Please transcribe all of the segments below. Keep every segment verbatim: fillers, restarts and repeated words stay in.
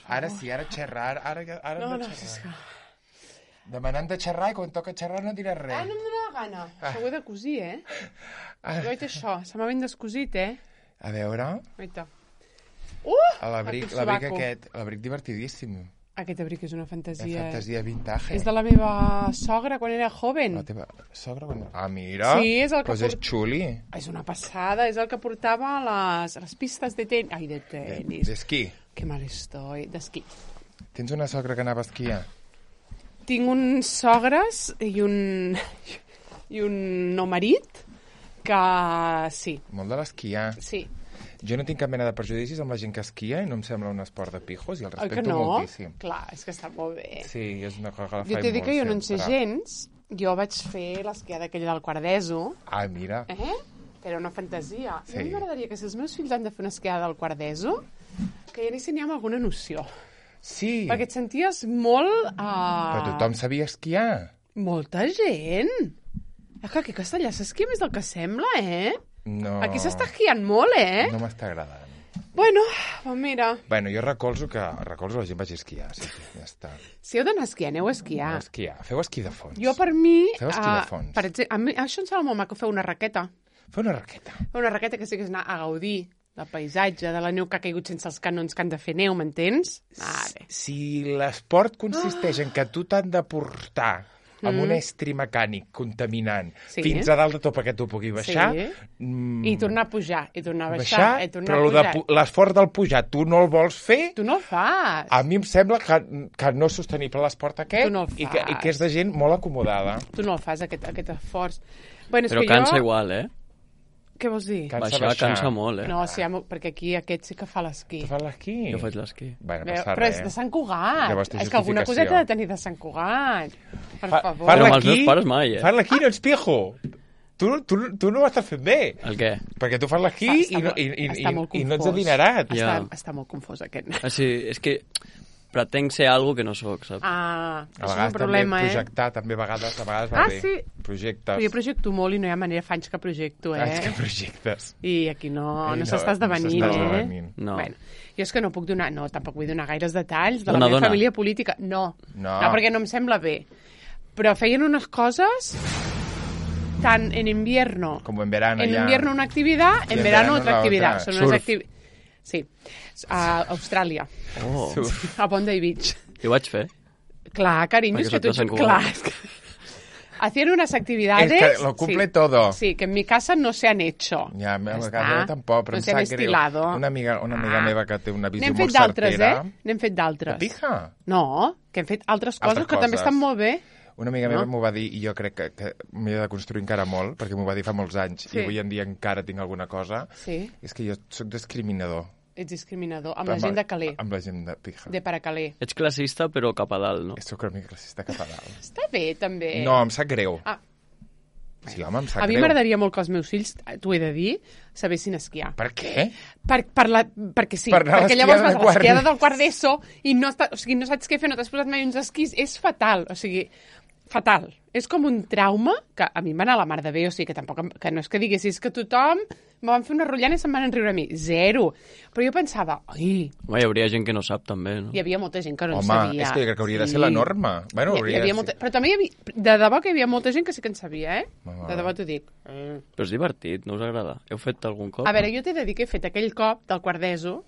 Ara sí, ara xerrar, ara, ara no, hem de no, xerrar. és que... Demanant de xerrar i quan toca xerrar no diràs res. Ah, no em dóna la gana. Ah. Això ho he de cosir, eh? Ah. Jo he això, se m'ha ben descosit, eh? A veure... Oita. Uh! L'abric aquest, l'abric divertidíssim. Aquest abric és una fantasia. La fantasia vintage. És de la meva sogra quan era joven. La teva sogra quan... Ah, mira. Sí, és el que... Pues és xuli. És una passada, és el que portava a les, a les pistes de tenis. Ai, de tenis. D'esquí. Que mal estoy. D'esquí. Tens una sogra que anava a esquiar? Tinc uns sogres i un... i un no marit que sí. Molt de l'esquiar. Sí. Jo no tinc cap mena de prejudicis amb la gent que esquia i no em sembla un esport de pijos i el respecto no? moltíssim. Clar, és que està molt bé. Sí, és una cosa que la jo faig t'he dit que jo no en sé sempre. gens. Jo vaig fer l'esquiada aquella del Quardeso. Ah, mira. Eh? Que era una fantasia. Sí. A mi m'agradaria que si els meus fills han de fer una esquiada del Quardeso, que ja anessin amb alguna noció. Sí. Perquè et senties molt... Uh... Però tothom sabia esquiar. Molta gent. És que aquí a Castellà s'esquia més del que sembla, eh? No. Aquí s'està esquiant molt, eh? No m'està agradant. Bueno, doncs mira. Bueno, jo recolzo que recolzo la gent vagi a esquiar, sí, sí, ja està. Si heu d'anar a esquiar, aneu a esquiar. Aneu a esquiar. Feu esquí de fons. Jo, per mi... Feu esquí de fons. Uh, per exemple, a mi, això em sembla molt maco, fer una raqueta. Fer una raqueta. Fer una raqueta que sí que és anar a gaudir del paisatge, de la neu que ha caigut sense els canons que han de fer neu, m'entens? Vale. Si l'esport consisteix en que tu t'han de portar amb mm. un estri mecànic contaminant sí. fins a dalt de tot perquè tu pugui baixar... Sí. Mm, I tornar a pujar, i tornar a baixar, baixar i tornar però a pujar. Però l'esforç del pujar tu no el vols fer... Tu no el fas. A mi em sembla que, que no és sostenible l'esport aquest no i, que, i que és de gent molt acomodada. Tu no el fas, aquest, aquest esforç. Bueno, és però que cansa jo... igual, eh? Què vols dir? Cansa baixar, baixar cansa molt, eh? No, sí, perquè aquí aquest sí que fa l'esquí. Tu fas l'esquí? Jo faig l'esquí. Bueno, Bé, passa però res. és de Sant Cugat. Llavors té és que alguna justificació. coseta ha de tenir de Sant Cugat. Per Fa, favor. Fa Però amb els l'esquí, meus pares mai, eh? Fas l'esquí, no ets pijo. Tu, tu, tu no ho estàs fent bé. El què? Perquè tu fas l'esquí i, no, i, i, està molt i, i no ets confós. adinerat. Està, Ja. està molt confós, aquest. Ah, sí, és que pretenc ser algo que no sóc, saps? Ah, A això és un vegades problema, també eh? projectar, també a vegades, a vegades va Ah, bé. sí? Projectes. Però jo projecto molt i no hi ha manera, fa anys que projecto, eh? Anys que projectes. I aquí no, Ai, no, no, s'està esdevenint, no s'està eh? esdevenint. No. Bueno, jo és que no puc donar, no, tampoc vull donar gaires detalls de Dona, la meva dona. família política. No. No. no, perquè no em sembla bé. Però feien unes coses tant en invierno... Como en verano En ya. invierno una actividad, en, en verano, verano otra la actividad. otra. Son unas Surf. activi- Sí, a Austràlia, Oh, a Bondi Beach. i ho vaig fer. Clar, carinyo, Perquè és que soc de tu... Sant Cugat. Clar, és que... Hacían unas actividades... Es que lo cumple sí, todo. Sí, que en mi casa no se han hecho. Ja, a Ja casa està. meva tampoc, però no em se han sap greu. estilado. Una amiga, una amiga Ah. meva que té una visió N'hem molt fet d'altres, certera. eh? N'hem fet d'altres. De pija? No, que hem fet altres coses Altres que també coses. estan molt bé. Una amiga No? meva m'ho va dir i jo crec que, que m'he de construir encara molt, perquè m'ho va dir fa molts anys Sí. i avui en dia encara tinc alguna cosa. Sí, És que jo sóc discriminador. ets discriminador. Amb la gent de Calais, Amb la gent de pija. de Paracalais. Ets classista, però cap a dalt, no? Sóc una mica classista cap a dalt. Està bé, també. No, em sap greu. Ah, Sí, home, em sap a mi greu. m'agradaria molt que els meus fills, t'ho he de dir, sabessin esquiar. Per què? Per, per la, perquè sí, Per anar a perquè l'esquiada llavors vas de a quart. l'esquiada del quart d'ESO i no, està, o sigui, no saps què fer, no t'has posat mai uns esquís, és fatal, o sigui, fatal. És com un trauma que a mi em va anar a la mar de bé, o sigui, que tampoc, em- que no és que diguessis que tothom me van fer una rotllana i se'n van enriure a mi. Zero. Però jo pensava, ai, Home, hi hauria gent que no sap, també, no? hi havia molta gent que no en Home, sabia. és que jo crec que hauria de ser la norma. Bueno, hi, hi hauria de havia ser- molta... Però també hi havia... De debò que hi havia molta gent que sí que en sabia, eh? Ah. De debò t'ho dic. Però és divertit, no us agrada? Heu fet algun cop? A veure, jo t'he de dir que he fet aquell cop del quart d'ESO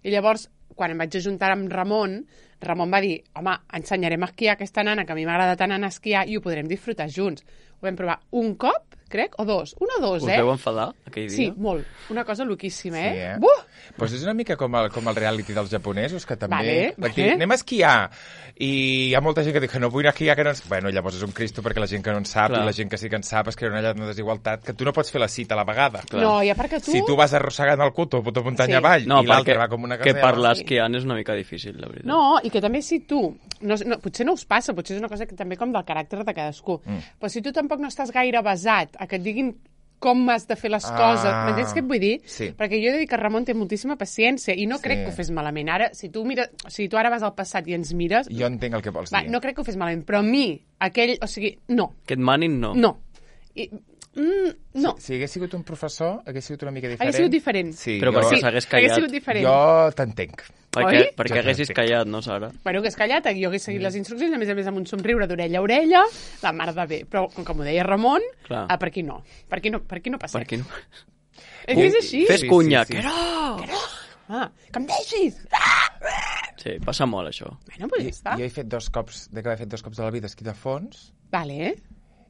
i llavors, quan em vaig ajuntar amb Ramon, Ramon va dir, home, ensenyarem a esquiar aquesta nana, que a mi m'agrada tant anar a esquiar, i ho podrem disfrutar junts. Ho vam provar un cop, crec, o dos. Un o dos, Us eh? veu enfadar, aquell dia? Sí, molt. Una cosa loquíssima, eh? Sí, eh? Buh! Pues és una mica com el, com el reality dels japonesos, que també... Vale, Perquè vale. anem a esquiar, i hi ha molta gent que diu que no vull anar a esquiar, que no... ens- Bueno, llavors és un cristo perquè la gent que no en sap Clar. i la gent que sí que en sap es crea una, una desigualtat que tu no pots fer la cita a la vegada. Clar. No, i a part que tu... Si tu vas arrossegant el cuto puta muntanya Sí. avall No, i l'altre perquè va com una que casella... parlar esquiant és una mica difícil, la veritat. No, i que també si tu... No, no, potser no us passa, potser és una cosa que també com del caràcter de cadascú. Mm. Però si tu tampoc no estàs gaire basat a que et diguin com has de fer les Ah, coses, m'entens què et vull dir? sí. Perquè jo he de dir que Ramon té moltíssima paciència i no Sí. crec que ho fes malament. Ara, si tu, mira, si tu ara vas al passat i ens mires... Jo entenc el que vols Va, dir. no crec que ho fes malament, però a mi, aquell... O sigui, no, Que et manin, no. no. I, Mm, no. Si, si hagués sigut un professor, hagués sigut una mica diferent. Hagués sigut diferent. Sí, Però jo, perquè Sí, s'hagués hagués callat. sigut diferent. jo t'entenc. Perquè, Oi? perquè Jo haguessis t'entenc. callat, no, Sara? Bueno, hagués callat, jo hagués seguit les instruccions, a més a més amb un somriure d'orella a orella, la mar de bé. Però, com que m'ho deia Ramon, Clar. ah, per aquí no. Per aquí no, per aquí no passa. Per què no? És que és així. Fes Sí, cunya, sí, sí. que no! Ah, que em deixis! Sí, passa molt, això. Bueno, doncs ja està. Jo he fet dos cops, de que he fet dos cops de la vida esquí de fons, Vale.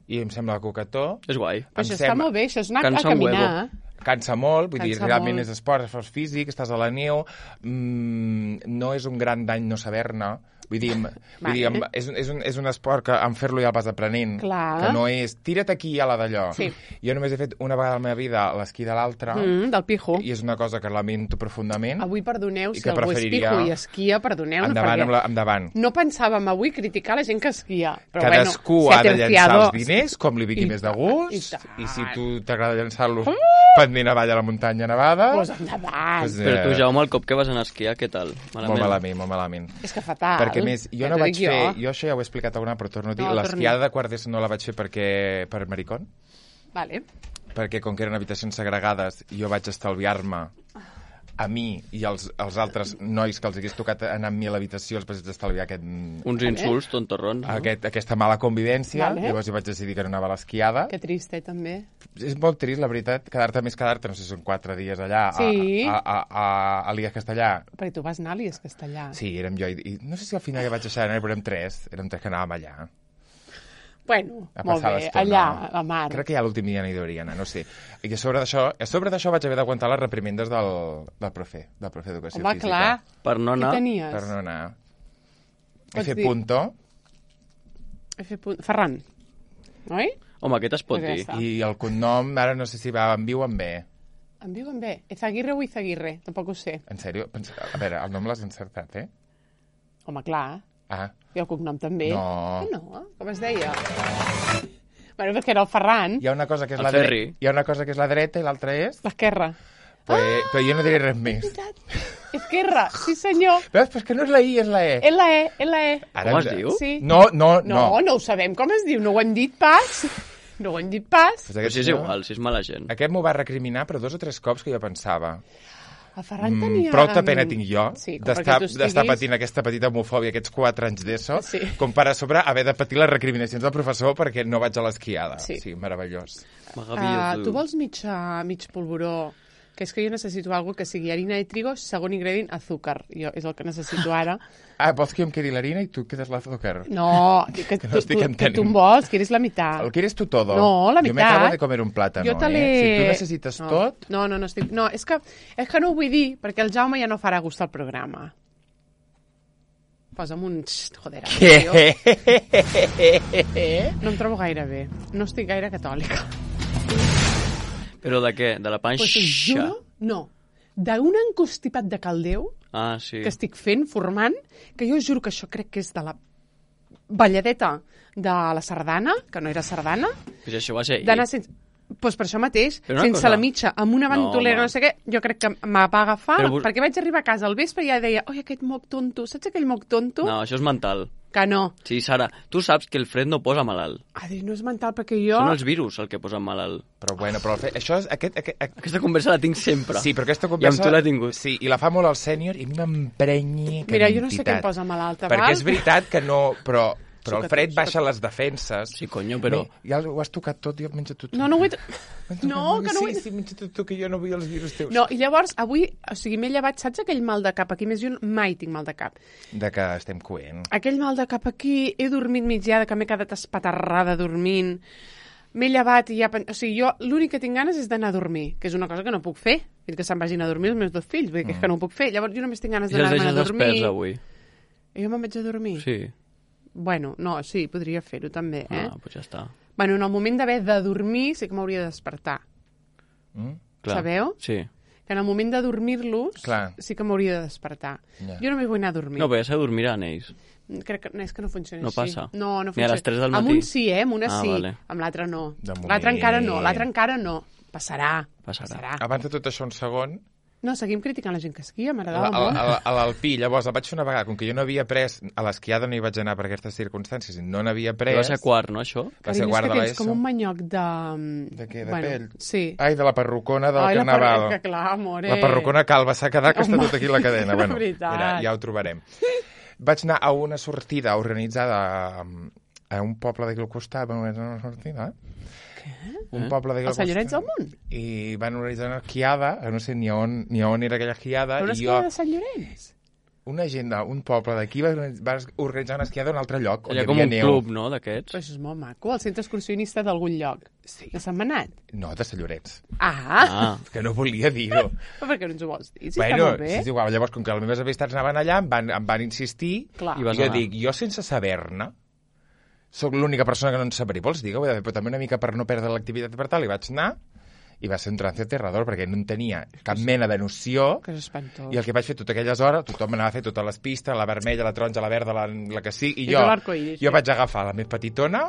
i em sembla coquetó. És guai. Però això Em està sembla- molt bé, això és anar Cansa a un caminar. Cansa molt, vull dir, Cansa realment molt. és esport, esforç físic, estàs a la neu, mm, no és un gran dany no saber-ne, vull dir, em- vull dir em- és, un, és, un, és un esport que en fer-lo ja vas aprenent, Clar. que no és tira't aquí a la d'allò. Sí. Jo només he fet una vegada a la meva vida l'esquí de l'altre, Mm, del pijo. i és una cosa que lamento profundament. Avui perdoneu, I si que algú és preferiria- pijo i esquia, perdoneu-nos, Endavant, perquè amb la, endavant. no pensàvem avui criticar la gent que esquia. Però Cadascú bueno, ha de llançar els terciado. diners com li vingui I més de tant, gust, i tant. i si tu t'agrada llançar-los pendent avall a la muntanya nevada, Pues endavant. Pues, Però tu, Eh, Jaume, el cop que vas anar a esquiar, què tal? molt malament, molt malament. És que fatal. Perquè, a més, jo Ja no t'ho vaig dic fer... Jo. Jo això ja ho he explicat alguna, però torno a dir, No, l'esquiada torni. de quart d'ESO no la vaig fer perquè, per maricón, Vale. perquè com que eren habitacions segregades, jo vaig estalviar-me a mi i als, als altres nois que els hagués tocat anar amb mi a l'habitació, els vaig estalviar aquest, Uns insults tontorrons, no? aquest, aquesta mala convivència. Vale. Llavors jo vaig decidir que no anava a l'esquiada. Que trist, eh, també. És molt trist, la veritat, quedar-te més quedar-te, no sé si són quatre dies allà, a- Sí. a, a, a, a l'Ies Castellà. Perquè tu vas anar a l'Ies Castellà. Sí, érem jo, i, i no sé si al final ja vaig deixar d'anar, però érem tres, érem tres que anàvem allà. Bueno, A molt passar bé, l'estona. allà, a la mar. Crec que ja l'últim dia no hi hauria anar, no sé. I a sobre d'això, a sobre d'això vaig haver d'aguantar les reprimendes del, del profe, del profe d'educació Home, física. clar. Per no Què anar... tenies? Per no anar. He Pots fet dir- punto, He fet punt... Ferran, oi? Home, aquest es pot Pues ja dir. està. i el cognom, ara no sé si va en viu o en bé. Em diuen bé. Ezaguirre o Izaguirre? Tampoc ho sé. En sèrio? Pensa- A veure, el nom l'has encertat, eh? Home, clar. Ah, I el cognom també. No. Que no? Com es deia? Bueno, perquè era el Ferran, hi ha una cosa que és El la dreta, Ferri. hi ha una cosa que és la dreta i l'altra és... l'esquerra. Pues, però jo no diré res més. Esquerra, sí senyor. Veus? Però és que no és la I, és la E. L E, L E. Ara Com es ens- diu? Sí. No, no, no. No, no ho sabem com es diu, no ho hem dit pas. No ho hem dit pas. Pues Però aquest si és senyor- igual, si és mala gent. Aquest m'ho va recriminar, però dos o tres cops que jo pensava... El Ferran Mm, tenia... prou de pena tinc jo Sí, com d'estar perquè tu d'estar estiguis- patint aquesta petita homofòbia aquests quatre anys d'ESO, Sí. com per a sobre haver de patir les recriminacions del professor perquè no vaig a l'esquiada. Sí. sí, meravellós. Uh, tu vols mig, uh, mig polvoró? Que és que jo necessito algo que sigui harina de trigo, segon ingredient, azúcar. Jo, és el que necessito ara. Ah, vols que jo em quedi l'harina i tu quedes l'azúcar? No, que, que, Que no tu, estic tu, que entenent. tu em vols, que eres la meitat. ¿Lo quieres tú todo? No, la Yo me meitat. acabo de comer un plátano, Jo te l'he... eh? Si tu necessites no. tot... No, no, no, estic... no és, que, és que no ho vull dir, perquè el Jaume ja no farà gust al programa. Posa'm un... Xt, joder, tio. No em trobo gaire bé. No estic gaire catòlica. Però de què? De la panxa? Pues us juro, no. D'un encostipat de caldeu Ah, sí. que estic fent, formant, que jo juro que això crec que és de la balladeta de la sardana, que no era sardana, Pues això va ser d'anar ahir. sense... Pues per això mateix, Però una sense cosa- la mitja, amb una No, ventolera, home. no, sé què, jo crec que me va agafar, Però vos- perquè vaig arribar a casa al vespre i ja deia, oi, aquest moc tonto, saps aquell moc tonto? No, això és mental. Que no. Sí, Sara, tu saps que el fred no posa malalt. A dir, no és mental, perquè jo... Són els virus el que posen malalt. Però bueno, però el fe... això és... Aquest, aquest, aquest... Aquesta conversa la tinc sempre. Sí, però aquesta I amb conversa... tu l'he tingut. Sí, i la fa molt el sènior i a mi m'emprenyi que Mira, jo no sé què em posa malalta, Perquè val? és veritat que no... Però, però el Suca fred tu, baixa les defenses. Sí, conyo, però... Bé, ja ho has tocat tot, jo menja tot. No, no ho he... No, que no ho sí, he... Sí, menja tot tu, que jo no vull els virus teus. No, i llavors, avui, o sigui, m'he llevat, saps aquell mal de cap aquí? Més jo mai tinc mal de cap. De que estem coent. Aquell mal de cap aquí, he dormit migdiada, que m'he quedat espaterrada dormint, m'he llevat i ja... pen- O sigui, jo l'únic que tinc ganes és d'anar a dormir, que és una cosa que no puc fer, fins que se'n vagin a dormir els meus dos fills, vull dir que és que no ho puc fer. Llavors jo només tinc ganes I els d'anar deixes a dormir. desperts avui. I jo me'n vaig a dormir? Sí. Bueno, no, sí, podria fer-ho també, eh? Ah, doncs ja està. Bueno, en el moment d'haver de dormir sí que m'hauria de despertar. Mm? Clar. Sabeu? Sí. Que en el moment de dormir-los Clar. sí que m'hauria de despertar. Ja. Jo només vull anar a dormir. No, però ja se dormiran ells. Crec que, no, és que no funciona No així. passa. No, no Ni a funciona. les tres del Amb matí? un sí, eh? Amb una Ah, sí. vale. Amb l'altre no. De moment. L'altre encara no. L'altre encara no. Passarà. Passarà. Passarà. Abans de tot això, un segon, No, seguim criticant la gent que esquia, A m'agradava a- molt. a- a l'Alpí, llavors el vaig fer una vegada, com que jo no havia pres, a l'esquiada no hi vaig anar per aquestes circumstàncies, i no n'havia pres... Va ser quart, no, això? Va ser Carinyo, és quart que de tens l'ESO. com un manyoc de... De què, de bueno, pell? Sí. Ai, de la perrucona del Ai, la carnaval. perruca, clar, amore. La perrucona calva s'ha quedat, que està Home, tot aquí la cadena. Bueno, veritat. mira, ja ho trobarem. Vaig anar a una sortida organitzada a, a un poble d'aquí al costat, van organitzar una sortida, eh? Un poble d'aquí al Els Sant Llorenç del costat. Munt? I van organitzar una esquiada, no sé ni on, ni on era aquella esquiada, Però una i jo, esquiada de Sant Llorenç? una gent d'un poble d'aquí va, va organitzar una esquiada a un altre lloc, on Allà hi com havia un neu. club, no, d'aquests? Però això és molt maco, el centre excursionista d'algun lloc. Sí. De Sant Manat. No, de Sant Llorenç. Ah, Ah, Que no volia dir-ho. però per què no ens ho vols dir? Si bueno, està molt bé. sí, és igual. Llavors, com que les meves amistats anaven allà, em van, em van insistir, Clar. I i vas jo anar. dic, jo sense saber-ne, sóc l'única persona que no en sabré, vols dir? Però també una mica per no perdre l'activitat per tal, i vaig anar, i va ser un trance aterrador, perquè no en tenia cap mena de noció, Que és espantós. i el que vaig fer totes aquelles hores, tothom anava a fer totes les pistes, la vermella, la taronja, la verda, la, la que sigui, i I jo, tu l'arcoiris, jo sí. vaig agafar la més petitona,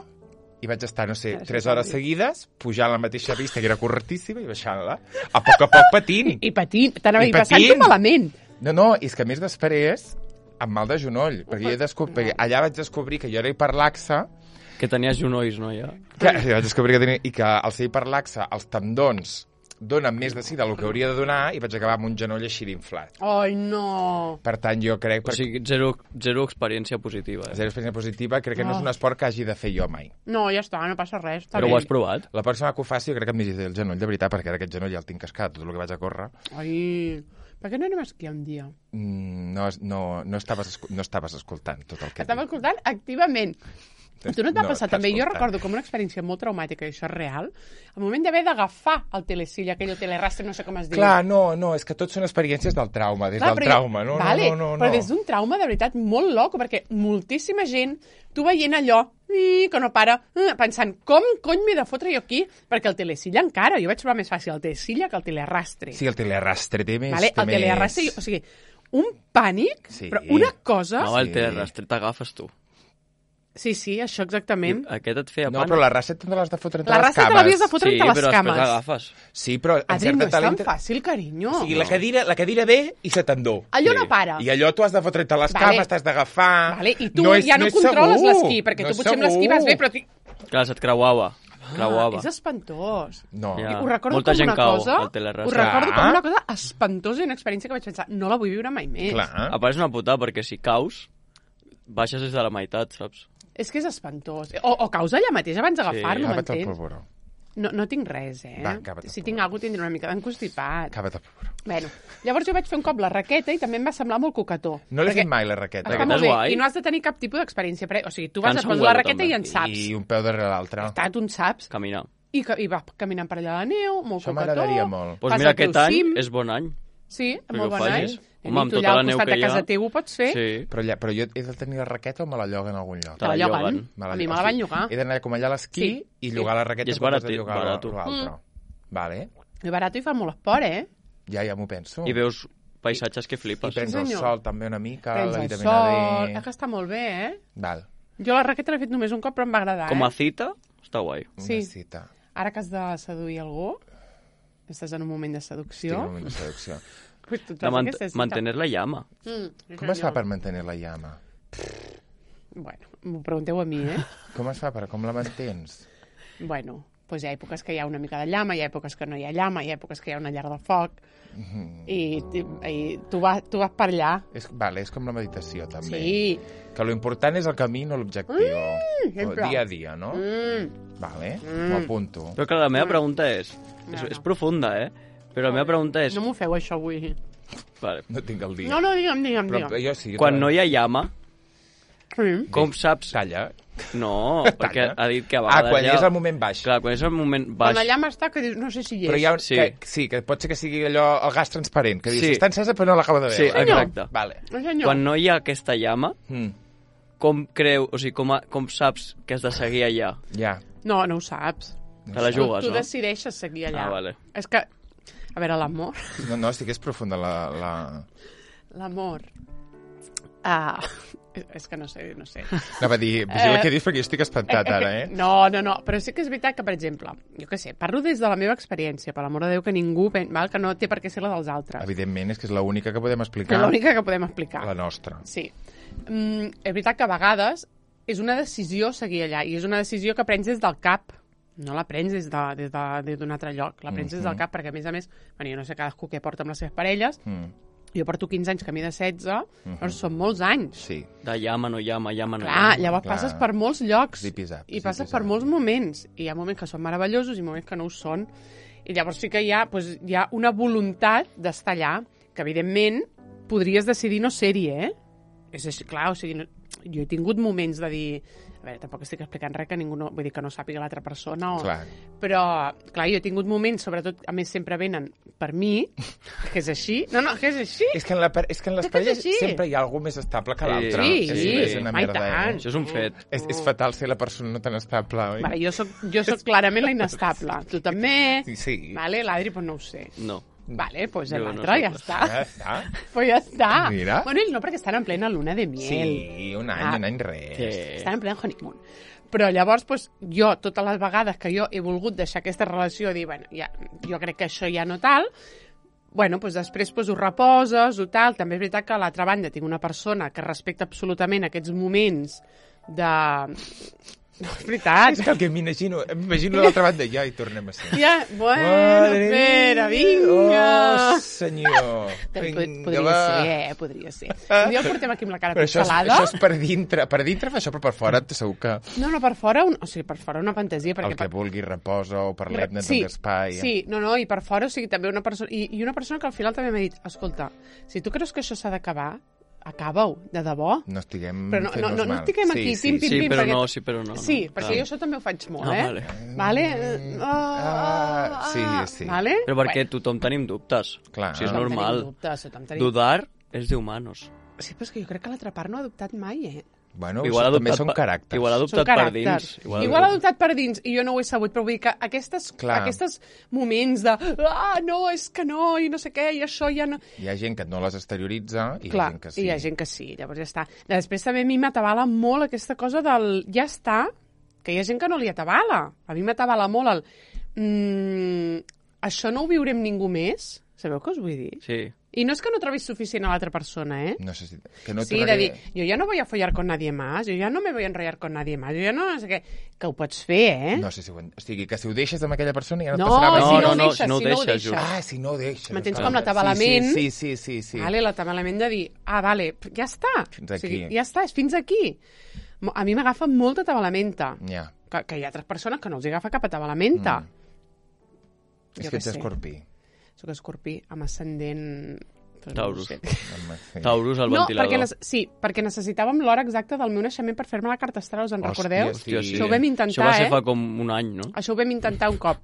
i vaig estar, no sé, Això tres està hores bé. seguides, pujant la mateixa pista, que era curtíssima, i baixant-la, a poc a poc patint. I patint, t'anava a I dir, passant-ho patint. malament. No, no, és que a més després, amb mal de genoll, perquè, jo he descobert, perquè allà vaig descobrir que jo era hiperlaxa, que tenies genolls, no, ja? que, jo vaig descobrir que tenia, i que al ser hiperlaxa els tendons donen més de sí del que hauria de donar, i vaig acabar amb un genoll així d'inflat. Ai, no. Per tant, jo crec... O sigui, zero, zero experiència positiva, eh? Zero experiència positiva, crec que no és Oh. un esport que hagi de fer jo mai. No, ja està, no passa res. Està Però bé. ho has provat? La pròxima que ho faci, jo crec que em digiti el genoll, de veritat, perquè ara aquest genoll ja el tinc cascat, tot el que vaig a córrer. Ai, per què no anem a esquiar un dia? Mm, no, no, no, estaves, escu- no estaves escoltant tot el que Estava dic. escoltant activament. Tu no et va No, passar estàs també? Jo escoltant. recordo com una experiència molt traumàtica, i això és real, el moment d'haver d'agafar el telesilla, aquell telerastre, no sé com es diu. Clar, no, no, és que tot són experiències del trauma, des Clar, del però jo- trauma, no, vale, no, no, no. però des d'un trauma de veritat molt loco, perquè moltíssima gent, tu veient allò, i que no para, eh, pensant, com cony m'he de fotre jo aquí? Perquè el telesilla encara, jo vaig trobar més fàcil el telesilla que el telerastre. Sí, el telerastre té més... Vale? té El telerastre, més... o sigui, un pànic, Sí. però una cosa... No, el Sí. telerastre t'agafes tu. Sí, sí, això exactament. Aquest et feia No, pànic. però la raça te l'has de fotre entre La les raça te cames. l'havies de fotre Sí, entre les però després cames. l'agafes. Sí, però en Adri, no certa és tan talent... fàcil, carinyo. O sigui, la cadira, la cadira ve i se t'endú. Allò Sí. no para. I allò tu has de fotre entre les Vale. cames, t'has d'agafar... Vale, i tu no és, ja no, és controles segur. l'esquí, perquè no tu és potser amb l'esquí vas bé, segur. però... tu- Clar, se't creuava. Creuava. Ah, és espantós. No. Ja. Ho recordo Molta com gent una cau cosa... al telerastre. Ho recordo Clar. com una cosa espantosa i una experiència que vaig pensar, no la vull viure mai més. Clar. A part és una putada, perquè si caus, baixes des de la meitat, saps? És que és espantós. O, o caus allà mateix abans d'agafar-lo, Cava't el m'entens? polvoró. No, no tinc res, eh? Va, cava't el si tinc alguna cosa tindré una mica d'encostipat. Cava't el polvoró. Bueno, llavors jo vaig fer un cop la raqueta i també em va semblar molt cocató. No l'he Perquè fet mai, la raqueta. Està Raqueta molt és bé, guai. i no has de tenir cap tipus d'experiència. pre- O sigui, tu vas Cansa a un posar la huevo, raqueta també. i en saps. I un peu darrere l'altre. Està, tu en saps. Caminar. I, que, i va caminant per allà a la neu, molt Això cocató. m'agradaria molt. Doncs pues Fas mira, el teu aquest any cim. és bon any. Sí, Perquè molt ho bon any. facis. I Home, amb tu tota allà la al neu costat que de hi ha. casa teu ho pots fer. Sí. Però, allà, però jo he de tenir la raqueta o me la lloguen a algun lloc? Te la Te la lloguen. lloguen. Me A mi me la van llogar. He d'anar com allà a l'esquí Sí, i sí. llogar la raqueta I és en comptes barat- de llogar barat. l'altre. Mm. Vale, I barat i fa molt esport, eh? ja, ja m'ho penso. I veus paisatges que I flipes. prens Sí, el senyor. sol també una mica, Prens la el vitamina sol... D... Eh, que està molt bé, eh? Val, Jo la raqueta l'he fet només un cop, però em va agradar, Com eh? a cita, està guai. una Sí. cita. Ara que has de seduir algú, estàs en un moment de Estic seducció... en un moment de seducció. Pues tu et De fas mant aquesta cita. mantenir la llama. Mm, sí, Com es fa senyor. per mantenir la llama? Bueno, m'ho pregunteu a mi, eh? Com es fa per... Com la mantens? Bueno, doncs hi ha èpoques que hi ha una mica de llama, hi ha èpoques que no hi ha llama, hi ha èpoques que hi ha una llar de foc, i, i, i tu, vas, tu vas per allà. És, vale, és com la meditació, també. Sí. Que lo important és el camí, no l'objectiu. Mm, sempre. dia a dia, no? Mm. Vale, m'ho apunto. Però clar, la meva pregunta és... És, és profunda, eh? Però la meva pregunta és... No m'ho feu, això, avui. Vale. No tinc el dia. No, no, digue'm, digue'm, Però digue'm. jo sí. jo Quan també. no hi ha llama, Sí. com saps... Talla. No, perquè ha dit que a Ah, vegades quan hi ha... és el moment baix. Clar, quan és el moment baix... Quan la llama està, que dius, no sé si hi és. Però hi ha un, Sí. sí. Que, sí, que pot ser que sigui allò, el gas transparent, que dius, Sí. està encesa però no l'acaba de Sí, veure. exacte. Vale. No, senyor. Quan no hi ha aquesta llama, Mm, com creu... O sigui, com, a, com saps que has de seguir allà? ja. No, no ho saps. Te la Tu, jugues, tu no? decideixes seguir allà. Ah, vale. És que, a veure, l'amor... No, no, sí que és profunda la... la... L'amor... Ah, És, és que no sé, no sé. Anava a dir, vigila Eh, què dius, perquè jo estic espantat ara, eh? No, no, no, però sí que és veritat que, per exemple, jo què sé, parlo des de la meva experiència, per l'amor de Déu, que ningú, pen- val, que no té per què ser la dels altres. Evidentment, és que és l'única que podem És explicar, l'única que podem explicar. la nostra. Sí. Mm, és veritat que a vegades és una decisió seguir allà, i és una decisió que prens des del cap, no la prens des d'un de, des de, des d'un altre lloc, la prens des del cap, perquè a més a més, bueno, jo no sé cadascú què porta amb les seves parelles, Mm. jo porto quinze anys, camí de setze, doncs són molts anys. Sí. De llama, no llama, llama, no Clar, llama. llavors Clar. passes per molts llocs Zip i zap, i zip passes i per zap. molts moments. I hi ha moments que són meravellosos i moments que no ho són. I llavors sí que hi ha, doncs, hi ha una voluntat d'estar allà, que evidentment podries decidir no ser-hi, eh? És així, clar, o sigui, no, jo he tingut moments de dir... A veure, tampoc estic explicant res que ningú no... Vull dir que no sàpiga l'altra persona o... Clar. Però, clar, jo he tingut moments, sobretot, a més sempre venen per mi, que és així. No, no, que és així. És que en, la, par- és que en les És que és parelles així. sempre hi ha algú més estable que Sí. l'altre. Sí, és, sí. és una Ai, merda, tant. eh? Això és un fet. És, és fatal ser la persona no tan estable, oi? Vale, jo soc, jo soc clarament la inestable. Tu també. Sí, sí. Vale, l'Adri, doncs no ho sé. No. Vale, doncs Jo l'altre no ja soc està. Ja està. Pues ja està. Mira. Bueno, ells no, perquè estan en plena luna de miel. Sí, un any, Ah. un any res. Sí. Estan en plena honeymoon. Però llavors, doncs, jo, totes les vegades que jo he volgut deixar aquesta relació, dir, bueno, ja, jo crec que això ja no tal, bueno, doncs després doncs, ho reposes, o tal. També és veritat que a l'altra banda tinc una persona que respecta absolutament aquests moments de... No, és veritat. És que el que m'imagino, m'imagino l'altra banda, ja hi tornem a ser. Ja, bueno, Madre espera, mia. vinga. Oh, senyor. Pod- Vinga, podria va. ser, eh? Podria ser. Un dia el portem aquí amb la cara Però això és, pixelada. això és per dintre. Per dintre fa això, però per fora segur que No, no, per fora, un... o sigui, per fora una fantasia. Perquè el que per... vulgui reposa o parlem-ne sí, d'espai. sí, no, no, i per fora, o sigui, també una persona... I, i una persona que al final també m'ha dit, escolta, si tu creus que això s'ha d'acabar, acaba-ho, de debò. No estiguem Però no, no, fent-nos no, no mal. estiguem aquí, sí, pim, sí, pim, Sí, pim, però perquè- no, sí, però no. Sí, no. perquè Clar. jo això també ho faig molt, Ah, eh? vale. Vale? Ah, Ah, sí, sí. Vale? Però perquè tothom tenim dubtes. Clar. Si és Tothom normal. tenim dubtes, tothom tenim- Dudar és d'humanos. Sí, però és que jo crec que l'altre part no ha adoptat mai, eh? Bueno, Igual això també adoptat són per- caràcters. igual Són adoptat per caràcters. dins. Igual, Igual adoptat per dins, i jo no ho he sabut, però vull dir que aquestes, Clar. aquestes moments de ah, no, és que no, i no sé què, i això ja no... Hi ha gent que no les exterioritza i Clar, hi ha gent que sí. i hi ha gent que sí, llavors ja està. Després també a mi m'atabala molt aquesta cosa del ja està, que hi ha gent que no li atabala. A mi m'atabala molt el mm, això no ho viurem ningú més. Sabeu què us vull dir? Sí. I no és que no trobis suficient a l'altra persona, eh? No sé si... Que no Sí, de tornaré... dir, yo ya no voy a follar con nadie más, yo ya no me voy a enrollar con nadie más, yo ya no, no sé què, que ho pots fer, eh? No sé si ho... en- O sigui, que si ho deixes amb aquella persona ja no, No, et passarà si res. no, ho no, deixes, si no ho si no ho deixes, deixes. Ah, si no ho deixes. M'entens clar. com l'atabalament? Sí, sí, sí, sí, sí. Vale, l'atabalament de dir, ah, vale, ja està. Fins aquí. O sigui, ja està, és fins aquí. Mo- A mi m'agafa molt atabalamenta. Ja. Que, que hi ha altres persones que no els agafa cap atabalamenta. És Jo que què ets sé. escorpí. Soc escorpí amb ascendent... doncs Taurus. No, sé. Home, sí. Taurus al no ventilador. perquè, nece- sí, perquè necessitàvem l'hora exacta del meu naixement per fer-me la carta astral, us en Hòstia, recordeu? sí. Hòstia, sí. Això ho vam intentar, Això va ser eh? fa com un any, no? Això ho vam intentar un cop.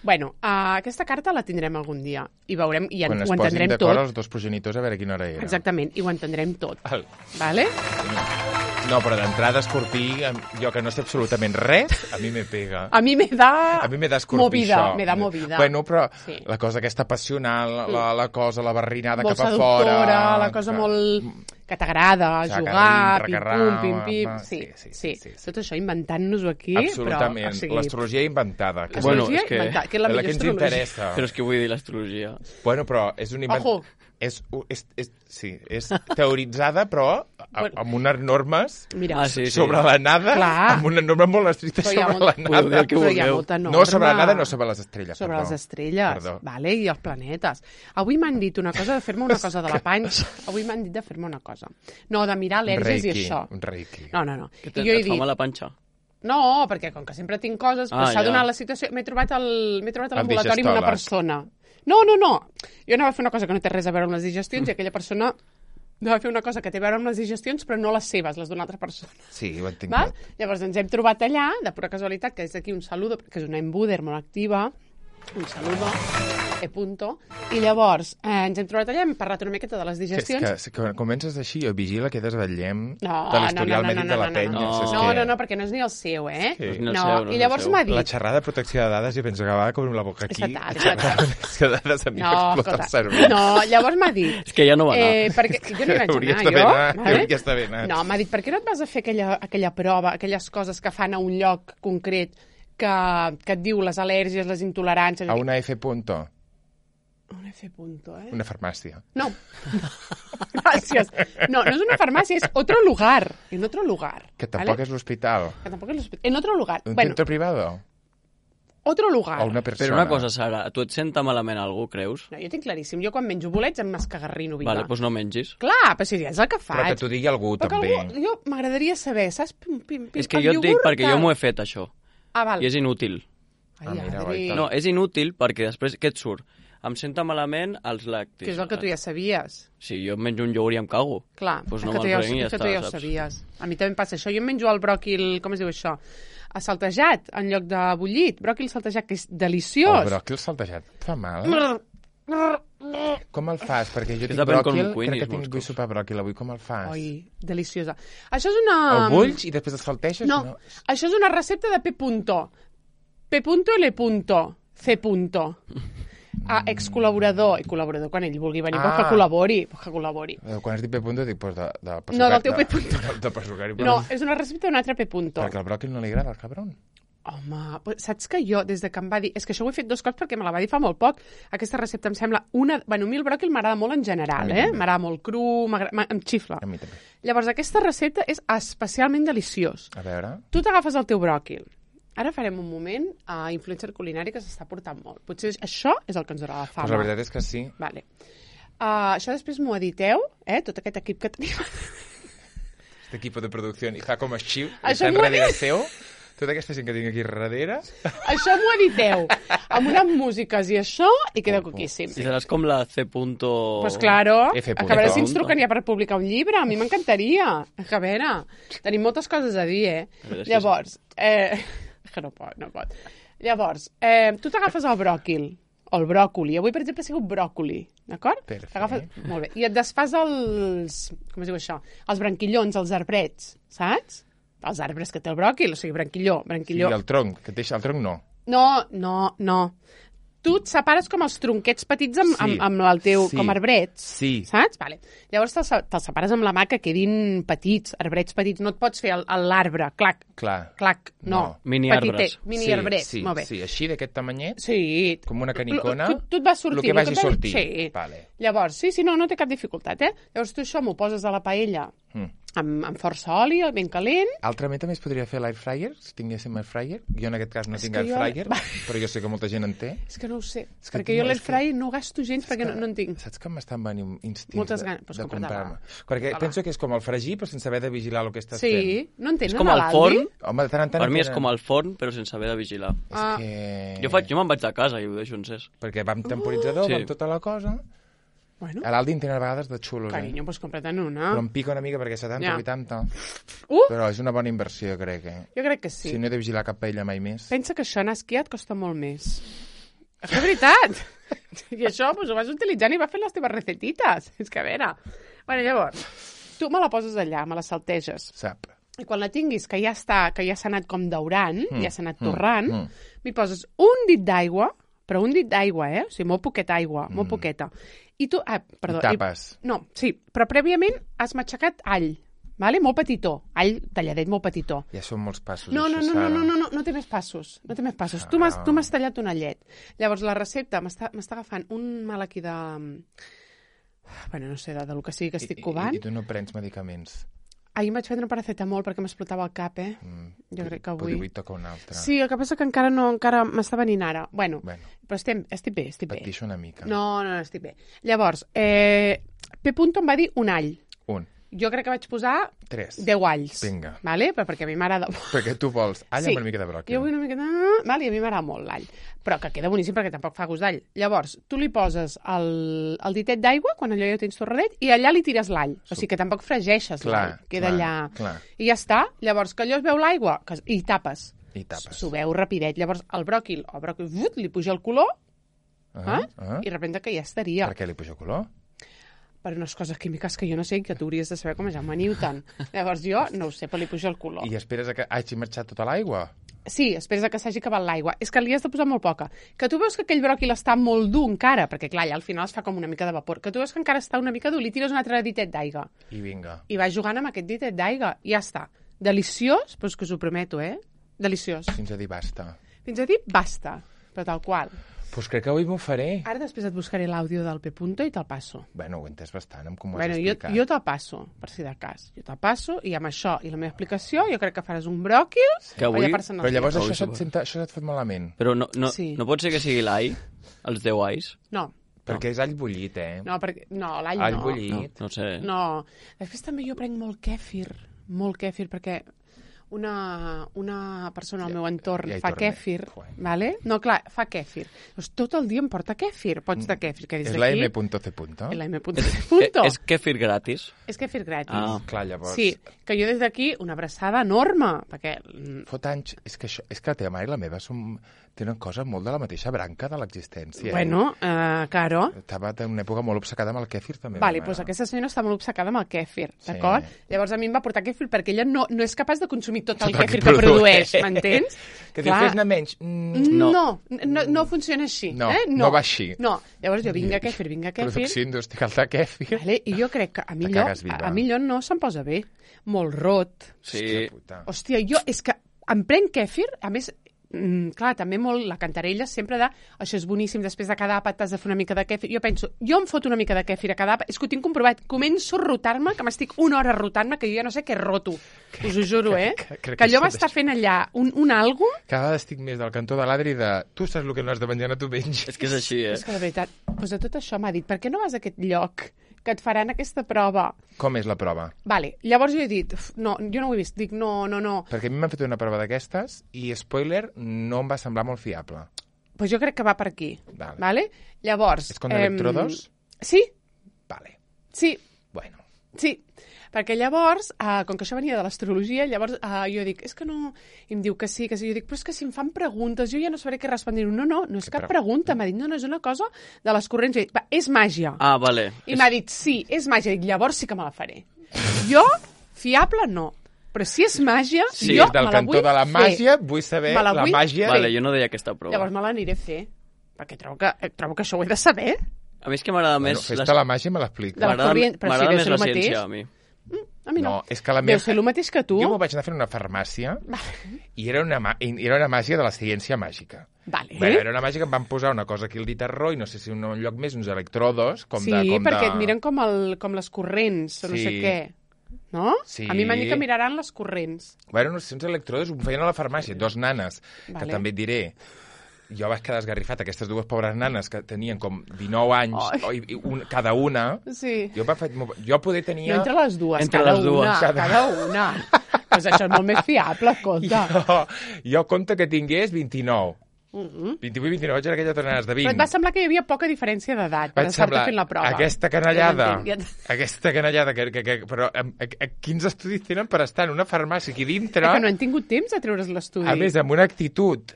Bueno, uh, aquesta carta la tindrem algun dia i veurem, i en, Quan es ho posin entendrem d'acord tot. els dos progenitors a veure quina hora era. Exactament, i ho entendrem tot. El... Vale? No, però d'entrada escorpí, em- jo que no sé absolutament res, a mi me pega. A mi me da... A mi me da escorpí, movida, això. me da movida. Bueno, però Sí. la cosa aquesta passional, la, la cosa, la barrinada molt cap a seductora, fora... la cosa que- molt... que t'agrada, Saca jugar, dintre, pim-pum, carrama, pim-pim... va, Sí, sí, sí, sí, sí, sí. Tot això inventant-nos-ho aquí, Absolutament. però... O sigui, L'astrologia inventada. Que és Bueno, astrologia és que- inventada, que és la la millor que ens astrologia. interessa. Però és que vull dir l'astrologia. Bueno, però és un invent... Ojo. És, és, és, sí, és teoritzada, però a, Bueno. amb unes normes Mira, Ah, sí, sí. sobre la nada, Clar. amb una norma molt estricta Però hi ha sobre molt- la Podeu dir nada. el que però hi ha vulgueu. molta norma. No sobre la nada, no sobre les estrelles. sobre perdó. les estrelles, Perdó. vale? I els planetes. Avui m'han dit una cosa de fer-me una cosa de la panxa. Avui m'han dit de fer-me una cosa. No, de mirar Un al·lèrgies i reiki, això. un reiki. No, no, no. Que I te, jo he et fa dit, mal la panxa. no, perquè com que sempre tinc coses, Ah, però s'ha ja. donat la situació... M'he trobat al- m'he trobat a El l'ambulatori amb una digestòleg. persona. No, no, no. Jo anava a fer una cosa que no té res a veure amb les digestions i aquella persona anava a fer una cosa que té a veure amb les digestions, però no les seves, les d'una altra persona. Sí, ho entenc Val? tot. Llavors ens hem trobat allà, de pura casualitat, que és aquí un saludo, que és una embuder molt activa, un saludo, e punto, i llavors eh, ens hem trobat allà, hem parlat una miqueta de les Que, és digestions. que, que quan comences així, jo vigila que desvetllem No, de l'historial no, no, mèdic no, de la no, no, penya. no. És No, que no, no, perquè no és ni el seu, eh? Sí. No és ni el No, seu, no és i el llavors seu. m'ha La dit... xerrada de protecció de dades, jo penso que va com la boca aquí. És fatal, és fatal. És que dades a mi No, m'explota el escolta, cervell. no, llavors m'ha dit... És que ja no va anar. Eh, perquè jo no hi vaig Hauries anar, d'haver jo. anat, hauries d'haver anat. No, m'ha dit, per què no et vas a fer aquella, aquella prova, aquelles coses que fan a un lloc concret que, que et diu les al·lèrgies, les intoleràncies... A una F punto, Un F punto, eh? una farmàcia. No. Gràcies. No, no és una farmàcia, és otro lugar. En otro lugar. Que tampoc ¿vale? és l'hospital. Que tampoc és l'hospital. En otro lugar. Un Bueno, centro privado. otro lugar. O una persona. Però una cosa, Sara, a tu et senta malament algú, creus? No, jo tinc claríssim. Jo quan menjo bolets em m'escagarrino viva. Vale, doncs no mengis. Clar, però si ja és el que faig. Però que t'ho digui algú, Però que també. algú, jo m'agradaria saber, saps? Pim, pim, pim, És que el jo et dic iogurt, perquè jo tal. m'ho he fet, això. Ah, val. I és inútil. Ai, Ah, mira, Adri, guaita. No, és inútil perquè després què et surt? Em senta malament els làctics. que és el que tu ja sabies. Si jo menjo un iogurt i em cago. Clar, Doncs és no que tu me'l ja, ho- prenc i ja és que tu està, ja ho saps? sabies. A mi també em passa això. Jo em menjo el bròquil, com es diu això? Saltejat, en lloc de bullit. Bròquil saltejat, que és deliciós. El bròquil saltejat et fa mal? Brr, Com el fas? Perquè jo tinc depèn com bròquil, cuinis, crec que tinc, molts vull cops. sopar bròquil avui. Com el fas? Oi, deliciosa. Això és una... El bulls i després el salteixes? No, no, això és una recepta de P. Punto. P. Punto, L. Punto, C. Punto. Ah, ex-col·laborador. I col·laborador, quan ell vulgui venir, Ah. pues que col·labori. Pues que col·labori. Eh, Quan has dit P. punto, dic, pues de, de No, del teu de- P. punto. De, de persucari. No, és una recepta d'un altre P. Punto. Perquè el bròquil no li agrada, al cabron. Home, pues saps que jo, des de que em va dir... És que això ho he fet dos cops perquè me la va dir fa molt poc. Aquesta recepta em sembla una... Bueno, a mi el bròquil m'agrada molt en general, A mi eh? també. M'agrada molt cru, m'agrada- m- em xifla. A mi també. Llavors, aquesta recepta és especialment deliciós. A veure... Tu t'agafes el teu bròquil. Ara farem un moment a influencer culinari que s'està portant molt. Potser això és el que ens donarà la fama. Pues la veritat és que sí. Vale. Uh, això després m'ho editeu, eh? Tot aquest equip que tenim. Este equip de producció i fa com així, Això està m'ho ha darrere dit. seu. Tota aquesta gent que tinc aquí darrere... Això m'ho editeu. Amb unes músiques i això, i queda coquíssim. I seràs com la C. Punto... Pues claro, F. a veure si ens Punto. truquen ja per publicar un llibre. A mi m'encantaria. A veure, tenim moltes coses a dir, eh? La veritat és que Llavors, eh... que no pot, no pot. Llavors, eh, tu t'agafes el bròquil, o el bròcoli. Avui, per exemple, ha sigut bròcoli, d'acord? Perfecte. T'agafes... Molt bé. I et desfas els... Com es diu això? Els branquillons, els arbrets, saps? Els arbres que té el bròquil, o sigui, branquilló, Sí, branquilló. el tronc, que et deixa el tronc no. No, no, no. Tu et separes com els tronquets petits amb, Sí. amb, amb el teu... Sí. com arbrets. Sí. Saps? Vale. Llavors te'ls te separes amb la mà que quedin petits, arbrets petits. No et pots fer el- el- l'arbre, clac, Clar. clac, no. No. Mini Petitet, arbres. Mini sí, arbrets, sí, molt bé. Sí, així d'aquest tamanyet, Sí. com una canicona, Tu, tu et vas sortir. el que vagi et va- sortir. Sí. Vale. Llavors, sí, sí, no, no té cap dificultat, eh? Llavors tu això m'ho poses a la paella Mm. amb, amb força oli, ben calent. Altrament també es podria fer l'air fryer, si tinguéssim air fryer. Jo en aquest cas no És tinc que air jo- fryer, però jo sé que molta gent en té. És que no ho sé, És que perquè no, jo és l'air que- fryer no gasto gens perquè no, no en tinc. Saps que m'estan venint instints Moltes de, ganes. Pues de compra-te-la. comprar-me? Perquè Compra-la. penso que és com el fregir, però sense haver de vigilar el que estàs Sí, fent. no en tenen És com a el l'Aldi? forn. Home, de tant en tant... Per mi és tenen- com el forn, però sense haver de vigilar. És Ah. que... Jo, faig, jo me'n vaig de casa i ho deixo encès. Perquè va amb temporitzador, Sí. va amb tota la cosa... Bueno, A l'Aldi en tenen a vegades de xulos, carinyo, pues compra't-en eh? una. Però em pica una mica perquè setanta, Ja. vuitanta... Uh, Però és una bona inversió, jo crec, eh? jo crec que sí. Si no he de vigilar cap paella mai més... Pensa que això anar a esquiar et costa molt més. És que és veritat. I això pues, ho vas utilitzant i vas fent les teves recetites. És que a veure... Bueno, llavors, tu me la poses allà, me la salteges. Sap. I quan la tinguis, que ja està, que ja s'ha anat com daurant, mm. ja s'ha anat torrant, mm. mm. m'hi poses un dit d'aigua, però un dit d'aigua, eh? O sigui, molt poqueta aigua, mm. molt poqueta. I tu... Ah, perdó. I tapes. I, no, sí, però prèviament has matxacat all, vale? Molt petitó. All talladet, molt petitó. Ja són molts passos, No, no, això, no, no, Sara. no, no, no, no té més passos. No té més passos. Tu m'has tu m'has tallat un allet. Llavors, la recepta m'està m'està agafant un mal aquí de... Bueno, no sé, de, de lo que sigui que estic I, covant. i, I tu no prens medicaments. Ahir em vaig prendre un paracetamol perquè m'explotava el cap, eh? Mm. Jo crec que Però avui... avui toca un altre. Sí, el que passa que encara no, encara m'està venint ara. Bueno, Bueno, però estem, estic bé, estic bé. patixo una mica. No, no, no, estic bé. Llavors, eh, P. Punto em va dir un all. Un, Jo crec que vaig posar tres. deu alls. Vinga. Vale? Però perquè a mi m'agrada... Perquè tu vols all Sí. amb una mica de bròquil. Jo vull una miqueta... Vale, i a mi m'agrada molt l'all. Però que queda boníssim perquè tampoc fa gust d'all. Llavors, tu li poses el, el ditet d'aigua, quan allò ja ho tens torradet, i allà li tires l'all. O sigui que tampoc fregeixes Clar, l'all. Queda clar, allà... clar. I ja està. Llavors, que allò es veu l'aigua que... i tapes. I tapes. s'ho veu rapidet. Llavors, el bròquil, el bròquil, vut, li puja el color, Ah, eh? ah. i de repente que ja estaria. Per què li puja color? Per unes coses químiques que jo no sé i que tu hauries de saber com a Jaume Newton. Llavors jo no ho sé, però li puja el color. I esperes a que hagi marxat tota l'aigua? Sí, esperes a que s'hagi acabat l'aigua. És que li has de posar molt poca. Que tu veus que aquell bròquil està molt dur encara, perquè clar, ja al final es fa com una mica de vapor. Que tu veus que encara està una mica dur, li tires un altre ditet d'aigua. I vinga. I vas jugant amb aquest ditet d'aigua. I ja està. Deliciós, però és que us ho prometo, eh? Deliciós. Fins a dir basta. Fins a dir basta, però tal qual. Doncs crec que avui m'ho faré. Ara després et buscaré l'àudio del P. Punto i te'l passo. Bueno, ho he entès bastant, amb com ho has Bueno, jo, explicat. jo te'l passo, per si de cas. Jo te'l passo i amb això i la meva explicació jo crec que faràs un bròquil Que avui- per Però llavors Avui això, se't sóc- senta, això se't fot malament. Però no, no, Sí. no pot ser que sigui l'all, els deu alls? No, Perquè és all bullit, eh? no, perquè... No, l'all all no. No, bullit. no sé. No. Després també jo prenc molt kèfir, molt kèfir, perquè una, una persona al meu entorn ja hi fa tornem. kèfir, Joder. vale? No, clar, fa kèfir. Doncs tot el dia em porta kèfir. Pots de kèfir, que des És la d'aquí... M.C. La M. Punto. Eh, És kefir gratis? És kèfir gratis. Ah. Clar, llavors... Sí, que jo des d'aquí una abraçada enorme, perquè... mm, Fot anys... És que, això, és que la teva mare i la meva som, tenen coses molt de la mateixa branca de l'existència. Bueno, eh, claro. Eh? Estava en una època molt obcecada amb el kèfir, també. Vale, la doncs meva. aquesta senyora està molt obcecada amb el kèfir, Sí. d'acord? Llavors a mi em va portar kèfir perquè ella no, no és capaç de consumir tot el Tot el kèfir que que produeix, produeix. m'entens? Que diu, fes-ne menys. Mm, No. No. No, no, no funciona així. No, eh? no va així. No, llavors jo vinga kèfir, vinga kèfir, Producció industrial de kèfir. vale? I jo crec que a mi Te allò, cagues viva. a, a mi allò no se'm posa bé. Molt rot. Sí. Hòstia puta. Hòstia, jo és que em prenc kèfir, a més, mm, clar, també molt la cantarella sempre de això és boníssim, després de cada àpat t'has de fer una mica de kèfir. Jo penso, jo em foto una mica de kèfir a cada àpat, és que ho tinc comprovat, començo a rotar-me, que m'estic una hora rotant-me, que jo ja no sé què roto. Us ho juro, eh? que- crec Que allò que va sí, estar fent allà un, un algo, Cada vegada estic més del cantó de l'Adri de tu saps el que no has de menjar, no t'ho menges. És que és així, eh? és que de veritat, doncs de tot això m'ha dit, per què no vas a aquest lloc que et faran aquesta prova? Com és la prova? Vale, llavors jo he dit, "Uf, no, jo no ho he vist, dic, no, no, no. Perquè a mi m'han fet una prova d'aquestes i, spoiler, no em va semblar molt fiable. Pues jo crec que va per aquí, Vale. vale? Llavors... És con em, electrodos? Sí, Vale, sí, bueno. sí. Perquè llavors, eh, com que això venia de l'astrologia, llavors eh, jo dic, és que no... I em diu que sí, que sí. Jo dic, però és que si em fan preguntes, jo ja no sabré què respondre. No, no, no és Què cap pre- pregunta. M'ha dit, no, no, és una cosa de les corrents. Jo dic, va, és màgia. Ah, vale. I m'ha dit, sí, és màgia. Dic, llavors sí que me la faré. Jo, fiable, no. Però si és màgia, Sí, jo Des del me la cantó vull de la fer. màgia vull saber Me la la vull màgia... Vale, jo no deia aquesta prova. Llavors me l'aniré a fer. Perquè trobo que, eh, trobo que això ho he de saber. A mi és que m'agrada Bueno, més... fes-te la màgia i me l'explica. De la M'agrada corrient, però sí, m'agrada deu més ser la el mateix. ciència, a mi. A mi no. No, és que la Deu meva... ser el mateix que tu. Jo m'ho vaig anar a fer a una farmàcia i era una, mà- i era una màgia de la ciència màgica. Vale. Bé, era una màgia que em van posar una cosa aquí al dit arró i no sé si un lloc més, uns electrodos, com sí, de... Com perquè de... et miren com, el, com les corrents, o no Sí. sé què. No? Sí. A mi m'han dit que miraran les corrents. Bueno, no sé, uns electrodos ho feien a la farmàcia, dos nanes, Vale. que també et diré... Jo vaig quedar esgarrifat, aquestes dues pobres nanes que tenien com dinou anys, Ai. o, i, i un, cada una... Sí. Jo, va, jo poder tenia... No entre les dues, Entre cada les dues. una. Cada- Cada una. Pues això és molt més fiable, escolta. Jo, jo compte que tingués vint-i-nou. vint-i-vuit, vint-i-nou, vaig a aquelles nanes de vint. Però et va semblar que hi havia poca diferència d'edat per Vaig estar-te semblar fent la prova. aquesta canallada, Ja t'entenc, ja aquesta canallada, que, que, que, però a, a, a, quins estudis tenen per estar en una farmàcia aquí dintre, Que no han tingut temps de treure's l'estudi. a més, amb una actitud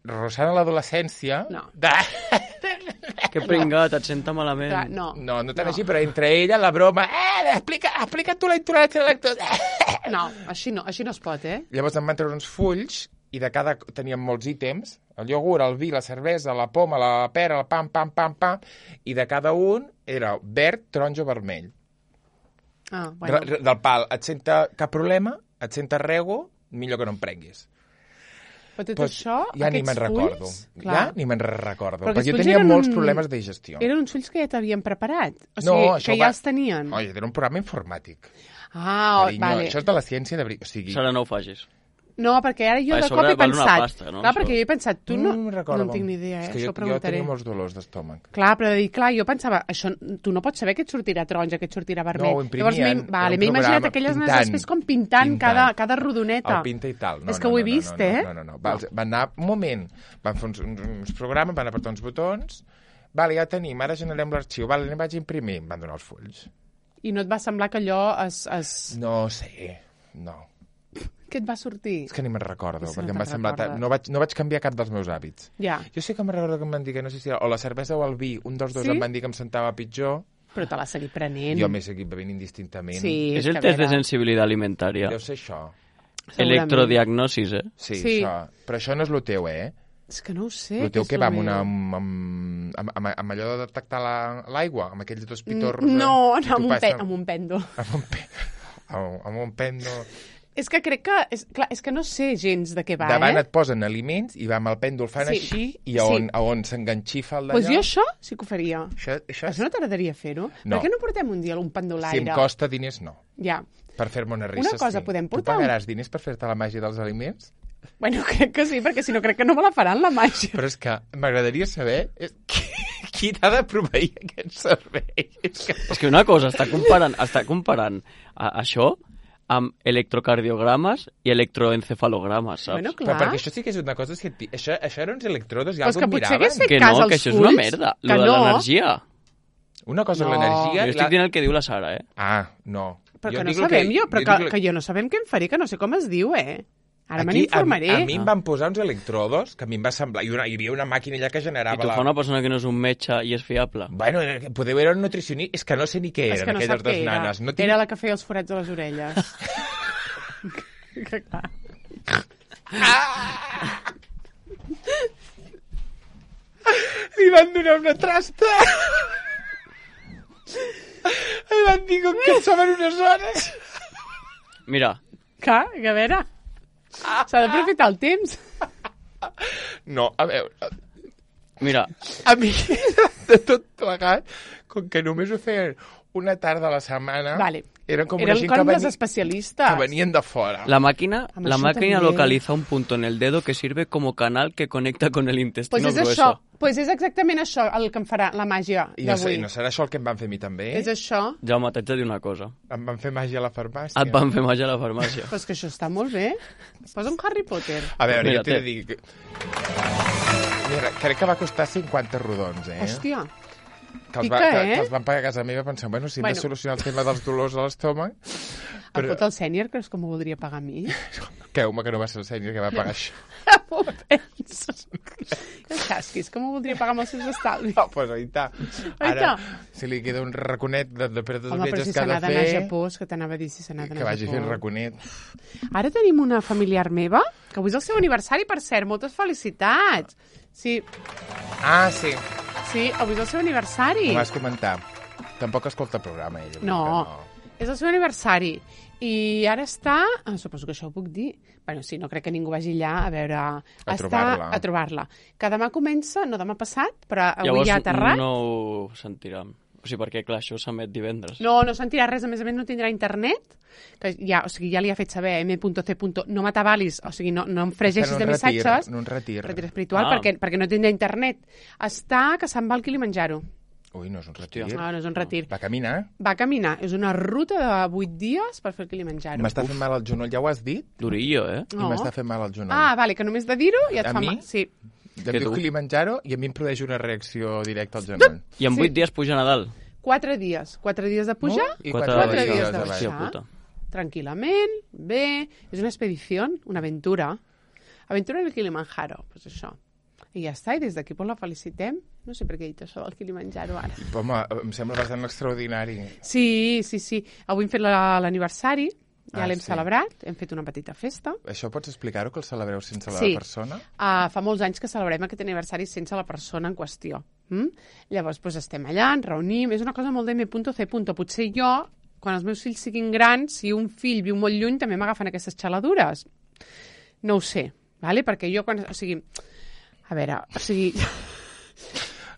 rossant a l'adolescència... No. De... Que pringat, et senta malament. Clar, no. No, no tant així, però entre ella la broma... Eh, explica, explica tu la intolerància a la lactosa. No, així no, així no es pot, eh? Llavors em van treure uns fulls i de cada... teníem molts ítems, el iogurt, el vi, la cervesa, la poma, la pera, el pam, pam, pam, pam, i de cada un era verd, taronja o vermell. Ah, Bueno. bueno. De, del pal, et senta cap problema, et senta rego, millor que no em prenguis. Però tot Pues, això, ja ni aquests me'n recordo. fulls... Ja ni me'n recordo. Però Perquè aquests jo fulls tenia eren molts un- problemes de digestió. Eren uns fulls que ja t'havien preparat. O No, sigui, això que va- ja els tenien. Oi, era un programa informàtic. Ah, Carinyo, vale. Això és de la ciència de... veri- O sigui, Sara, no ho facis. No, perquè ara jo A de sobre cop he val una pensat... pasta, no, Clar, això? perquè jo he pensat, tu no... me'n recordo. No en tinc ni idea, eh? És que Això jo, ho preguntaré. jo tenia molts dolors d'estómac. Clar, però de dir, clar, jo pensava, això, tu no pots saber què et sortirà taronja, què et sortirà vermell. No, ho imprimien, Llavors, m'he- era vale, un m'he imaginat programa aquelles pintant, nanes després com pintant, pintant. Cada, cada rodoneta. El pinta i tal. No, És que no, ho he no, vist, no, no, eh? No, no, no. Va, van anar, un moment, van fer uns, uns, uns programes, van apretar uns botons, vale, ja tenim, ara generem l'arxiu, vale, anem vaig a imprimir, em van donar els fulls. I no et va semblar que allò es... es... No sé, no. Què et va sortir? És que ni me'n recordo, Sí, perquè no em va te'n semblar... ta- recordes. No vaig, no vaig canviar cap dels meus hàbits. Ja, Jo sé que me'n recordo que em van dir que no sé si era o la cervesa o el vi, un dels dos Sí? em van dir que em sentava pitjor, però te l'has seguit prenent. jo m'he seguit bevent indistintament. Sí, És el que a test de veure, sensibilitat alimentària. Deu ser això. segurament. Electrodiagnosis, eh? Sí, Sí. això. Però això no és el teu, eh? És que no ho sé. El teu és que lo va amb, una, meu. amb, amb, amb, amb, amb allò de detectar la- l'aigua, amb aquells dos pitorros... Mm, No, eh? I no tu amb, un passa- pe amb un pèndol. Amb un, pe... amb, amb un pèndol... És que crec que... És, clar, és que no sé gens de què va, Davant eh? et posen aliments i va amb el pèndol fan Sí, així i sí. a on, a on s'enganxifa el Doncs d'allò... jo això sí que ho faria. Això, això, Això no t'agradaria fer-ho? No. Per què no portem un dia un si pendolaire? em costa diners, no. Ja. Per fer-me una rissa, Una cosa, sí. podem Tu portar un- pagaràs diners per fer-te la màgia dels aliments? Bueno, crec que sí, perquè si no crec que no me la faran, la màgia. Però és que m'agradaria saber eh, qui, qui t'ha de proveir aquest servei. És que... És que una cosa, està comparant, està comparant a, això amb electrocardiogrames i electroencefalogrames, saps? Bueno, Però clar. perquè això sí que és una cosa científica. Això, això eren uns electrodos i Pues algú que em potser miraven. hagués fet que cas no, als que això és una fulls, merda. que Lo de no. l'energia. Una cosa No. és l'energia... Jo i estic la... dient el que diu la Sara, eh? Ah, no. Però Jo que no dic el sabem jo, però que, dic el- que jo no sabem què em faré, que no sé com es diu, eh? Ara me Aquí, n'informaré. A, a mi em van posar uns electrodos que a mi em va semblar... I una, hi havia una màquina allà que I generava tu la... fa una persona que no és un metge i és fiable. Bueno, eh, podeu era un nutricionista... És que no sé ni què És eren que no aquelles sap què dues era. nanes. No tinc... Era la que feia els forats a les orelles. que clar. Li van donar una trasta. Li van dir com que soben unes hores. Mira, Clar, que a veure... S'ha d'aprofitar el temps. No, a veure... mira, A mi, de tot plegat, com que només ho feien una tarda a la setmana, Vale. eren com Eren una gent com que, les veni... especialistes. que venien de fora. la máquina, Amb la això máquina també. localiza un punto en el dedo que sirve como canal que conecta con el intestino Pues és grueso. això, pues és exactament això el que em farà la màgia I no, sé, d'avui. I no serà això el que em van fer a mi també? És això, Jaume, t'haig de dir una cosa. Em van fer màgia a la farmàcia. Et van fer màgia a la farmàcia. pues que això està molt bé. Posa un Harry Potter. A veure, Mira, jo t'he té. de dir... Que... Mira, crec que va costar cinquanta rodons, eh? Hòstia, que els, va, pica, que, eh? que els van pagar a casa meva pensant, bueno, si hem Bueno. de solucionar el tema dels dolors a l'estómac... el pot el sènior creus que m'ho voldria pagar a mi? Creu-me que no va ser el sènior que va pagar això. M'ho penso. Que el casquis, que m'ho voldria pagar amb els seus estalvis. No, pues ahí està. Ara, Aita. si li queda un raconet de, de per tots els Home, però viatges si que se ha n'ha de d'anar a fer, Japó, és que t'anava a dir si se n'ha d'anar que a vagi Japó. fent raconet. Ara tenim una familiar meva, que avui és el seu aniversari, per cert, moltes felicitats. Sí, Ah, sí, sí, avui és el seu aniversari. ho vas comentar. Tampoc escolta el programa, ella. No, vull és el seu aniversari. I ara està... Ah, suposo que això ho puc dir. Bueno, sí, no crec que ningú vagi allà a veure... A està trobar-la. A trobar-la. Que demà comença, no demà passat, però avui Llavors ja ha aterrat. no ho sentirem. O sigui, perquè, clar, això s'emet divendres. No, no sentirà res, a més a més no tindrà internet, que ja, o sigui, ja li ha fet saber m punto c. No m'atabalis, o sigui, no, no em fregeixis Està en de un retir, missatges. en un retir. Retir espiritual, Ah. perquè, perquè no tindrà internet. Està que se'n va al Kilimanjaro. Ui, no és un retir. Hòstia. Ah, no és un retir. Va caminar. Va caminar, és una ruta de vuit dies per fer el Kilimanjaro. M'està fent mal al genoll, ja ho has dit? Durillo, eh? I No. m'està fent mal al genoll. Ah, vale, que només de dir-ho ja et A fa mi? mal. Sí. Em Que diu tu? Kilimanjaro i a mi em produeix una reacció directa al genoll. I en Sí. vuit dies puja a Nadal. Quatre dies. Quatre dies de pujar, No? I Quatre quatre, quatre dies dies de de baix. Hòstia baixar. puta. tranquil·lament, bé. És una expedició, una aventura. Aventura del Kilimanjaro, pues això. I ja està, i des d'aquí pues, la felicitem. No sé per què he dit això del Kilimanjaro ara. Home, em sembla bastant extraordinari. Sí, sí, sí. Avui hem fet la- l'aniversari, ja Ah, l'hem sí. celebrat, hem fet una petita festa. Això pots explicar-ho, que el celebreu sense la Sí. persona? Uh, fa molts anys que celebrem aquest aniversari sense la persona en qüestió. Mm? Llavors, doncs, estem allà, ens reunim, és una cosa molt de m punto c. Potser jo, quan els meus fills siguin grans, si un fill viu molt lluny, també m'agafen aquestes xaladures. No ho sé, vale? Perquè jo quan... O sigui, a veure, o sigui...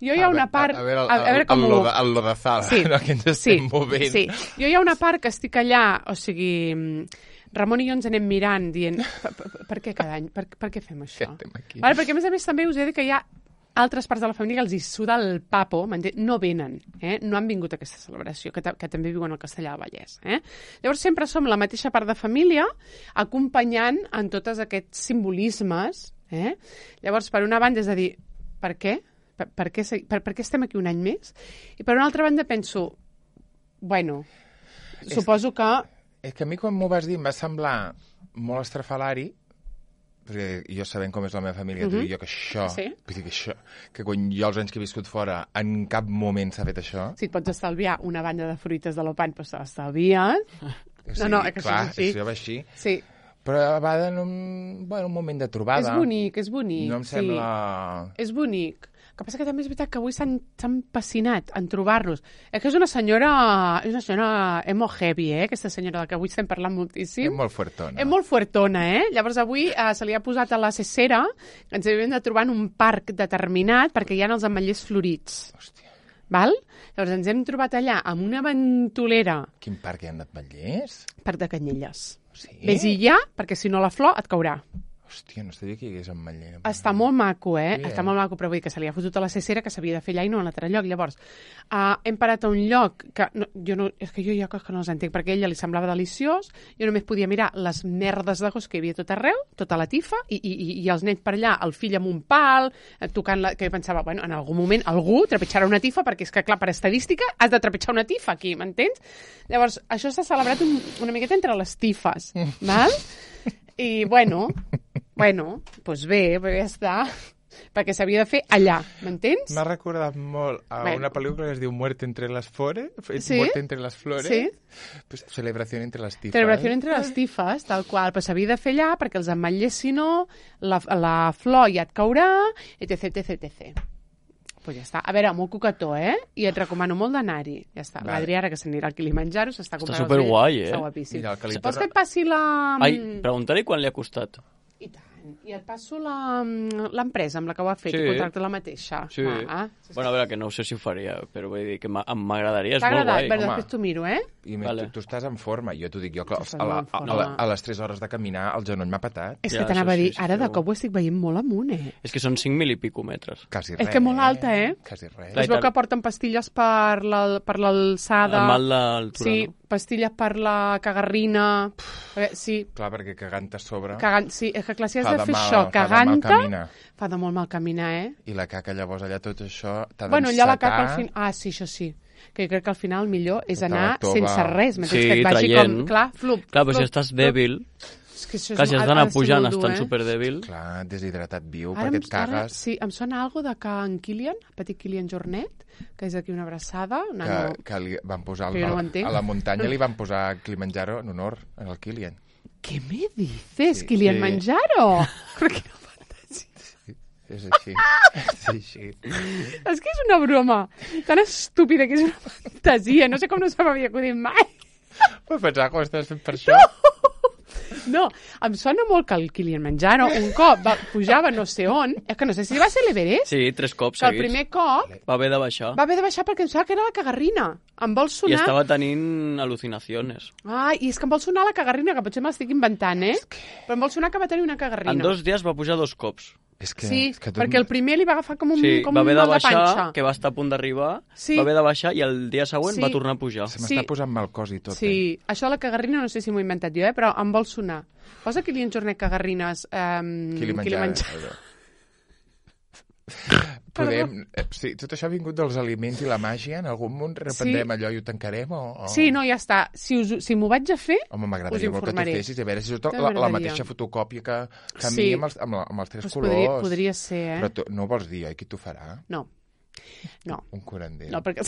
Jo hi ha una part... A, a veure, el, a, a veure com el, ho... lo de, el lo de Zala, Sí, no, que ens estem movent. Sí, jo hi ha una part que estic allà, o sigui, Ramon i jo ens anem mirant, dient, per, per, per què cada any? Per, per què fem això? Estem aquí. Vale, perquè a més a més també us he de dir que hi ha altres parts de la família que els hi suda el papo, m'entén? No venen, eh? No han vingut a aquesta celebració, que, ta que també viuen al Castellà del Vallès. Eh? Llavors sempre som la mateixa part de família acompanyant en tots aquests simbolismes. Eh? Llavors, per una banda és a dir, per què? Per, per, què, se- per, per què estem aquí un any més? I per una altra banda penso, bueno, És- suposo que És que a mi quan m'ho vas dir em va semblar molt estrafalari, perquè jo sabent com és la meva família, uh -huh. jo que això, Sí? vull dir que això, que quan jo els anys que he viscut fora en cap moment s'ha fet això. Si et pots estalviar una banda de fruites de l'Opan, doncs te l'estalvies. O No, no, és que clar, això és així. això va així. Sí, Però va en un, bueno, un moment de trobada. és bonic, és bonic. No em sí. sembla... És bonic. El que passa que també és veritat que avui s'han s'han passinat en trobar-los. És que és una senyora, és una senyora emo heavy, eh? Aquesta senyora de que avui estem parlant moltíssim. És molt fuertona. És molt fuertona, eh? Llavors avui eh, se li ha posat a la cesera, ens hem de trobar en un parc determinat perquè hi ha els ametllers florits. Hòstia, Val? Llavors ens hem trobat allà amb una ventolera, quin parc hi ha d'ametllers? parc de Canyelles. Sí? Vés-hi ja, perquè si no la flor et caurà. Hòstia, no sabia que hi hagués ametller. Està molt maco, eh? Sí, Està eh? molt maco, però vull dir que se li ha fotut a la cesera que s'havia de fer allà i no a un altre lloc. Llavors, uh, hem parat a un lloc que... No, jo no, és que jo hi ha coses que no els entenc, perquè a ella li semblava deliciós, jo només podia mirar les merdes de gos que hi havia tot arreu, tota la tifa, i, i, i, i els nens per allà, el fill amb un pal, eh, tocant la... que jo pensava, bueno, en algun moment algú trepitjarà una tifa, perquè és que, clar, per estadística has de trepitjar una tifa aquí, m'entens? Llavors, això s'ha celebrat un, una miqueta entre les tifes, val? I, bueno, bueno, doncs bé, però ja està, perquè s'havia de fer allà, m'entens? M'ha recordat molt a Bueno. una pel·lícula que es diu Muerte entre las flores. Sí? Muerte entre las flores. Sí. Pues, celebración entre las tifas. Celebració entre les tifes, tal qual, però s'havia de fer allà perquè els ametllers, si no, la, la flor ja et caurà, etc, etc, etc. Pues ja està. A veure, molt coquetó, eh? I et recomano molt d'anar-hi. Ja està. Vale. L'Adrià, ara que s'anirà al Kilimanjaro, s'està comprant els superguai, bitllets. eh? Està guapíssim. Mira, el que li Vols torna- que et passi la... Ai, pregunta-li quan li ha costat. I tant. I et passo la- l'empresa amb la que ho ha fet, Sí. i contracta la mateixa. Sí. Ah, Bueno, a veure, que no sé si ho faria, però vull dir que m'a- m'agradaria, és t'ha molt agradat? guai. Bé, home. després t'ho miro, eh? I més, Vale. tu, tu estàs en forma. Jo t'ho dic, jo, clar, Tu estàs a, la, molt en a, forma. a, la, a les tres hores de caminar el genoll m'ha patat. És Ja, que t'anava a això dir, sí, sí, ara de segur. cop ho estic veient molt amunt, eh? És que són cinc mil i pico metres. Quasi És res. que molt alta, eh? Quasi res. Clar, Es veu que porten pastilles per la- per l'alçada. El mal d'altura, Sí, no? pastilles per la cagarrina. A veure, sí, Clar, perquè cagant a sobre cagant, sí, és que clar, si has fa de de fer mal, això fa de mal cagant-te, caminar. fa de molt mal caminar, eh? I la caca, llavors, allà tot això t'ha Bueno, allà la caca al d'encetar. final... Ah, sí, això sí. Que jo crec que al final el millor és Tota la anar tova. sense res, m'entens? Sí, que et vagi traient. com... Clar, flup, Clar, però si flup, estàs flup. dèbil, És que això és, clar, si has ha- d'anar ha de ser pujant molt dur, estant eh? superdèbil... Clar, deshidratat viu, Ara perquè em- et cagues. Sí, em sona algo de que en Kilian, el petit Kilian Jornet, que és aquí una abraçada, un Que, nano... que li van posar Que jo no ho a, entenc. a la muntanya li van posar Kilimanjaro en honor al Kilian. ¿Qué me dices, Sí, Kilian sí. Manjaro? Perquè És així. És així. és que és una broma tan estúpida que és una fantasia. No sé com no se m'havia acudit mai. Però pensava que ho estàs fent per això. No, em sona molt que el Kilian Manjaro un cop va, pujava no sé on, és que no sé si va ser l'Everest, Sí, tres cops que el seguits. primer cop Va haver de baixar. va haver de baixar perquè em sembla que era la cagarrina. Em vol I sonar... estava tenint al·lucinacions. Ai, i és que em vol sonar la cagarrina, que potser me l'estic inventant, eh? Però em vol sonar que va tenir una cagarrina. En dos dies va pujar dos cops. És que, Sí, és que tot... perquè el primer li va agafar com un, Sí, com va un haver de mal de baixar, panxa. que va estar a punt d'arribar, Sí. va haver de baixar i el dia següent Sí. va tornar a pujar. Se m'està Sí. posant mal cos i tot. Sí, això de la cagarrina no sé si m'ho he inventat jo, eh? Però em vol sonar. Posa Kilian Jornet cagarrines... Um, Eh? Kilimanjaro. Kilimanjaro. Podem... eh, Sí, tot això ha vingut dels aliments i la màgia. En algun moment reprendrem Sí. allò i ho tancarem? O, o... Sí, no, ja està. Si, us, si m'ho vaig a fer... Home, us m'agradaria molt que t'ho informaré. fessis i a veure si és la, la M'agradaria. mateixa fotocòpia que, que a mi Sí. amb els, amb, la, amb els tres Doncs colors. podria, podria ser, eh? Però tu, no vols dir, oi, qui t'ho farà? No. No, Un curandero. no, perquè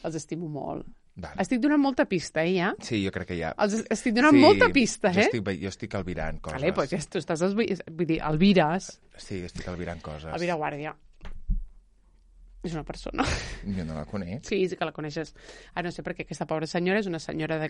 els estimo molt. Vale. Estic donant molta pista, eh, ja? Sí, jo crec que ja... Els estic donant molta pista, Jo eh? estic, ve- jo estic albirant coses. Vale, doncs ja tu estàs... Esvi... Vull dir, el vires, Sí, estic albirant coses. el vira guàrdia. És una persona. Jo no la conec. Sí, sí que la coneixes. Ah, no sé per què aquesta pobra senyora és una senyora de...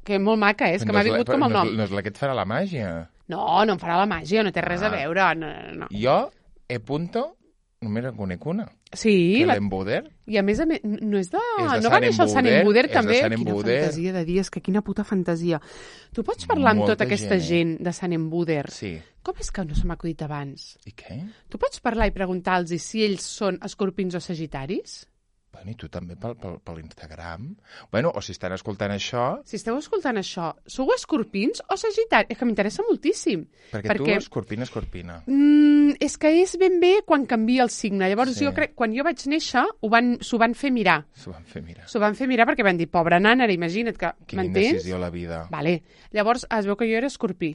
que molt maca, eh? És que No m'ha és la- vingut com el no, nom. és- No és la que et farà la màgia. No, no em farà la màgia, no té res a Ah. veure. No, no, no. Jo, e punto, només en conec una. Sí, Que la... l'Embuder. i a més a més, no és de... És de no va Sant néixer el Sant Embuder, Embuder, és de també? Sant Quina Embuder. fantasia de dies, que quina puta fantasia. Tu pots parlar amb Molta tota aquesta gent, gent de Sant Embuder? Sí. Com és que no se m'ha acudit abans? I què? Tu pots parlar i preguntar-los si ells són escorpins o sagitaris? Bueno, i tu també pel, pel, per l'Instagram. Bueno, o si estan escoltant això... Si esteu escoltant això, sou escorpins o sagitari? És que m'interessa moltíssim. Perquè, perquè tu, escorpina, escorpina. Mm, és que és ben bé quan canvia el signe. Llavors, Sí. jo crec, quan jo vaig néixer, ho van, s'ho van fer mirar. S'ho van fer mirar. S'ho van fer mirar perquè van dir, pobra nana, ara imagina't que... Quina M'entens? indecisió a la vida. Vale. Llavors, es veu que jo era escorpí.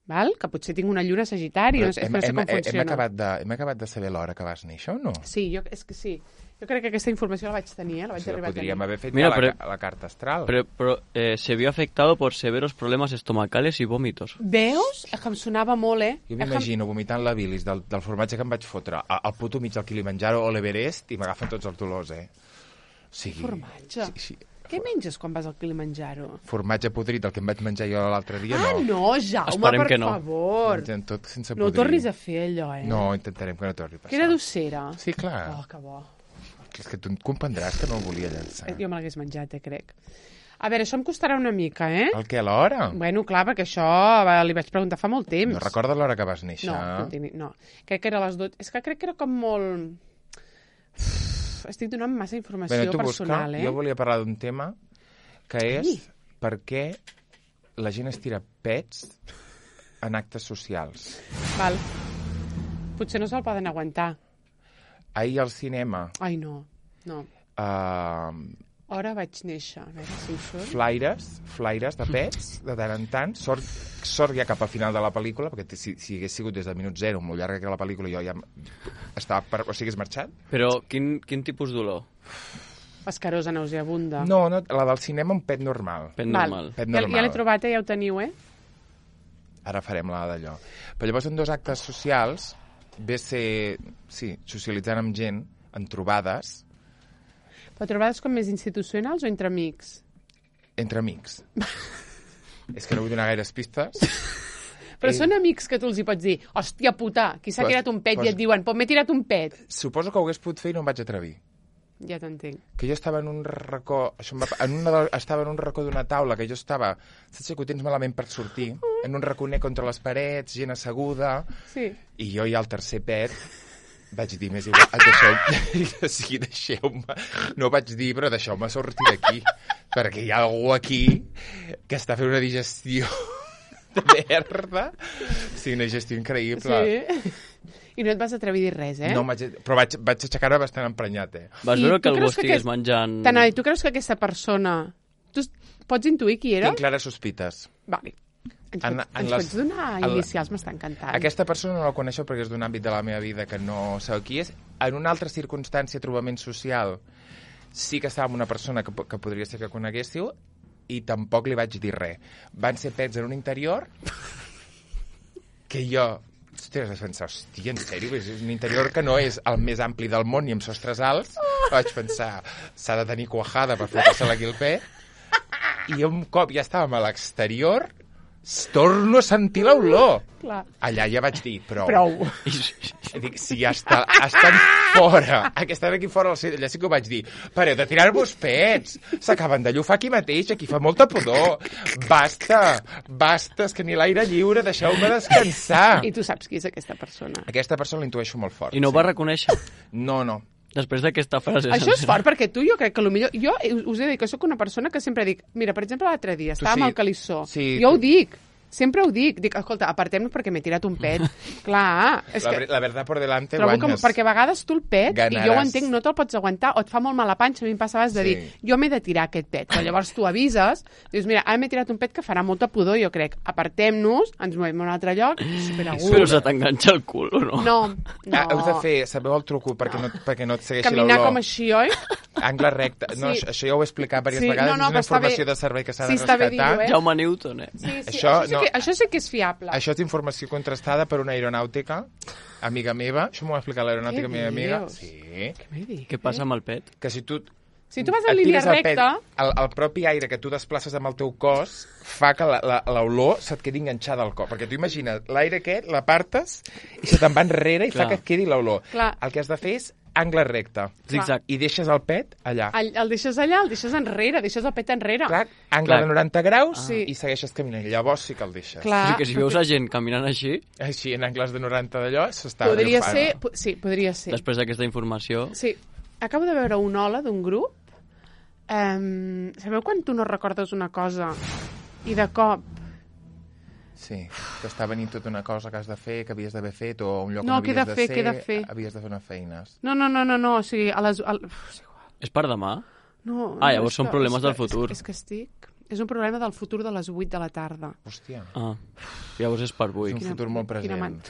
Val? Que potser tinc una lluna sagitari, no sé, hem, no sé hem, com hem, funciona. acabat de, hem acabat de saber l'hora que vas néixer o no? Sí, jo, és que sí. Jo crec que aquesta informació la vaig tenir, eh? La vaig Sí, la arribar a tenir. podríem haver fet Mira, ja però- la, la carta astral. Pero, pero, eh, se vio afectado por severos problemas estomacales y vómitos. Veus? És que em sonava molt, eh? Jo És que- m'imagino vomitant la bilis del, del formatge que em vaig fotre al, al puto mig del Kilimanjaro o l'Everest i m'agafen tots els dolors, eh? O sigui, Formatge? Sí, sí. Què menges quan vas al Kilimanjaro? Formatge podrit, el que em vaig menjar jo l'altre dia, Ah, no. no, Jaume, Esperem per que no. favor. Mengem tot sense No ho podrir. tornis a fer, allò, eh? No, intentarem que no torni a passar. Que era dossera. Sí, clar. Oh, que bo. És que tu comprendràs que no el volia llançar. Eh, Jo me l'hagués menjat, eh, crec. A veure, això em costarà una mica, eh? El què, l'hora? Bueno, clar, perquè això va, li vaig preguntar fa molt temps. No recordes l'hora que vas néixer? No, no, tinc, no. Crec que era a les dotze. És que crec que era com molt... Uf, estic donant massa informació Bé, tu personal, busca. eh? Jo volia parlar d'un tema que és Ai. per què la gent es tira pets en actes socials. Val. Potser no se'l poden aguantar. Ahir al cinema, Ai, no. No. uh, Hora vaig néixer. A veure si hi surt. flaires, flaires de pets, de tant en tant. Sort, sort ja cap al final de la pel·lícula, perquè si, si hagués sigut des del minut zero, molt llarga que la pel·lícula, jo ja estava per... O sigui, hagués marxat? Però quin, quin tipus d'olor? Escarosa, nauseabunda. No, no, la del cinema un pet normal. Pet Val. normal. Pet Ja, normal. ja l'he trobat, eh? Ja ho teniu, eh? Ara farem la d'allò. Però llavors en dos actes socials ve ser, sí, socialitzant amb gent, en trobades, Però trobades com més institucionals o entre amics? entre amics. És que no vull donar gaires pistes. Però Eh. són amics que tu els hi pots dir, hòstia puta, qui s'ha Pues- tirat un pet pues- i et diuen, pues m'he tirat un pet. Suposo que ho hagués pogut fer i no em vaig atrevir. Ja t'entenc. Que jo estava en un racó, això em va, en una de, estava en un racó d'una taula, que jo estava, saps que ho tens malament per sortir, en un raconer contra les parets, gent asseguda, Sí. i jo ja al tercer pet vaig dir, més igual, deixeu-me, o sigui, deixeu-me, no vaig dir, però deixeu-me sortir d'aquí, perquè hi ha algú aquí que està fent una digestió de merda, o sigui, una digestió increïble. Sí. I no et vas atrevir a dir res, eh? No, vaig, però vaig, vaig aixecar-me bastant emprenyat, eh? Vas I veure tu que algú creus que estigués aquest- menjant... T'anava a dir, tu creus que aquesta persona... Tu s- pots intuir qui era? Tinc clares sospites. Vale. Ens, En- pots, en ens les- pots donar en la- inicials? M'està encantant. Aquesta persona no la coneixo perquè és d'un àmbit de la meva vida que no sabeu qui és. En una altra circumstància, trobament social, sí que estava amb una persona que, po- que podria ser que coneguéssiu i tampoc li vaig dir res. Van ser pets en un interior que jo... Ostres, vaig pensar, hòstia, en sèrio? És un interior que no és el més ampli del món i amb sostres alts. Vaig pensar, s'ha de tenir cuajada per fotre-se-la aquí el pet. I un cop ja estàvem a l'exterior, torno a sentir l'olor. Clar. Allà ja vaig dir, prou. Prou. Dic, si ja està, estan fora, que estan aquí fora, allà sí que ho vaig dir. Pareu de tirar-vos pets, s'acaben de llufar aquí mateix, aquí fa molta pudor. Basta, basta, és que ni l'aire lliure, deixeu-me descansar. I tu saps qui és aquesta persona. Aquesta persona l'intueixo molt fort. I no ho sí. va reconèixer. No, no. Després d'aquesta frase... Això és fort, perquè tu jo crec que potser... Jo us he de dir que sóc una persona que sempre dic... Mira, per exemple, l'altre dia estàvem sí. al Calissó. Sí, jo ho tu- dic. Sempre ho dic. Dic, escolta, apartem-nos perquè m'he tirat un pet. Clar, és La, que... ver- la verdad por delante Trobo que, guanyes. perquè a vegades tu el pet, i jo ho Ganaràs. entenc, no te'l pots aguantar, o et fa molt mal a panxa, a mi em passava de dir, Sí. jo m'he de tirar aquest pet, però llavors tu avises, dius, mira, ara m'he tirat un pet que farà molta pudor, jo crec, apartem-nos, ens movem a un altre lloc, superagut. Però se t'enganxa el cul, o no? No, no. Ah, heu de fer, sabeu el truco perquè no, perquè no et segueixi Caminar l'olor? com així, oi? Angle recte. No, Sí. això, això ja ho he explicat diverses Sí, vegades. no, no, és una però està bé. informació de servei que s'ha Sí, de està bé rescatar. dir-ho, eh? Jaume Newton, eh? Sí, sí, Això això, això, sí no- que, això sí que és fiable. Això és informació contrastada per una aeronàutica amiga meva. Això m'ho va explicar l'aeronàutica Què meva amiga. dius? Sí. Què m'he dit? Què passa amb el pet? Que si tu... Si tu vas en et línia tires el pet, recta... el, el propi aire que tu desplaces amb el teu cos fa que la- la- l'olor se't quedi enganxada al cos. Perquè tu imagina, l'aire aquest l'apartes i se te'n va enrere i Clar. fa que et quedi l'olor. Clar. El que has de fer és angle recte. Zig-zag. I deixes el pet allà. El, el deixes allà, el deixes enrere, deixes el pet enrere. Clar, angle Clar. de noranta graus Sí. i segueixes caminant. Llavors sí que el deixes. Clar. O sigui que si veus a gent caminant així, Així, en angles de noranta d'allò, s'està Podria agafant. ser... po- Sí, podria ser. després d'aquesta informació... Sí, acabo de veure un hola d'un grup. Um, sabeu quan tu no recordes una cosa i de cop... Sí, t'està venint tota una cosa que has de fer, que havies d'haver fet, o un lloc No, on que he havies de de, fer, ser, que he de fer. havies de fer unes feines. No, no, no, no, no, o sigui, a les... A... Uf, és igual. És per demà? No, Ah, no, llavors és són que- problemes és del que- futur. És, és que estic... És un problema del futur de les vuit de la tarda. Hòstia, Ah, llavors és per avui. és un futur molt present. Quina man-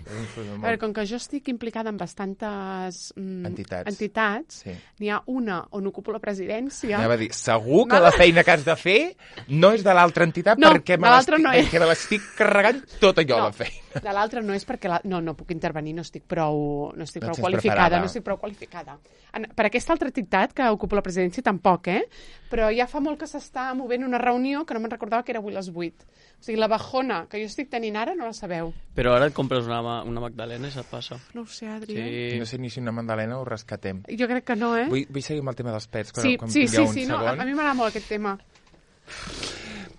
És un futur A molt... veure, com que jo estic implicada en bastantes mm, Entitats. entitats Sí. n'hi ha una on ocupo la presidència. Anava a dir, segur que la feina que has de fer no és de l'altra entitat No, perquè me de l'altra l'estic no és. perquè me l'estic carregant tot allò, No, la feina. de l'altra no és perquè... La... No, no puc intervenir, no estic prou, no estic No prou estàs qualificada. preparada. No estic prou qualificada. En, per aquesta altra entitat que ocupo la presidència tampoc, eh? Però ja fa molt que s'està movent una reunió que no me'n recordava que era avui a les vuit. O sigui, la bajona que jo estic tenint ara no la sabeu. Però ara et compres una, ma- una Magdalena i se't passa. No ho sé, Adri. Sí. No sé ni si una Magdalena ho rescatem. Jo crec que no, eh? Vull, vull seguir amb el tema dels pets, quan, sí, quan sí, sí, tingueu un sí, no, a, segon. a mi m'agrada molt aquest tema.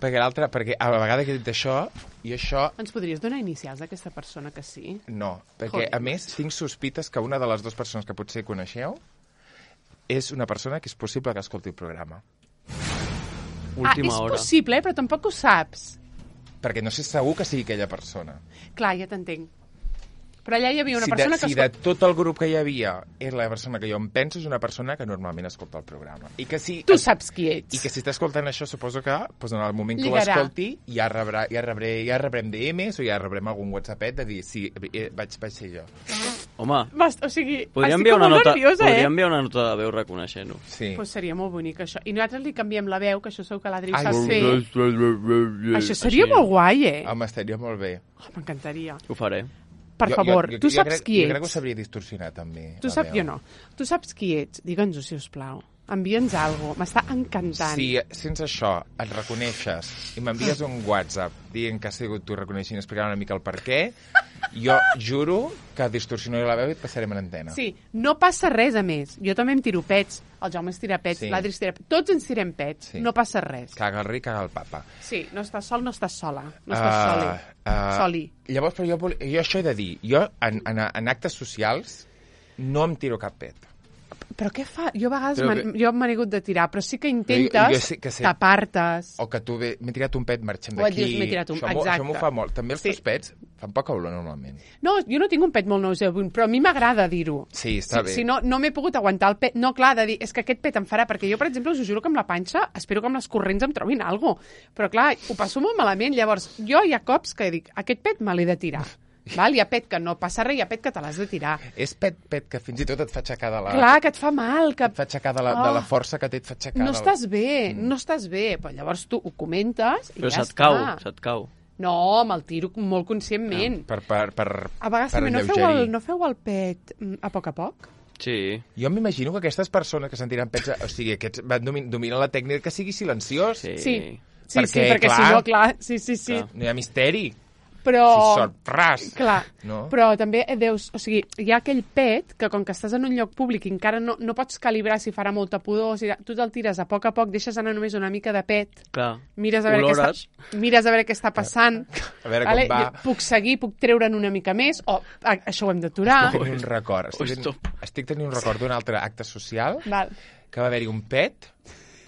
Perquè l'altre, perquè a la vegada que he dit això, i això Ens podries donar inicials d'aquesta persona que sí? no, perquè Joder. a més tinc sospites que una de les dues persones que potser coneixeu és una persona que és possible que escolti el programa. Última ah, és hora. possible, eh? Però tampoc ho saps. Perquè no sé segur que sigui aquella persona. Clar, ja t'entenc. Però allà hi havia una si persona de, que... si de tot el grup que hi havia és la persona que jo em penso, és una persona que normalment escolta el programa. I que si, Tu saps qui ets. I que si està escoltant això, suposo que doncs en el moment que Lligarà. ho escolti ja, rebrà, ja, rebré, ja rebrem D Ms o ja rebrem algun WhatsAppet de dir sí, eh, vaig, vaig ser jo. Home, Bast, o sigui, podria estic enviar, com una molt nota, nerviosa, podria eh? enviar una nota de veu reconeixent-ho. Sí. Pues seria molt bonic, això. I nosaltres li canviem la veu, que això segur que l'Adri ho Ai, sap sí. fer. Això seria Així. molt guai, eh? Home, estaria molt bé. Oh, m'encantaria. Ho faré. Per Jo- favor, jo, jo, tu jo saps crec, qui Jo crec que ho ets. sabria distorsionar, també. Tu la saps, veu. jo no. Tu saps qui ets. Digue'ns-ho, si us plau. Envia'ns alguna cosa. M'està encantant. Si sense això et reconeixes i m'envies un WhatsApp dient que has sigut tu reconeixent i explicant una mica el per què, jo juro que distorsionaré la veu i et passarem en antena. Sí, no passa res, a més. Jo també em tiro pets. El Jaume es tira pets, Sí. l'Adri es tira pets. Tots ens tirem pets. Sí. No passa res. Caga el ric, caga el papa. Sí, no estàs sol, no estàs sola. No estàs Ah, soli. ah, Soli. Llavors, però jo, vol- jo això he de dir. Jo, en, en, en actes socials, no em tiro cap pet. Però què fa? Jo a vegades Però m'han- que- jo me n'he hagut de tirar, però sí que Jo- intentes jo sé que sé- tapar-tes. O que tu ve, m'he tirat un pet marxant O et d'aquí. dius, m'he tirat un- Això m'ho- exacte. Això m'ho fa molt. També els Sí. teus pets fan poca olor, normalment. No, jo no tinc un pet molt nauseabund, però a mi m'agrada dir-ho. Sí, està si, bé. Si no, no m'he pogut aguantar el pet. No, clar, de dir, és que aquest pet em farà, perquè jo, per exemple, us ho juro que amb la panxa espero que amb les corrents em trobin alguna cosa. Però, clar, ho passo molt malament. Llavors, jo hi ha cops que dic, aquest pet me l'he de tirar. Val? Hi ha pet que no passa res, hi ha pet que te l'has de tirar. És pet, pet que fins i tot et fa aixecar de la... Clar, que et fa mal, que Et fa aixecar de la, de la Oh. força que té, et fa aixecar no de la... estàs bé, no estàs bé. Però llavors tu ho comentes i Però ja se't està. cau, se't cau. No, me'l tiro molt conscientment. Per, per, per, A vegades per també no feu, alleugerir. el, no feu el pet mm, a poc a poc? Sí. Jo m'imagino que aquestes persones que se'n tiren pets, o sigui, aquests van domin, dominen la tècnica que sigui silenciós. Sí. Sí, sí, Perquè, sí, perquè clar, si no, clar, sí, sí, sí. clar. No hi ha misteri. Però... Si sort, ras. Clar, No? però també eh, deus... O sigui, hi ha aquell pet que com que estàs en un lloc públic i encara no, no pots calibrar si farà molta pudor, o sigui, tu te'l tires a poc a poc, deixes anar només una mica de pet, Clar. mires a veure, què Olores. està, mires a veure què està passant, A veure com va. Jo puc seguir, puc treure'n una mica més, o a, això ho hem d'aturar. Estic tenint un record. Estic, Ui, tenint, stop. estic tenint un record d'un altre acte social Val. que va haver-hi un pet,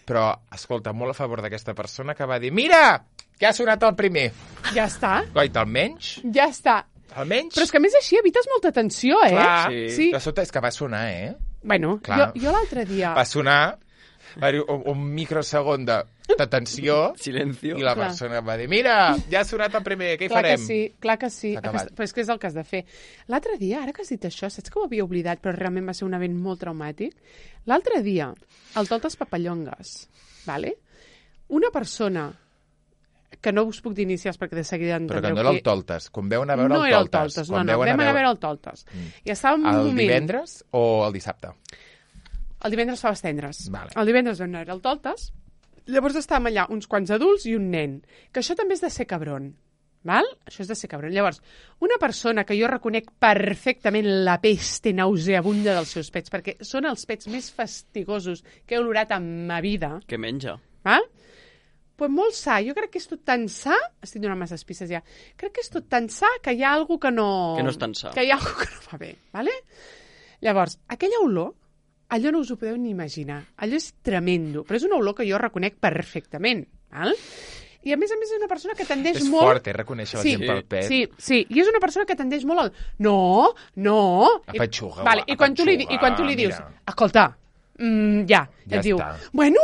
però, escolta, molt a favor d'aquesta persona que va dir mira, que ha sonat el primer. Ja està, Goita, almenys, ja està. almenys... Però és que a més així evites molta tensió, eh? Clar, Sí. Sí. de sota és que va sonar, eh? Bueno, jo, Clar. jo l'altre dia... Va sonar, va haver un, un microsegon de, de tensió, Silencio. i la Clar. persona va dir mira, ja ha sonat el primer, què hi Clar farem? que sí, clar que sí. S'ha acabat. Aquest, però és que és el que has de fer. L'altre dia, ara que has dit això, saps que ho havia oblidat, però realment va ser un event molt traumàtic? L'altre dia, al Toltes Papallongues, vale? Una persona que no us puc dir inicials perquè de seguida Però entendreu que no era el qui- Toltes, quan veuen a veure no el era el Toltes. Toltes, no, quan no, veuen vam anar a veure el Toltes. Mm. I estàvem en un El moment... divendres o el dissabte? El divendres fa tendres. Vale. El divendres vam anar al Toltes, llavors estàvem allà uns quants adults i un nen, que això també és de ser cabron. Val? Això és de ser cabron. Llavors, una persona que jo reconec perfectament la peste nauseabunda dels seus pets, perquè són els pets més fastigosos que he olorat en ma vida, Que menja. val? Pues molt sa. Jo crec que és tot tan sa... Estic donant masses pistes ja. Crec que és tot tan sa que hi ha alguna que no... Que no és tan sa. Que hi ha alguna que no va bé, vale? Llavors, aquella olor allò no us ho podeu ni imaginar. Allò és tremendo, però és una olor que jo reconec perfectament, val? I a més a més és una persona que tendeix és molt... És fort, eh, reconèixer la sí, gent pel pet. Sí, sí, i és una persona que tendeix molt al... No, no... Apatxuga, I, vale, i, quan tu li, I quan tu li dius, escolta, mm, ja, ja et diu, està. bueno,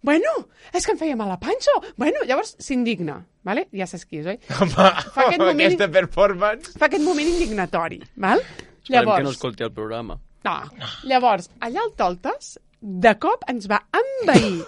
bueno, és que em feia mal la panxa. Bueno, llavors s'indigna, vale? Ja saps qui és, oi? Home, Fa aquest moment- aquesta performance... Fa aquest moment indignatori, val? Esperem que no escolti el programa. No. Llavors, allà al Toltes, de cop ens va envair